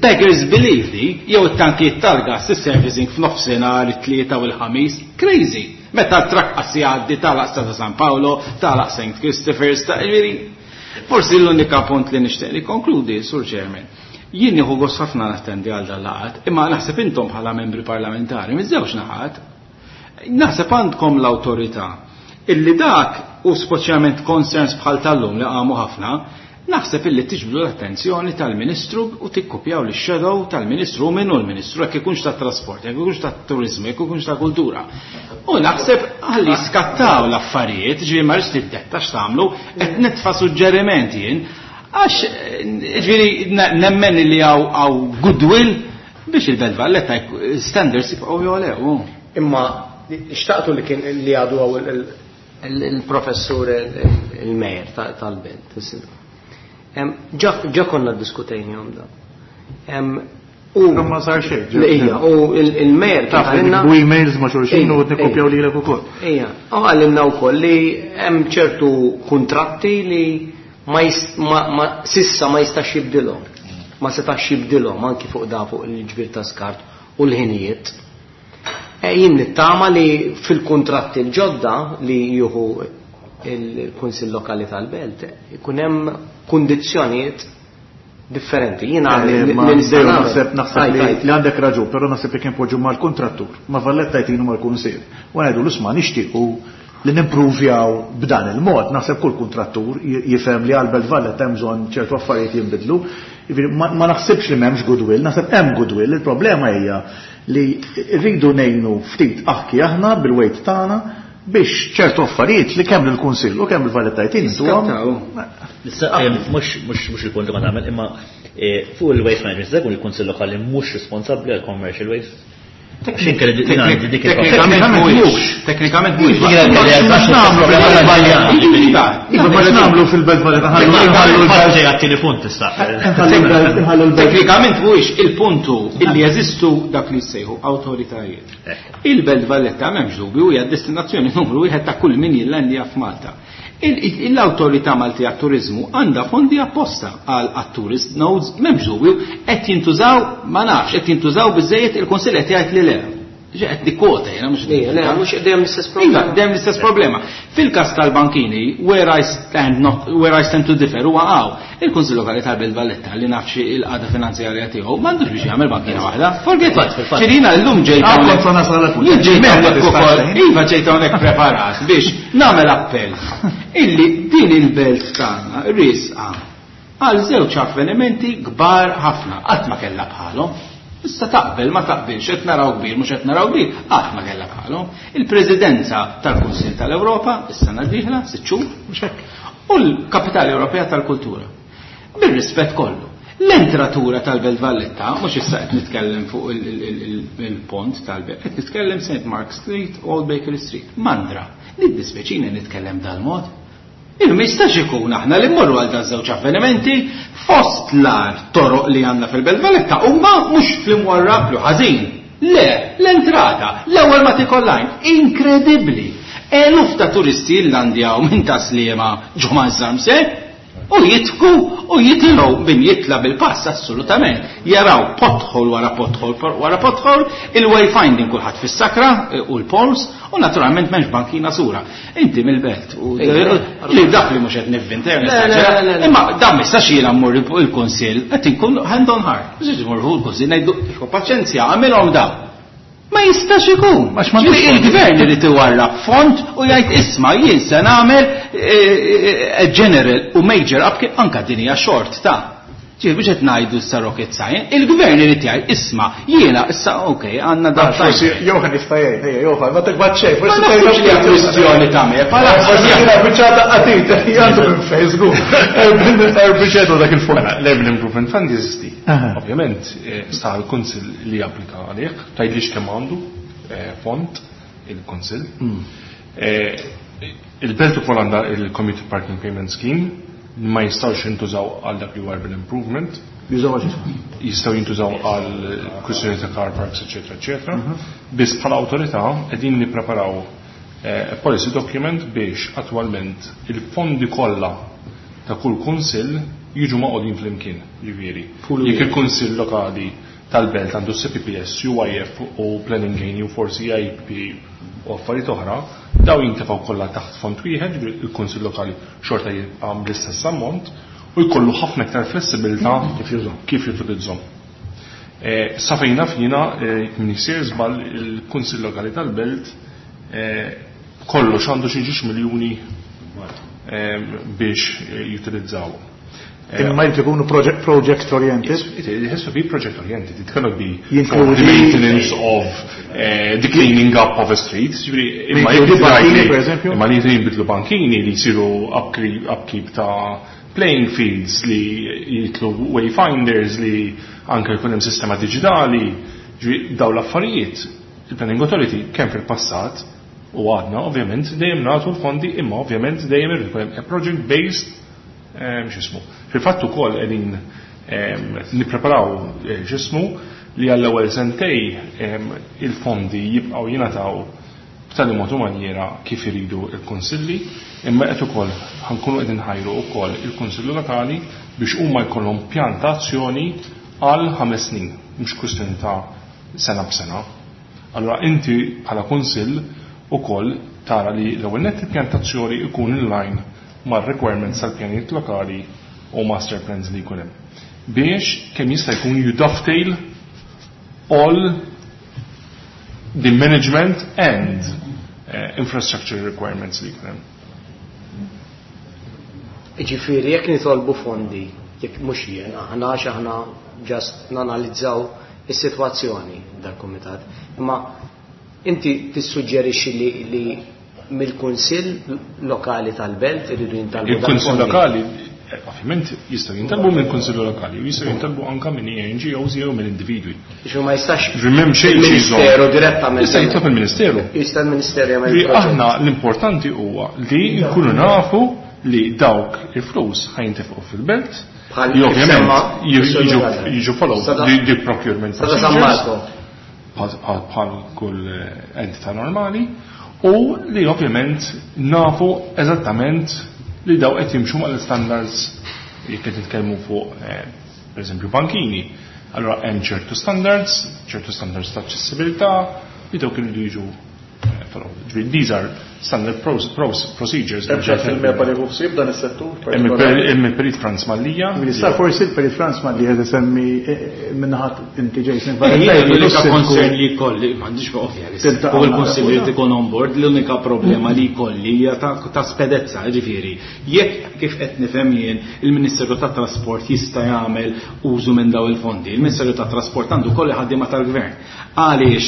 Beggars believe li jew it-tankijiet tal-gas is-servicing f'nofsinhar it-tlieta u l-ħamis, crazy. Meta t-trakk qas jgħaddi tagħlaq Strada San Paolo, tagħlaq St. Christopher's, ta' ġifieri forsi l-unika punt li nixtieq nikkonkludi, Sur Chairman, jien nieħu gost ħafna nattendi għal dal-laqgħat, imma naħseb intom bħala membri parlamentari miż-żewġ naħat Naħseb għandkom l-awtorità illi dak u speċjalment concerns bħal tal-lum li qamu ħafna, naħseb illi tiġbdu l-attenzjoni tal-Ministru u tikkupjaw lix shadow tal-Ministru u min hu l-Ministru jekk ikunx tat-trasport, jekk ikunx tat-turiżmu, jekk ikunx tal-kultura. U naħseb ħalli skattaw l-affarijiet, ġifieri ma rridx niddetta x'tagħmlu, qed nitfa' suġġeriment jien, għax ġifieri nemmen li hawn goodwill Biex il-Belt Valletta standards jibqgħu jogħlew. Imma xtaqtu li kien li għadu għaw il-professur il-mejer tal-belt. Ġa konna diskutejnihom da. U ma sar xejn. Ija, u il-mejer kien għalinna. U emails ma xulxin u nikkopjaw lilek ukoll. Ija, u għalinna wkoll li hemm ċertu kuntratti li ma sissa ma jistax jibdilhom. Ma setax jibdilhom anki fuq da fuq il-ġbir ta' skart u l-ħinijiet. E, jien nittama li fil-kuntratti l-ġodda li jieħu il-Kunsill Lokali tal-Belt ikun hemm kundizzjonijiet differenti. Jiena naħseb naħseb li għandek raġun, però naħseb li kien poġġu mal-kuntrattur, ma' Valletta jtinu mal-Kunsill. U ngħidu l-isma' nixtiequ li nimpruvjaw b'dan il-mod, naħseb kull kuntrattur jifhem li għal Belt Valletta hemm bżonn ċertu affarijiet jinbidlu. Ma naħsibx li m'hemmx goodwill, naħseb hemm goodwill, il-problema hija li rridu ngħinu ftit aħki aħna bil-weight tagħna biex ċertu affarijiet li kemm lill-Kunsill u kemm il-Valletta jtin intuhom. Issa mhux mhux il-punt li ma nagħmel imma eh, fuq il-waste management se jkun il-Kunsill Lokali mhux responsabbli għal commercial waste. Teknikament mhuwiex. Teknikament mhuwiex. Iva ma nagħmlu fil-belt Valletta ħallu l-belt għat-tieni punt issa. Teknikament mhuwiex il-puntu illi jeżistu dak li jsejħu awtoritajiet. Il-Belt Valletta m'hemmx dubju hija destinazzjoni numru wieħed ta' kull min jillandja f'Malta. L-Awtorità Maltija għat-Turiżmu għandha fondi apposta għal għat-tourist nodes, m'hemmx dubju, qed jintużaw, ma nafx, qed jintużaw biżżejjed, il-Kunsill qed jgħid li le. Ġi qed nikkwota jiena mhux Le, mhux dejjem l-istess problema. Iva, dejjem l-istess problema. Fil-każ tal-bankini, where I stand not, where I stand to differ huwa hawn. Il-Kunsill Lokali tal-Belt Valletta li naf xi il-qagħda finanzjarja tiegħu m'għandux biex jagħmel bankina waħda. Forget it. Ċirina llum ġejt ah, hawnhekk. Jien ġejt hawnhekk ukoll. Iva ġejt hawnhekk preparat biex nagħmel appell illi din il-belt tagħna riesqa għal żewġ avvenimenti kbar ħafna qatt ma kellha bħalhom. Issa taqbel ma taqbilx qed naraw kbir mhux qed naraw kbir, qatt ma kellha bħalhom. Il-Presidenza tal-Kunsill tal-Ewropa is-sena d-dieħla, sitt xhur, mhux hekk. U l-Kapitali Ewropea tal-Kultura. Bir-rispett kollu. L-entratura tal-Belt Valletta, mhux issa qed nitkellem fuq il-pont tal-Belt, qed nitkellem St. Mark Street, Old Bakery Street, Mandra. Niddispjaċini nitkellem dal-mod. Il ma jistax ikun aħna li mmorru għal dan żewġ avvenimenti fost l-ar toroq li għandna fil-Belt Valletta huma mhux fl-imwarrab li ħażin. Le, l-entrata, l-ewwel ma tikollajn, inkredibbli. Eluf ta' turisti jillandjaw minn Tas-Sliema ġo Maż-Żarmse u jidħku u jitilgħu min jitla' bil-pass assolutament jaraw pothole wara pothole wara pothole, il-wayfinding kulħadd fis-sakra u l-poles u naturalment m'hemmx bankina sura. Inti mill-belt u li dak li mhux qed nivvinta Imma dan ma jistax jiena mmur il-kunsill qed inkun hand on heart. Mhux imur il-kunsill ngħidu paċenzja għamilhom dawn. Ma jistax ikun. Għax ma il-gvern irid iwarrab fond u jgħid isma' jien se nagħmel eh, eh, eh, general u major up anka din hija short ta' Ġifieri biex qed ngħidu issa rocket science, il-gvern irid jgħid isma' jiena issa ok għandna dan. Forsi Johan jista' jgħid, ejja Johan, ma tikbat xejn, forsi ma naħsibx li hija kwistjoni ta' me, bħala forsi jiena biċċa ta' qatit, għandu minn Facebook. Erbiċetu dak il-fond. Mela, l-Urban Improvement Fund jeżisti. Ovvjament, sta l-Kunsill li japplika għalih, tgħidlix kemm għandu fond il-Kunsill. Il-belt ukoll għandha il-Community Parking Payment Scheme li ma jistgħux jintużaw għal dak li huwa urban improvement. Jużaw għal xiex? Jistgħu jintużaw għal kwistjoni ta' car parks, eċetera, eċetera. Biss bħala awtorità qegħdin nippreparaw a policy document biex attwalment il-fondi kollha ta' kull kunsill jiġu magħqudin flimkien, jiġifieri jekk il-kunsill lokali tal-belt għandu CPPS, UIF u Planning Gain u forsi IPP u affarijiet oħra, daw jintefgħu kollha taħt fond wieħed, jiġifieri il-kunsill lokali xorta jibqa' bl-istess ammont u jkollu ħafna iktar flessibilità kif jutilizzhom. Sa fejn naf jiena, jekk m'iniex sejjer żball, il-Kunsill Lokali tal-Belt b'kollox għandu xi ġiex miljuni biex jutilizzawhom. Imma jrid ikunu project oriented? It has to be project oriented. It cannot be for the maintenance of the cleaning up of a street. Imma jekk bankini, per eżempju? Imma li jinbidlu bankini li jsiru upkeep ta' playing fields li jitlu wayfinders li anke jkun hemm sistema diġitali, ġifieri dawn l-affarijiet il-Planning Authority kemm fil-passat u għadna ovvjament dejjem nagħtu l-fondi imma ovvjament dejjem irid ikun hemm project based x'ismu. Fil-fatt ukoll qegħdin nippreparaw x'ismu li għall-ewwel sentej il-fondi jibqgħu jingħataw b'tali mod u manjiera kif iridu l-kunsilli, imma qed ukoll ħa nkunu qed inħajru wkoll il-Kunsilli Lokali biex huma jkollhom pjan ta' azzjoni għal 5 snin, mhux kwistjoni ta' sena b'sena. Allura inti bħala kunsill ukoll tara li l-ewwel nett il-pjan ta' azzjoni jkun in line mar-requirements tal-pjanijiet lokali u master plans li jkun hemm. Biex kemm jista' jkun you dovetail all the management and infrastructure requirements li jkun hemm. Jiġifieri jekk nitolbu fondi, jekk mhux jien, aħna għax aħna just nanalizzaw is-sitwazzjoni dal-kumitat, imma inti tissuġġerixxi li, li mill-Kunsill Lokali tal-Belt iridu jintalbu Il-Kunsill Lokali ovvjament jistgħu jintalbu mill-Kunsill Lokali u jistgħu jintalbu anke minn NGOs jew minn individwi. Ġifieri ma jistax M'hemm xejn il-Ministeru direttament. Jista' jitlob il-Ministeru. Jista' l-Ministeru jagħmel. Aħna l-importanti huwa li nkunu nafu li dawk il-flus ħa jintefqu fil-belt li ovvjament jiġu follow the procurement procedures bħal kull entità normali u li ovvjament nafu eżattament li daw qed jimxu mal-standards jekk qed nitkellmu fuq pereżempju bankini. Allura hemm ċertu standards, ċertu standards ta' aċċessibilità li dawk iridu jiġu follow. Ġifieri these are standard procedures. Hemm xi fil-MEPA li ħsieb dan is-settur? Hemm il-Perit Franz Mallia. Minister, forsi il-Perit Franz Mallia qed isemmi minnaħat inti Jason. L-unika concern li jkolli, m'għandix ovvja li fuq il-Kunsill li ikun on board, l-unika problema li jkolli hija ta' spedezza, ġifieri. Jekk kif qed nifhem jien il-Ministeru tat-Trasport jista' jagħmel użu minn daw il-fondi. Il-Ministeru tat-Trasport għandu kollu ħaddiema tal-Gvern. Għaliex,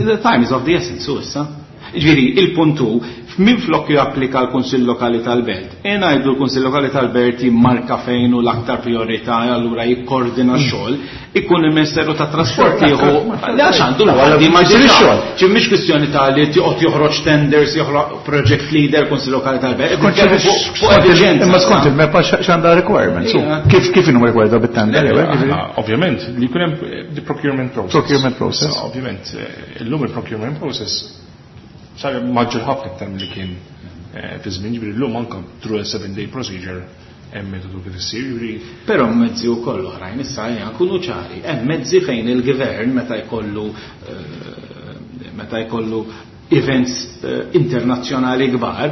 the time is of the essence, u issa. Ġifieri, il-punt hu, minn flok japplika l-Kunsill Lokali tal-Belt. E ngħidu l-Kunsill Lokali tal-Belt jimmarka fejn hu l-aktar priorità, allura jikkordina x-xogħol, ikun il-Ministeru tat-Trasport jieħu għax għandu l-ħaddiema diġà. Ġifieri mhix kwistjoni ta' li joqgħod joħroġ tenders, joħroġ project leader, Kunsill Lokali tal-Belt. Fuq efficienza. Imma skont il-MEPA x'għandha requirements. Kif inhu required bit-tender? Ovvjament, li jkun hemm the procurement process. Procurement process. Ovvjament, illum il-procurement process sar maġġor ħafna iktar milli kien fi żmien, ġifieri llum anke through a 7-day procedure hemm metodu kif issir, ġifieri. Però mezzi wkoll oħrajn issa ejja nkunu ċari, hemm mezzi fejn il-gvern meta jkollu events internazzjonali kbar,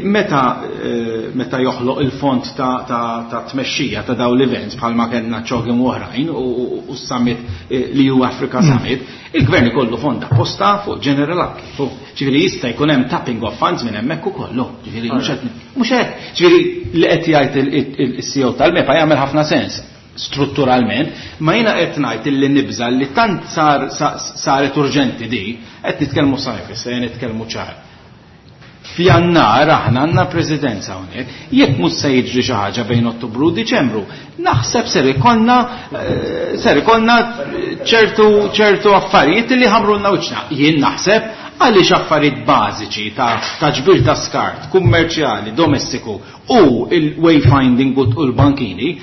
meta joħloq il-fond ta' tmexxija ta' daw l-events bħalma kellna CHOGM u oħrajn u s-summit l-EU Africa Summit, il-gvern ikollu fond apposta fuq general upkeep. Ġifieri jista' jkun hemm tapping of funds minn hemmhekk ukoll. Ġifieri mhux qed mhux hekk. Ġifieri li qed jgħid il-CEO tal-MEPA jagħmel ħafna sens strutturalment, ma jiena qed ngħid illi nibża li tant saret urġenti di, qed nitkellmu sajf, issa jien nitkellmu ċar. F'Jannar aħna għandna presidenza hawnhekk, jekk mhux se jiġri xi ħaġa bejn Ottubru u Diċembru, naħseb ser ikollna ċertu affarijiet li ħamrulna wiċċna. Jien naħseb għaliex affarijiet bażiċi ta' ġbir ta' skart, kummerċjali, domestiku u il-wayfinding u l-bankini,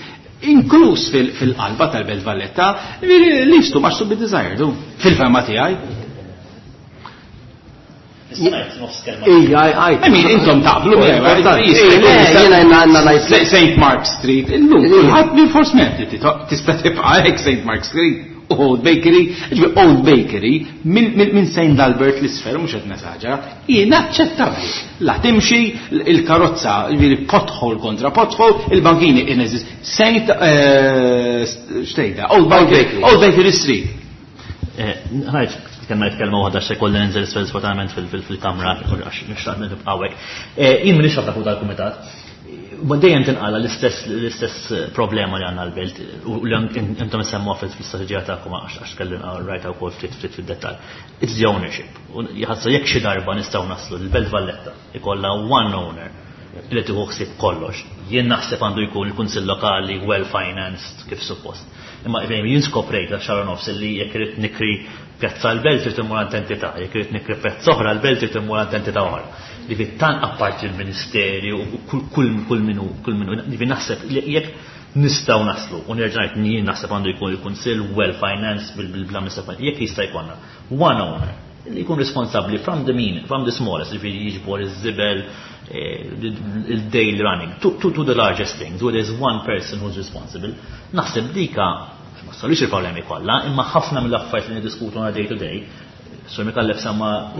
inkluż fil-qalba tal-Belt Valletta, leaves too much to be desired, fil-fema tiegħi. Ija, I mean, intom taqblu Jiena għandna ngħid St. Mark Street, illum kulħadd minn force tista' tibqa' hekk St. Mark Street. Old Bakery, ġifieri Old Bakery minn St. Albert l-isfel, mhux qed nesaġera, inaċċettabbli. La timxi il-karozza, ġifieri pothole kontra pothole, il-bankini ineżis. Saint xtejda, Old Bakery, Old Bakery Street. Ħajt, kemm ngħid kelma waħda se kolli ninżel isfel sfortunatament fil-kamra għax nixtaq nibqa' hawnhekk. Jien m'iniex ħafna fuq dal-kumitat. Ma dejjem tinqala l-istess l-istess problema li għandna l-belt u li intom issemmuha fil-istrateġija tagħkom għax kelli rajta wkoll ftit ftit fid-dettall. It's the ownership. U jħassu jekk xi darba nistgħu naslu l-Belt Valletta ikollha one owner li tieħu ħsieb kollox. Jien naħseb għandu jkun il-Kunsill Lokali well financed kif suppost. Imma jien skoprejt għal xahar nofs li jekk irid nikri pjazza l-belt trid immur għand entità, jekk irid nikri pjazza oħra l-belt trid immur għand entità oħra. Ġifieri tant apparti l-Ministeri u kull kull minu kull minu ġifieri naħseb li jekk nistgħu naslu u nerġa' ngħid jien naħseb għandu jkun il-Kunsill well financed bil-bla jekk jista' jkollna one owner li jkun responsabbli from the mean, from the smallest, ġifieri jiġbor iż-żibel, il-daily running, to the largest things, where there's one person who's responsible. Naħseb dika, ma solix il-problemi kollha, imma ħafna mill-affarijiet li niddiskutu on a day to day, Sur Mikallef semma.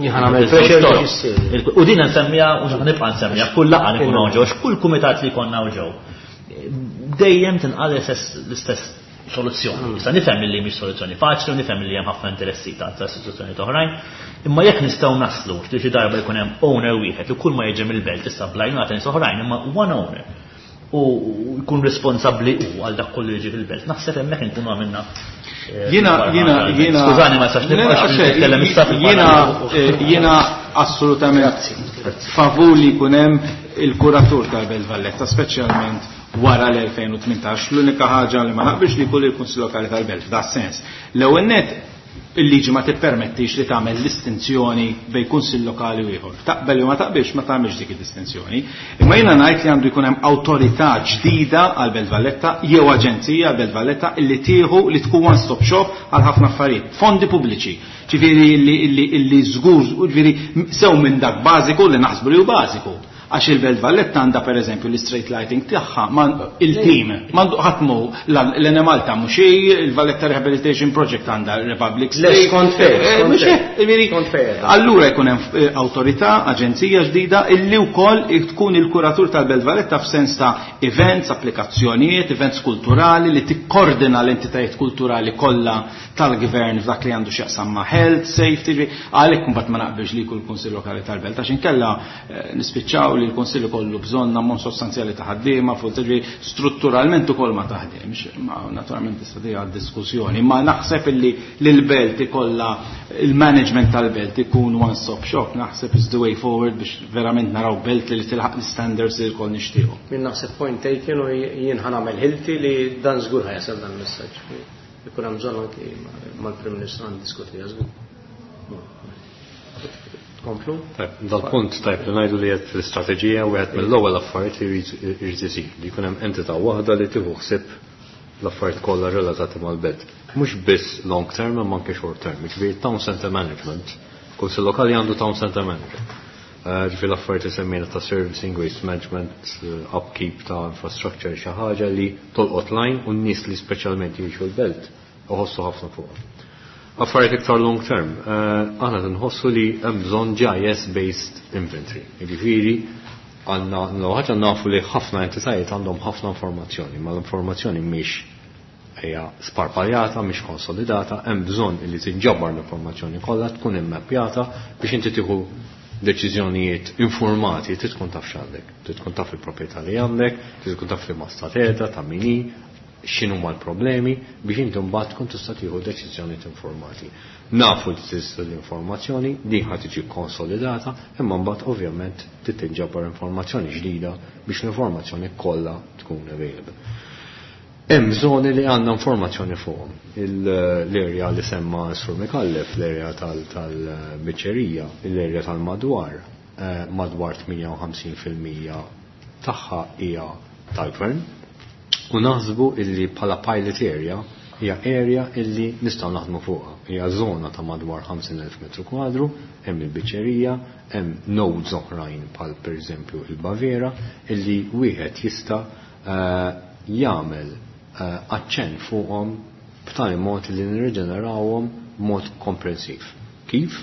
U din nsemmija u nibqa' nsemmija kull laqgħa li nkunu ġew, kull kumitat li jkollna ġew. Dejjem tinqal l-istess soluzzjoni. Issa nifhem li mhix soluzzjoni faċli u nifhem li hemm ħafna interessi ta' istituzzjonijiet oħrajn, imma jekk nistgħu naslu li xi darba jkun hemm owner wieħed li kull ma jiġi mill-belt issa blajnuna ta' nies oħrajn, imma one owner u jkun responsabbli hu għal dak kollu jiġi fil-belt. Naħseb hemmhekk inkunu għamilna. Jiena jiena jiena Skużani ma nistax nibqa' nitkellem issa Jiena jiena assolutament favur li jkun hemm il-kuratur tal-Belt Valletta, speċjalment wara l-2018. L-unika ħaġa li ma naqbilx li jkun il-Kunsill Lokali tal-Belt f'da sens. L-ewwel net il-liġi ma tippermettix li tagħmel distinzjoni bejn kunsill lokali u ieħor. Taqbel jew ma taqbilx ma tagħmilx dik id-distinzjoni. Imma jiena ngħid li għandu jkun hemm awtorità ġdida għal Belt Valletta jew aġenzija għal Belt Valletta illi tieħu li tkun one stop shop għal ħafna affarijiet. Fondi pubbliċi. Ġifieri illi żgur, ġifieri sew minn dak bażiku li naħsbu li hu bażiku. Għax il-Belt Valletta għandha pereżempju l-street lighting tagħha il-team m'għandu ħadd mhu l-Enemalta mhux hi, il-Valletta Rehabilitation Project għandha Republic Street. Skont fejn. Mhux hekk, Allura jkun hemm awtorità, aġenzija ġdida illi wkoll tkun il-kuratur tal-Belt Valletta f'sens ta' events, applikazzjonijiet, events kulturali li tikkordina l-entitajiet kulturali kollha tal-gvern f'dak li għandu x'jaqsam ma' health, safety, għalhekk imbagħad ma naqbilx li jkun il-Kunsill Lokali tal-Belt għax inkella nispiċċaw li l-Kunsill ikollu bżonn ammont sostanzjali ta' ħaddiema fuq ġifieri strutturalment ukoll ma taħdimx. Ma naturalment tista' tiegħu diskussjoni, ma naħseb illi l-belt ikollha il-management tal-belt ikun one stop shop, naħseb is the way forward biex verament naraw belt li tilħaq l-standards li lkoll nixtiequ. Min naħseb point taken u jien ħa nagħmel ħilti li dan żgur ħajasal dan il-messaġġ. Ikun hemm bżonn anki mal-Prim Ministru għan żgur. Komplu? Dal-punt tajb li ngħidu li qed fl-istrateġija wieħed mill-ewwel affarijiet li jrid isir li jkun hemm entità waħda li tieħu ħsieb l-affarijiet kollha relatati mal-belt. Mhux biss long term imma anke short term. Ġifieri town center management. Kunsill lokali għandu town center manager. Ġifieri l-affarijiet li semmejna ta' servicing, waste management, upkeep ta' infrastructure xi ħaġa li tolqot line u n-nies li speċjalment jgħixu l-belt uħossu ħafna fuqha. Affarijiet iktar long term, aħna nħossu li hemm bżonn GIS based inventory. Jiġifieri għandna l ħaġa nafu li ħafna entitajiet għandhom ħafna informazzjoni, ma l-informazzjoni mhix hija sparpaljata, mhix konsolidata, hemm bżonn li tinġabar l-informazzjoni kollha tkun immappjata biex inti tieħu deċiżjonijiet informati, trid tkun taf x'għandek, trid tkun taf il-proprjetà li għandek, trid tkun taf li ma stateta, ta' min hi, x'inhuma l-problemi biex inti mbagħad tkun tista' tieħu deċiżjonijiet informati. Nafu li tista' l-informazzjoni, din ħa tiġi konsolidata, imma mbagħad ovvjament trid tinġabar informazzjoni ġdida biex l-informazzjoni kollha tkun available. Hemm żoni li għandna informazzjoni fuqhom. L-area li semma Sur Mikallef, l-area tal-biċċerija, l-area tal-madwar, madwar 58% tagħha hija tal-gvern. U naħsbu illi bħala pilot area Hija area illi nistgħu naħdmu fuqha. Hija żona ta' madwar 50,000 metru kwadru, hemm il-biċċerija, hemm nodes oħrajn bħal pereżempju il-Baviera illi wieħed jista' eh, jagħmel eh, aċċenn fuqhom b'tali mod li nirriġenerawhom b'mod komprensiv. Kif?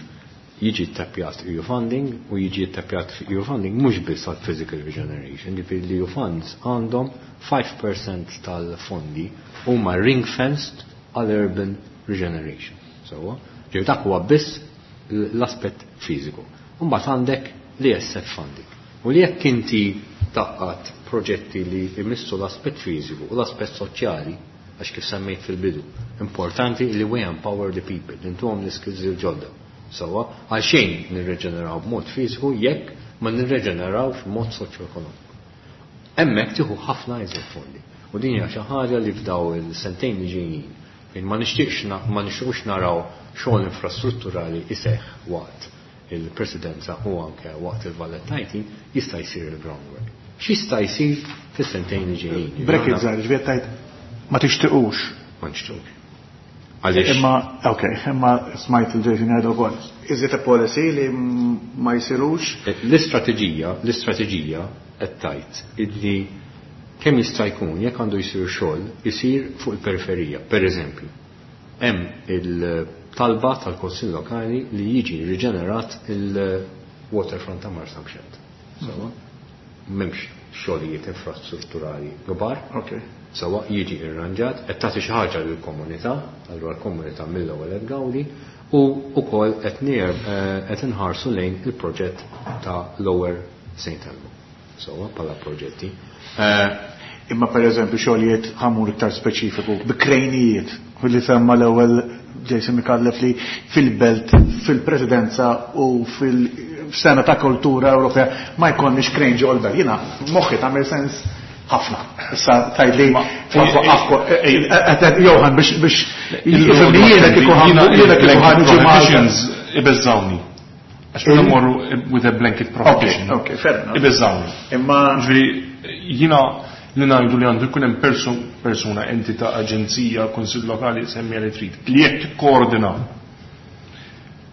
Jiġi ttappjat EU funding u jiġi ttappjat EU funding mhux biss għal physical regeneration, ġifieri l-EU funds għandhom 5% tal-fondi huma ring fenced għal urban regeneration. Sewwa, ġifieri dak huwa biss l-aspett fiżiku. Imbagħad għandek l-ESF funding. U li jekk inti taqqat proġetti li jmissu l-aspett fiżiku u l-aspett soċjali, għax kif semmejt fil-bidu, importanti li we empower the people, li ntuhom l-iskills il-ġodda. Sewwa, għalxejn nirreġeneraw b'mod fiżiku jekk ma nirreġeneraw f'mod soċjoekonomiku. Hemmhekk tieħu ħafna iżjed fondi. U din hija xi ħaġa li f'daw il-sentejn li ġejjin fejn ma nixtieqx ma nixtiequx naraw xogħol infrastrutturali iseħħ waqt il-presidenza u anke waqt il-Valletta jista' jsir il-groundwork. X'jista' jsir fis-sentejn li ġejjin? Bracket żgħar, ġifieri tgħid ma tixtiqux. Ma nixtiequx. Għaliex? Imma, ok, imma smajt il-Jason jgħidu wkoll. Is it a policy li ma jsirux? L-istrateġija, l-istrateġija qed tgħid illi kemm jista' jkun jekk għandu jsir xogħol isir fuq il-periferija. Per eżempju, hemm il-talba tal-Kunsill Lokali li jiġi riġenerat il-waterfront ta' Marsamxett. Sewwa? M'hemmx xogħlijiet infrastrutturali kbar. Sewwa jiġi irranġat, qed tagħti xi ħaġa lill-komunità, allura l-komunità mill-ewwel qed tgawdi, u wkoll qed qed inħarsu lejn il-proġett ta' Lower St. Elmo. Sewwa bħala proġetti. Imma per eżempju xogħlijiet ħamur iktar speċifiku bi krejnijiet li semma l-ewwel Jason Micallef li fil-belt, fil-presidenza u fil-sena ta' kultura Ewropea ma jkollniex krejn ġol belt. Jiena moħħi tagħmel sens ħafna. Issa tgħidli Johan biex biex jiena kieku jiena kieku ħa Malta. Ibeżżawni. Għax meta mmorru with a blanket prohibition. Ok, fair enough. Ibeżżawni. Imma Ġifieri jiena li ngħidu li għandu jkun hemm persuna, entità, aġenzija, kunsill lokali, semmija li trid, li jekk tikkoordina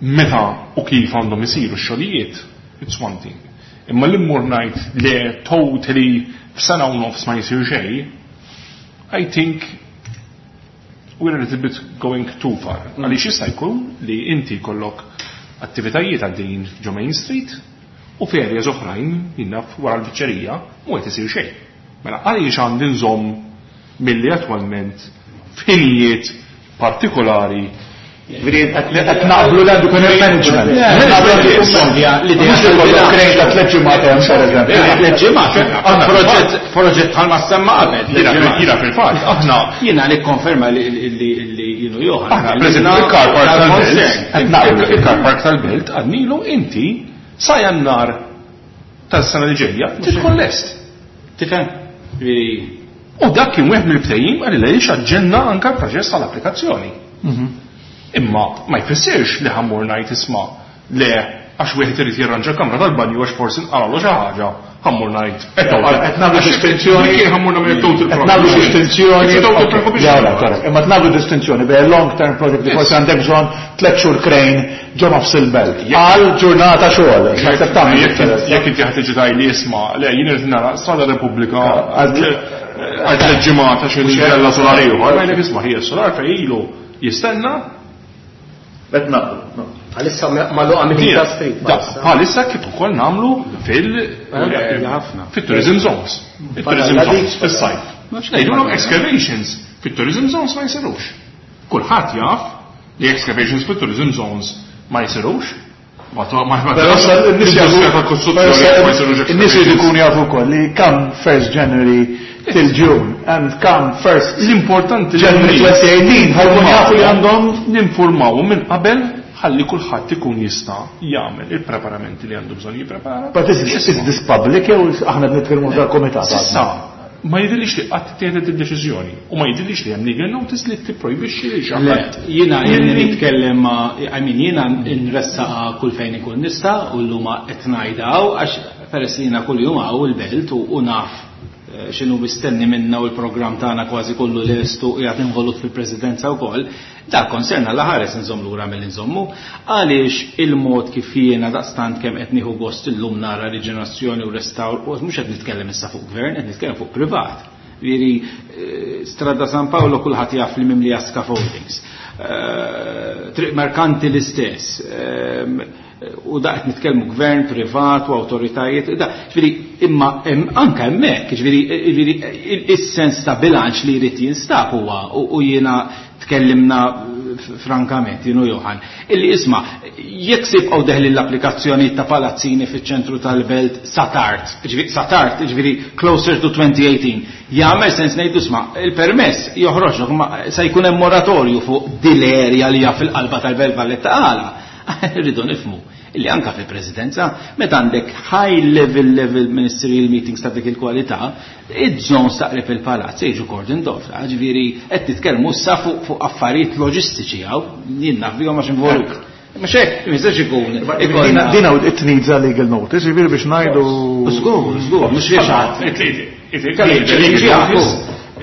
meta u kif għandhom isiru x-xogħlijiet, it's one thing. Imma li mmur ngħid li totally f'sena u nofs ma jsir xejn, I think we're a little bit going too far. Għaliex jista' jkun li inti jkollok attivitajiet għaddejjin ġo Main Street u f'areas oħrajn jinnaf wara l-biċċerija mhu qed isir xejn. Mela għaliex għandi nżomm milli attwalment f'ħinijiet partikolari Ġifieri qed naqblu li għandu jkun hemm management. Mhux li jkollok krejn ta' tliet ġimgħat hemm pereżempju. Tliet ġimgħat. Proġett bħalma semma qabel. Jiena fil-fatt aħna Jiena nikkonferma li jienu Johan. Aħna pereżempju il-car park tal-belt. Il-car park tal-belt għadnilu inti sa Jannar tas-sena li ġejja tidħol lest. Tifhem? U dak kien wieħed mill-ftehim għal li aġġenna anke l-proċess tal-applikazzjoni. Imma ma jfissirx li ħa mmur ngħid isma' le għax wieħed irid jirranġa kamra tal-banju għax forsi nqaralu xi ħaġa, ħa mmur ngħid. Qed nagħmlu distinzjoni. Ħa mmur nagħmel total Qed nagħmlu distinzjoni. Imma nagħmlu distinzjoni bejn long term project li forsi għandek bżonn tliet xhur crane ġo nofs il-belt. Għal ġurnata xogħol. Jekk inti ħa tiġi tgħidli isma' le jien irid nara Strada Repubblika għal tliet ġimgħat għax inkella solar ieħor, ngħidlek isma' hija solar fejn ilu jistenna. Qed naqblu. Għalissa magħluqa minn ta' street. Bħalissa kif ukoll nagħmlu fil fit-tourism zones. Il-tourism zones fis-sajf. Ngħidulhom excavations fit-tourism zones ma jsirux. Kulħadd jaf li excavations fit-tourism zones ma jsirux. Però n-nies jridu jkunu jafu wkoll li come 1st January till June and come 1st L-importanti January 2018 ħa jkunu jafu li għandhom ninformaw minn qabel ħalli kulħadd ikun jista' jagħmel il-preparamenti li għandu bżonn jipprepara. But is, is this public jew aħna nitkellmu dal-komitat? S'issa ma jidhirlix li qatt tieħdet id-deċiżjoni u ma jidhirlix li hemm legal notice li tipprojbixxi li xi Le, jiena jiena nitkellem ma' I mean jiena nressaqa kull fejn ikun nista' u llum qed ngħidha għax peress li jiena kuljum hawn il-belt u naf. x'inhu mistenni minna u l-programm tagħna kważi kollu lest u qiegħed involut fil-Presidenza wkoll, dak concern Alla ħares inżomm lura milli nżommu, għaliex il-mod kif jiena daqstant kemm qed nieħu gost illum nara riġenerazzjoni u restawr, u mhux qed nitkellem issa fuq gvern, qed nitkellem fuq privat. Jiġifieri Strada San Paolo kulħadd jaf li mimlija scaffoldings. Triq Merkanti l-istess. U da qed nitkellmu gvern, privat u awtoritajiet, da, ġifieri, imma anke hemmhekk, ġifieri, ġifieri, is-sens ta' bilanċ li jrid jinstab huwa, u jiena tkellimna frankament, jien u Johan, illi isma' jekk se jibqgħu deħlin l-applikazzjonijiet ta' palazzini fiċ-ċentru tal-belt sa tard, ġifieri sa tard, ġifieri closer to 2018, jagħmel sens ngħidu isma' il-permess joħroġlok imma se jkun hemm moratorju fuq dil-area li hija fil-qalba tal-Belt Valletta għala. Irridu nifhmu illi anka fil-Presidenza, meta għandek high level level ministerial meetings ta' dik il-kwalità, iż-zones ta' qrib il-palazz jiġu cordoned off, ġifieri qed nitkellmu issa fuq affarijiet loġistiċi hawn, jien naf bihom għax involut. Mhux hekk, ma jistax ikun. Din hawn it needs a legal notice, jiġifieri biex ngħidu. Żgur, żgur, mhux biex ħadd.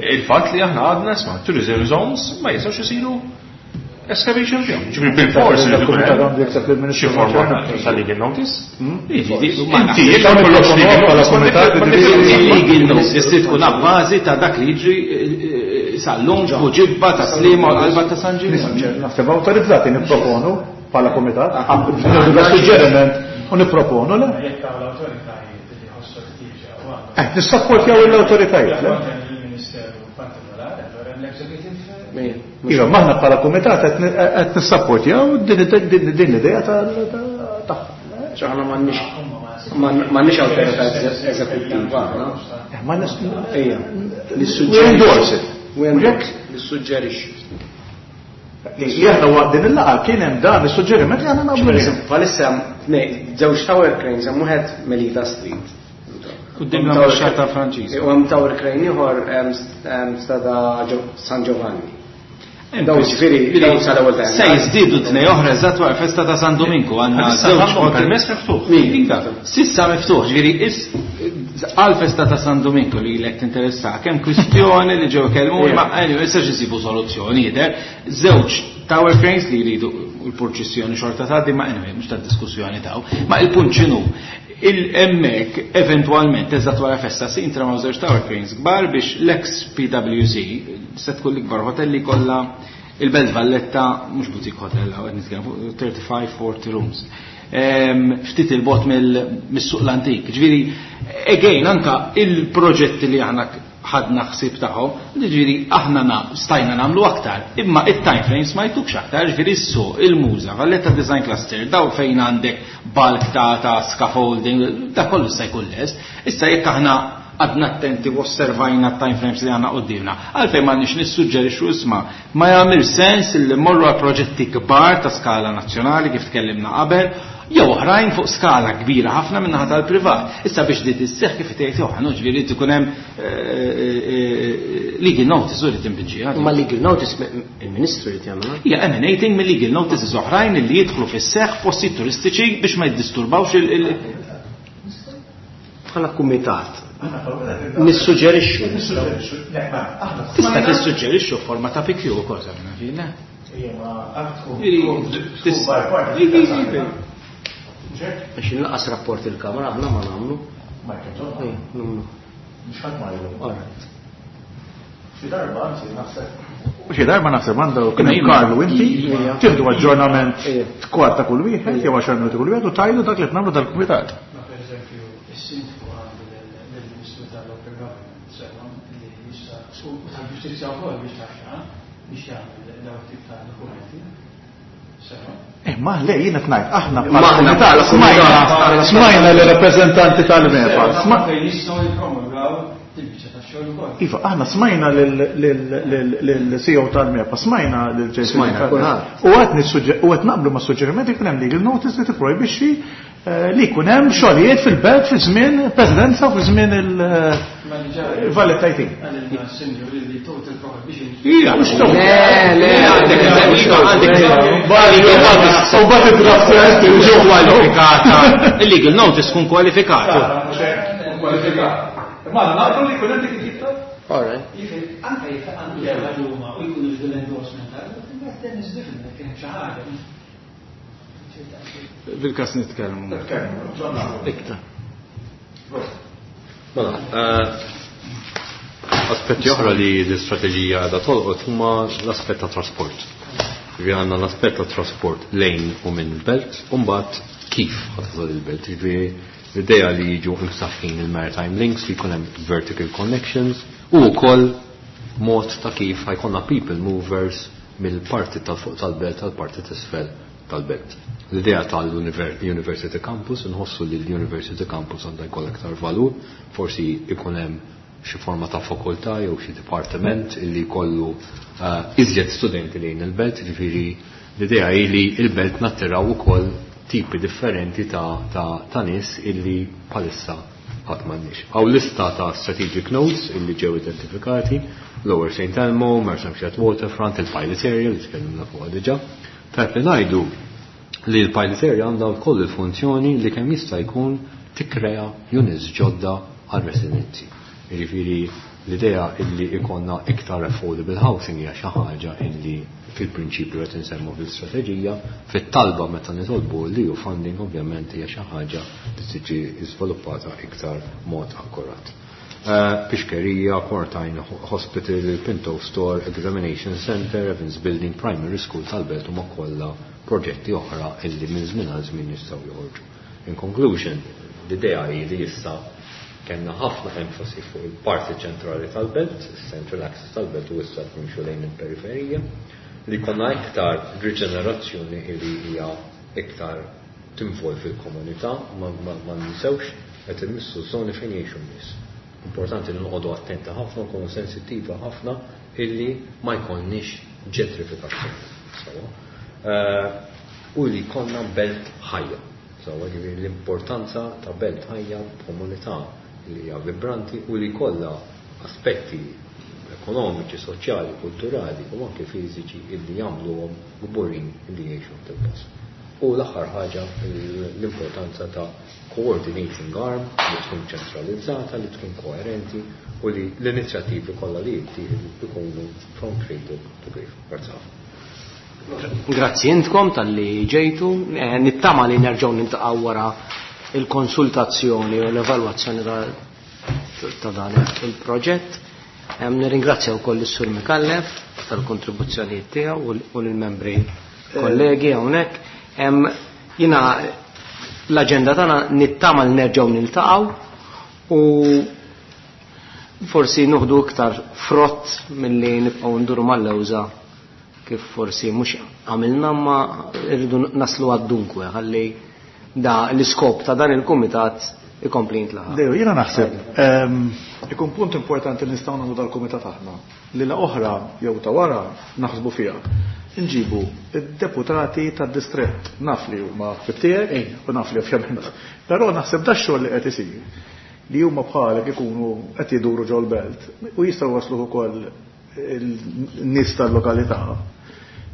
Il-fatt li aħna għadna isma' tourism zones ma jistgħux isiru Excavation fihom. Ġifieri bil-fors li jkun hemm xi forma ta' legal notice. Inti jekk ma jkollokx legal notice, legal notice trid tkun abbażi ta' dak li jiġri sal-lum fuq ġibba ta' Sliema u l-qalba ta' San Ġiljan. Naħseb awtorizzati nipproponu bħala kumitat, suġġeriment u nipproponu le. Jekk hawn l-awtoritajiet li jħossu ħtieġa u għandhom. Nissapportjaw l-awtoritajiet, le? Il-Ministeru partikolari, allora l-executive. Iva, maħna bħala kumitat qed nissapportjaw din l-idea tagħha. Aħna m'għandniex awtorità eżekuttiva, aħna. Ma Ejja. We endorse it. We endorse. Nissuġġerixxu. Li aħna waqt din il-laqgħa kien hemm dan is-suġġeriment li aħna naqblu. Bħalissa hemm tnejn, żewġ tower cranes, hemm wieħed Melita Street. Quddiem l-Ambaxxata Franċiża. U hemm tower crane ieħor Strada San Giovanni. Daw ġifieri, daw sal-ewwel ta' Se jiżdiedu tnej oħra eżatt wara festa ta' San Dominku, għandna Issa żewġ għandhom hotel. permess miftuħ. Iva, sissa miftuħ, ġifieri għal festa ta' San Dominku li lek tinteressa, kemm kwistjoni li ġew kellmu, ma anyway, issa ġisibu soluzzjoni jidher. Żewġ tower cranes li jridu l-purċissjoni xorta tgħaddi, ma anyway, mhux ta' diskussjoni taw. Ma il-punt x'inhu? Il-emmek eventualment eżatt wara festa se jintramaw żewġ tower cranes kbar biex l-ex PwC se tkun l-ikbar hotel li kollha il-Belt Valletta, mhux boutique hotel, qed nitkellem fuq 35-40 rooms. Ftit il-bot mis-suq l-antik. Ġifieri, again, anka il-proġetti li aħna ħadna ħsieb tagħhom, ġifieri aħna stajna nagħmlu aktar, imma it-time frames ma jtukx aktar, ġifieri s-suq, il-Muża, Valletta Design Cluster, daw fejn għandek bulk ta' scaffolding, da kollu se jkun lest. Issa jekk aħna għadna attenti u osservajna time frames li għandna qudiemna, għalfejn ma nix nissuġġerixxu isma' ma jagħmel sens li mmorru għal proġetti kbar ta' skala nazzjonali kif tkellimna qabel, jew oħrajn fuq skala kbira ħafna min-naħa tal-privat. Issa biex di tisseħ kif tgħid Johan, ġifieri ikun hemm legal notice u li tinbinġiha. Ma legal notice il-Ministru jrid jagħmel. Hija emanating mill legal notices oħrajn li jidħlu fis-seħħ f'postijiet turistiċi biex ma jiddisturbawx il- Bħala kumitat. Nissuġġerixxu. Tista' tissuġġerixxu f'forma ta' PQ ukoll, sa minn fina. Biex inlaqas rapport il-Kamra aħna ma nagħmlu. Mhux ħadd ma jgħidu. All right. Xi darba, anzi, naħseb. U xi darba naħseb għandha kien hemm Karlu inti, tieħdu aġġornament kwarta kull wieħed jew 10 minuti kull wieħed u tajdu dak li qed nagħmlu dal-kumitat. Ma pereżempju, is-sindku għandu lill-Ministru tal-Local Government sewa li jista' u tal-Ġustizzja wkoll biex taxxa biex jagħmel dawn tip ta' dokumenti. Sewa. Ma le, jien qed ngħid, aħna Ma bħala aħna kumitat bħala kumitat. smajna li rappreżentanti tal-MEPA. Fejn jistgħu jippromulgaw il-biċċa tax-xogħol ukoll. Iva, aħna smajna lil-CEO tal-MEPA, smajna lil Jason Smajna, Carter. kulħadd. U qed naqblu ma' suġġerimenti jkun hemm legal notice li tipprojbixxi li jkun hemm xogħlijiet fil-belt fi żmien presidenza u fi żmien il-Valletta IT. Għalilna s-sinjur li total prohibition. Ija, mhux total. Le, le, għandek eżempju, iva, għandek eżempju. U bat id-draft tkun kwalifikata. Il-legal notice tkun kwalifikata. Kwalifikata. Imma għandna naqblu li jkun hemm dik it-tip ta' All right. Anke jekk għandu xi ħaġa huma u jkunu jridu l-endorsement, then is different, kien hemm xi ħaġa. Fil-każ nitkellmu. Iktar. Mela, aspetti oħra li l-istrateġija għadha tolqot huma l-aspett ta' trasport. Ġifieri għandna l-aspett ta' trasport lejn u minn belt, u mbagħad kif ħa tasal il-belt. Ġifieri l-idea li jiġu imsaħħin il-maritime links, li jkun hemm vertical connections, u wkoll mod ta' kif ħa jkollna people movers mill-parti tal-fuq tal-belt tal-parti t'isfel tal-belt. L-idea tal-University Campus, nħossu li l-University Campus għandha jkollha aktar valur, forsi ikun hemm xi forma ta' fakultà jew xi dipartiment illi jkollu iżjed studenti lejn il-belt, ġifieri l-idea hi li l-belt nattiraw ukoll tipi differenti ta' nies illi bħalissa qatt m'għandniex. Hawn lista ta' strategic nodes illi ġew identifikati, Lower St. Elmo, Marsamxett Waterfront, il-Pilot Area li tkellimna fuqha diġà. Tajb li ngħidu li l-Pilot Area għandha wkoll il-funzjoni li kemm jista' jkun tikkrea units ġodda għal-residenti. Jiġifieri l-idea illi ikonna iktar affordable housing hija xi ħaġa illi fil-prinċipju qed insemmu fil-strateġija, fit-talba meta nitolbu li hu funding ovvjament hija xi ħaġa li tiġi żviluppata iktar mod akkurat. Pixkerija, Quarantine Hospital, Pinto Store, Examination Center, Evans Building, Primary School tal-Belt huma kollha proġetti oħra illi minn żmien għal żmien jistgħu joħorġu. In conclusion, l-idea hi li issa kellna ħafna enfasi fuq il-parti ċentrali tal-belt, il-central axis tal-belt u issa nimxu lejn il-periferija, li konna iktar riġenerazzjoni li hija iktar tinvolvi l-komunità, ma ninsewx qed immissu żoni fejn jgħixu n-nies. Importanti li noqogħdu attenti ħafna, nkunu sensittiva ħafna illi ma jkollniex ġentrifikazzjoni. Sewwa. U li jkollna belt ħajja. Sewwa, ġifieri l-importanza ta' belt ħajja b'komunità li hija vibranti u li jkollha aspetti ekonomiċi, soċjali, kulturali u anke fiżiċi illi jagħmluhom kburin li jgħixu fil-post. U l-aħħar ħaġa l-importanza ta' coordinating arm li tkun ċentralizzata, li tkun koerenti u li l-inizjattivi kollha li jittieħdu ikunu from cradle to grave. Grazzi ħafna. Grazzi intkom tal-li ġejtu, nittama li nerġgħu niltaqgħu wara il-konsultazzjoni u l-evalwazzjoni ta' dan il-proġett. Nirringrazzja wkoll is-Sur Micallef tal-kontribuzzjonijiet tiegħu u lill-membri kollegi hawnhekk. Jiena l-aġenda tagħna nittama li nerġgħu niltaqgħu u forsi nuħdu iktar frott milli nibqgħu nduru mal-lewża kif forsi mhux għamilna ma rridu naslu għad-dunkwe ħalli da l-iskop ta' dan il-kumitat ikompli jintlaħaq. Deo, jiena naħseb ikun punt importanti li nistgħu nagħmlu dal-kumitat aħna li la oħra jew ta' wara naħsbu fiha. Nġibu id-deputati tad-distrett, naf li huma ħbieb tiegħek u naf li ovvjament. Però naħseb da xogħol li qed isir li huma bħalek ikunu qed jiduru ġol-belt u jistgħu waslu ukoll il-nies tal-lokalità.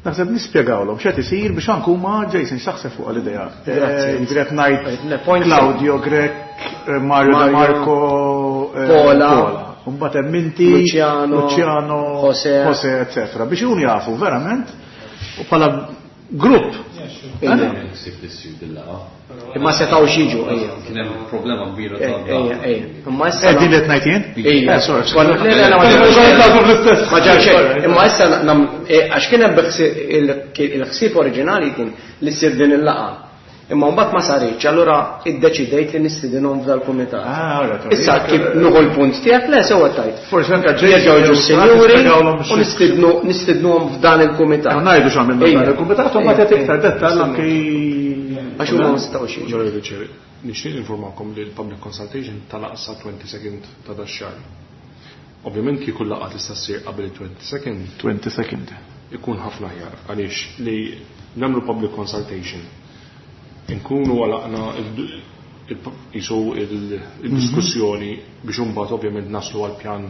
Naħseb nispjegawlhom x'qed isir biex anke huma Jason x'taħseb fuq l-idea. Grazzi. Jiġifieri qed ngħid Le, point Claudio Grech, Mario De Mario, Marco, Pola, Pola. Mbagħad hemm inti, Luciano, Luciano, Jose, Jose, eccetera. Biex ikunu jafu verament u bħala grupp. Imma setgħu xiġu, ejja. Kien hemm problema kbira ta' Ejja, ejja. Imma issa Din li qed ngħid jien? Ejja. Sorry. Konna- Le, le, le, ma ġara xejn. Ma ġara xejn. Imma issa għax kien hemm il-ħsieb oriġinali kien li ssir din il-laqgħa. Imma mbagħad ma saritx, allura iddeċidejt li nistidinhom f'dal-kumitat. Ah, ora, torri. Issa kif nuħu l-punt tiegħek, le sewwa tajt. Forsi anke ġej Jerġgħu jiġu jew s-sinjuri nispjegawlhom u xi- nistidnuhom f'dan il-kumitat. Aħna ngħidu x'għamilna Ejja. f'dan il-kumitat u mbagħad Ejja, iktar ejja. dettall anke Għax huma ma setgħux jiġu. Onorevoli Chair, nixtieq informakom li l-public consultation tal-aqsa 22nd ta' dax-xahar. Ovvjament kieku laqgħa tista' ssir qabel il-22nd. 22nd. Ikun ħafna aħjar għaliex li nagħmlu public consultation inkunu għalaqna jisu il-diskussjoni biex imbagħad ovvjament naslu għal pjan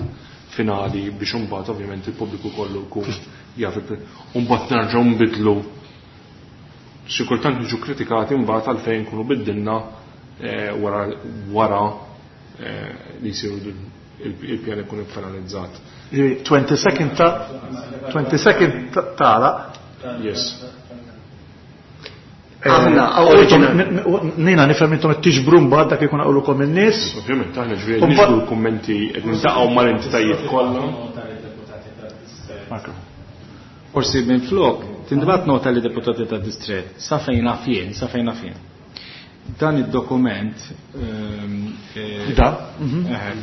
finali biex imbagħad ovvjament il-pubbliku kollu jkun jaf u mbagħad nerġgħu nbidlu. Xi kultant niġu kritikati mbagħad għalfejn nkunu biddilna wara li jsiru il-pjan ikun finalizzat. 22nd ta' 22nd tagħlaq. Yes. Aħna, Nina nifhem intom qed tiġbru mbagħad dak ikun qawlukom in-nies. Ovvjament aħna ġifieri niġbru l-kummenti qed niltaqgħu mal-entitajiet kollha. Forsi minn flok, tintbagħat nota li deputati ta' distret, sa fejn naf jien, sa fejn naf jien. Dan id-dokument Da?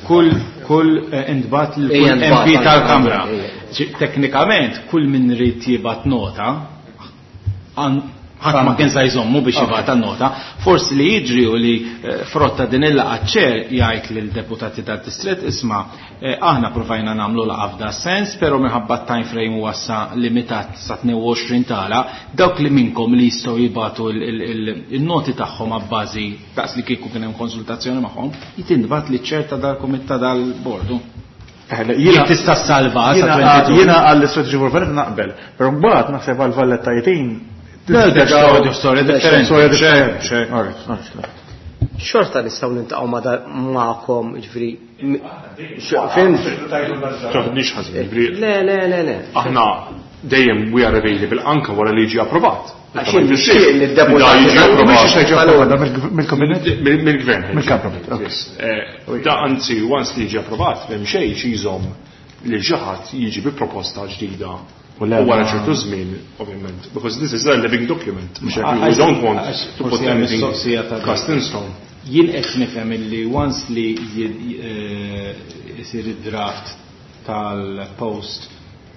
kull kull intbagħat lil kull MP tal-Kamra. Teknikament kull min rid jibgħat nota ħadd ma kien sa jżommu biex jibgħat nota. Forsi li jiġri u li frotta din il-laqgħa ċer jgħid lil deputati tad-distret isma' aħna provajna nagħmlu laqgħa f'da sens, però minħabba time frame huwa sa limitat sa 22 tala, dawk li minkom li jistgħu jibgħatu il-noti tagħhom abbażi daqs li kieku kien hemm konsultazzjoni magħhom, jitintbagħat li ċerta dal-kumitat dal-bordu. Jien tista' salva sa 22. Jiena għall-istrategy for Valletta naqbel, però mbagħad naħseb għal Valletta 18 Storja differenti. Storja differenti. Xorta nistgħu niltaqgħu magħkom, jiġifieri Fimt? Taħdniex ħażin, jiġifieri. Le, le, le, le. Aħna dejjem we are available anke wara li jiġi approvat. Għax nixtieq li d-deputati jiġi approvat. Mill-kabinet? Mill-gvern. Mill-kabinet. Da anzi, once li jiġi approvat, m'hemm xejn xi jżomm li xi ħadd jiġi bi proposta ġdida. U wara ċertu żmien, ovvjament, because this is a living document. We don't want to put anything cast in stone. Jien qed nifhem illi once li jsir id-draft tal-post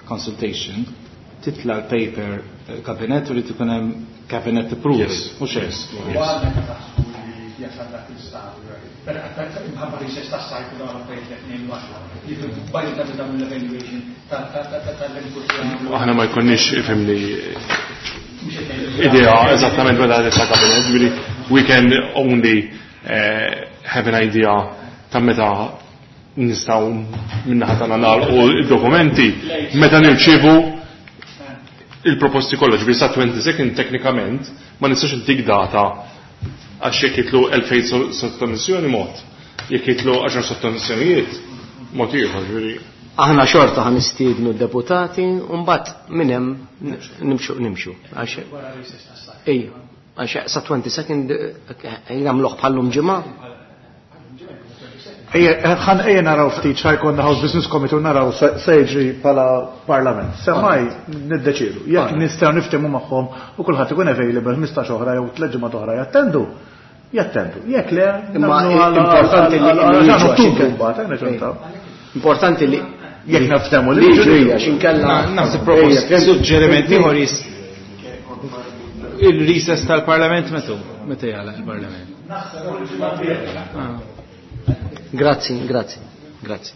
consultation, titla l-paper kabinet u li ikun hemm cabinet approval. Mhux hekk. Imħabba recess tas-sajf u dawn l-affarijiet li qed ngħidu aħna. Li fil-budget ta' dawn l-evaluation tal-input li għamlu. Aħna ma jkunniex ifhimni idea eżattament meta titla' kabinet, ġifieri we can only have an idea ta' meta nistgħu min-naħa tagħna nagħlqu d-dokumenti meta nirċievu il-proposti kollha, ġifieri sa 22nd teknikament ma nistax intik data għax jekk jitlu 2000 sottomissjoni mod, jekk jitlu 10 sottomissjonijiet mod ieħor, ġifieri. Aħna xorta ħa nistiednu d-deputati u mbagħad minn hemm nimxu nimxu. Għax ejja, għax sa 22nd jagħmluh bħallum ġimgħa. Ejja, ejja naraw ftit xa jkollna House Business Committee u naraw se jiġri bħala Parlament. Semmai niddeċiedu. Jekk nistgħu niftehmu magħhom u kulħadd ikun available 15 oħra jew tliet ġimgħat oħra jattendu. Jattendu. Jekk le, Imma nagħmlu għal- importanti li għal- għal- jiġu għal- għax Ottubru mbagħad, nerġgħu. Importanti li jekk naftehmu li li jiġu. jiġu għax inkella Naħseb propost suġġeriment ieħor il-recess tal-Parlament meta meta jagħlaq il-Parlament. Grazzi, grazzi, grazzi.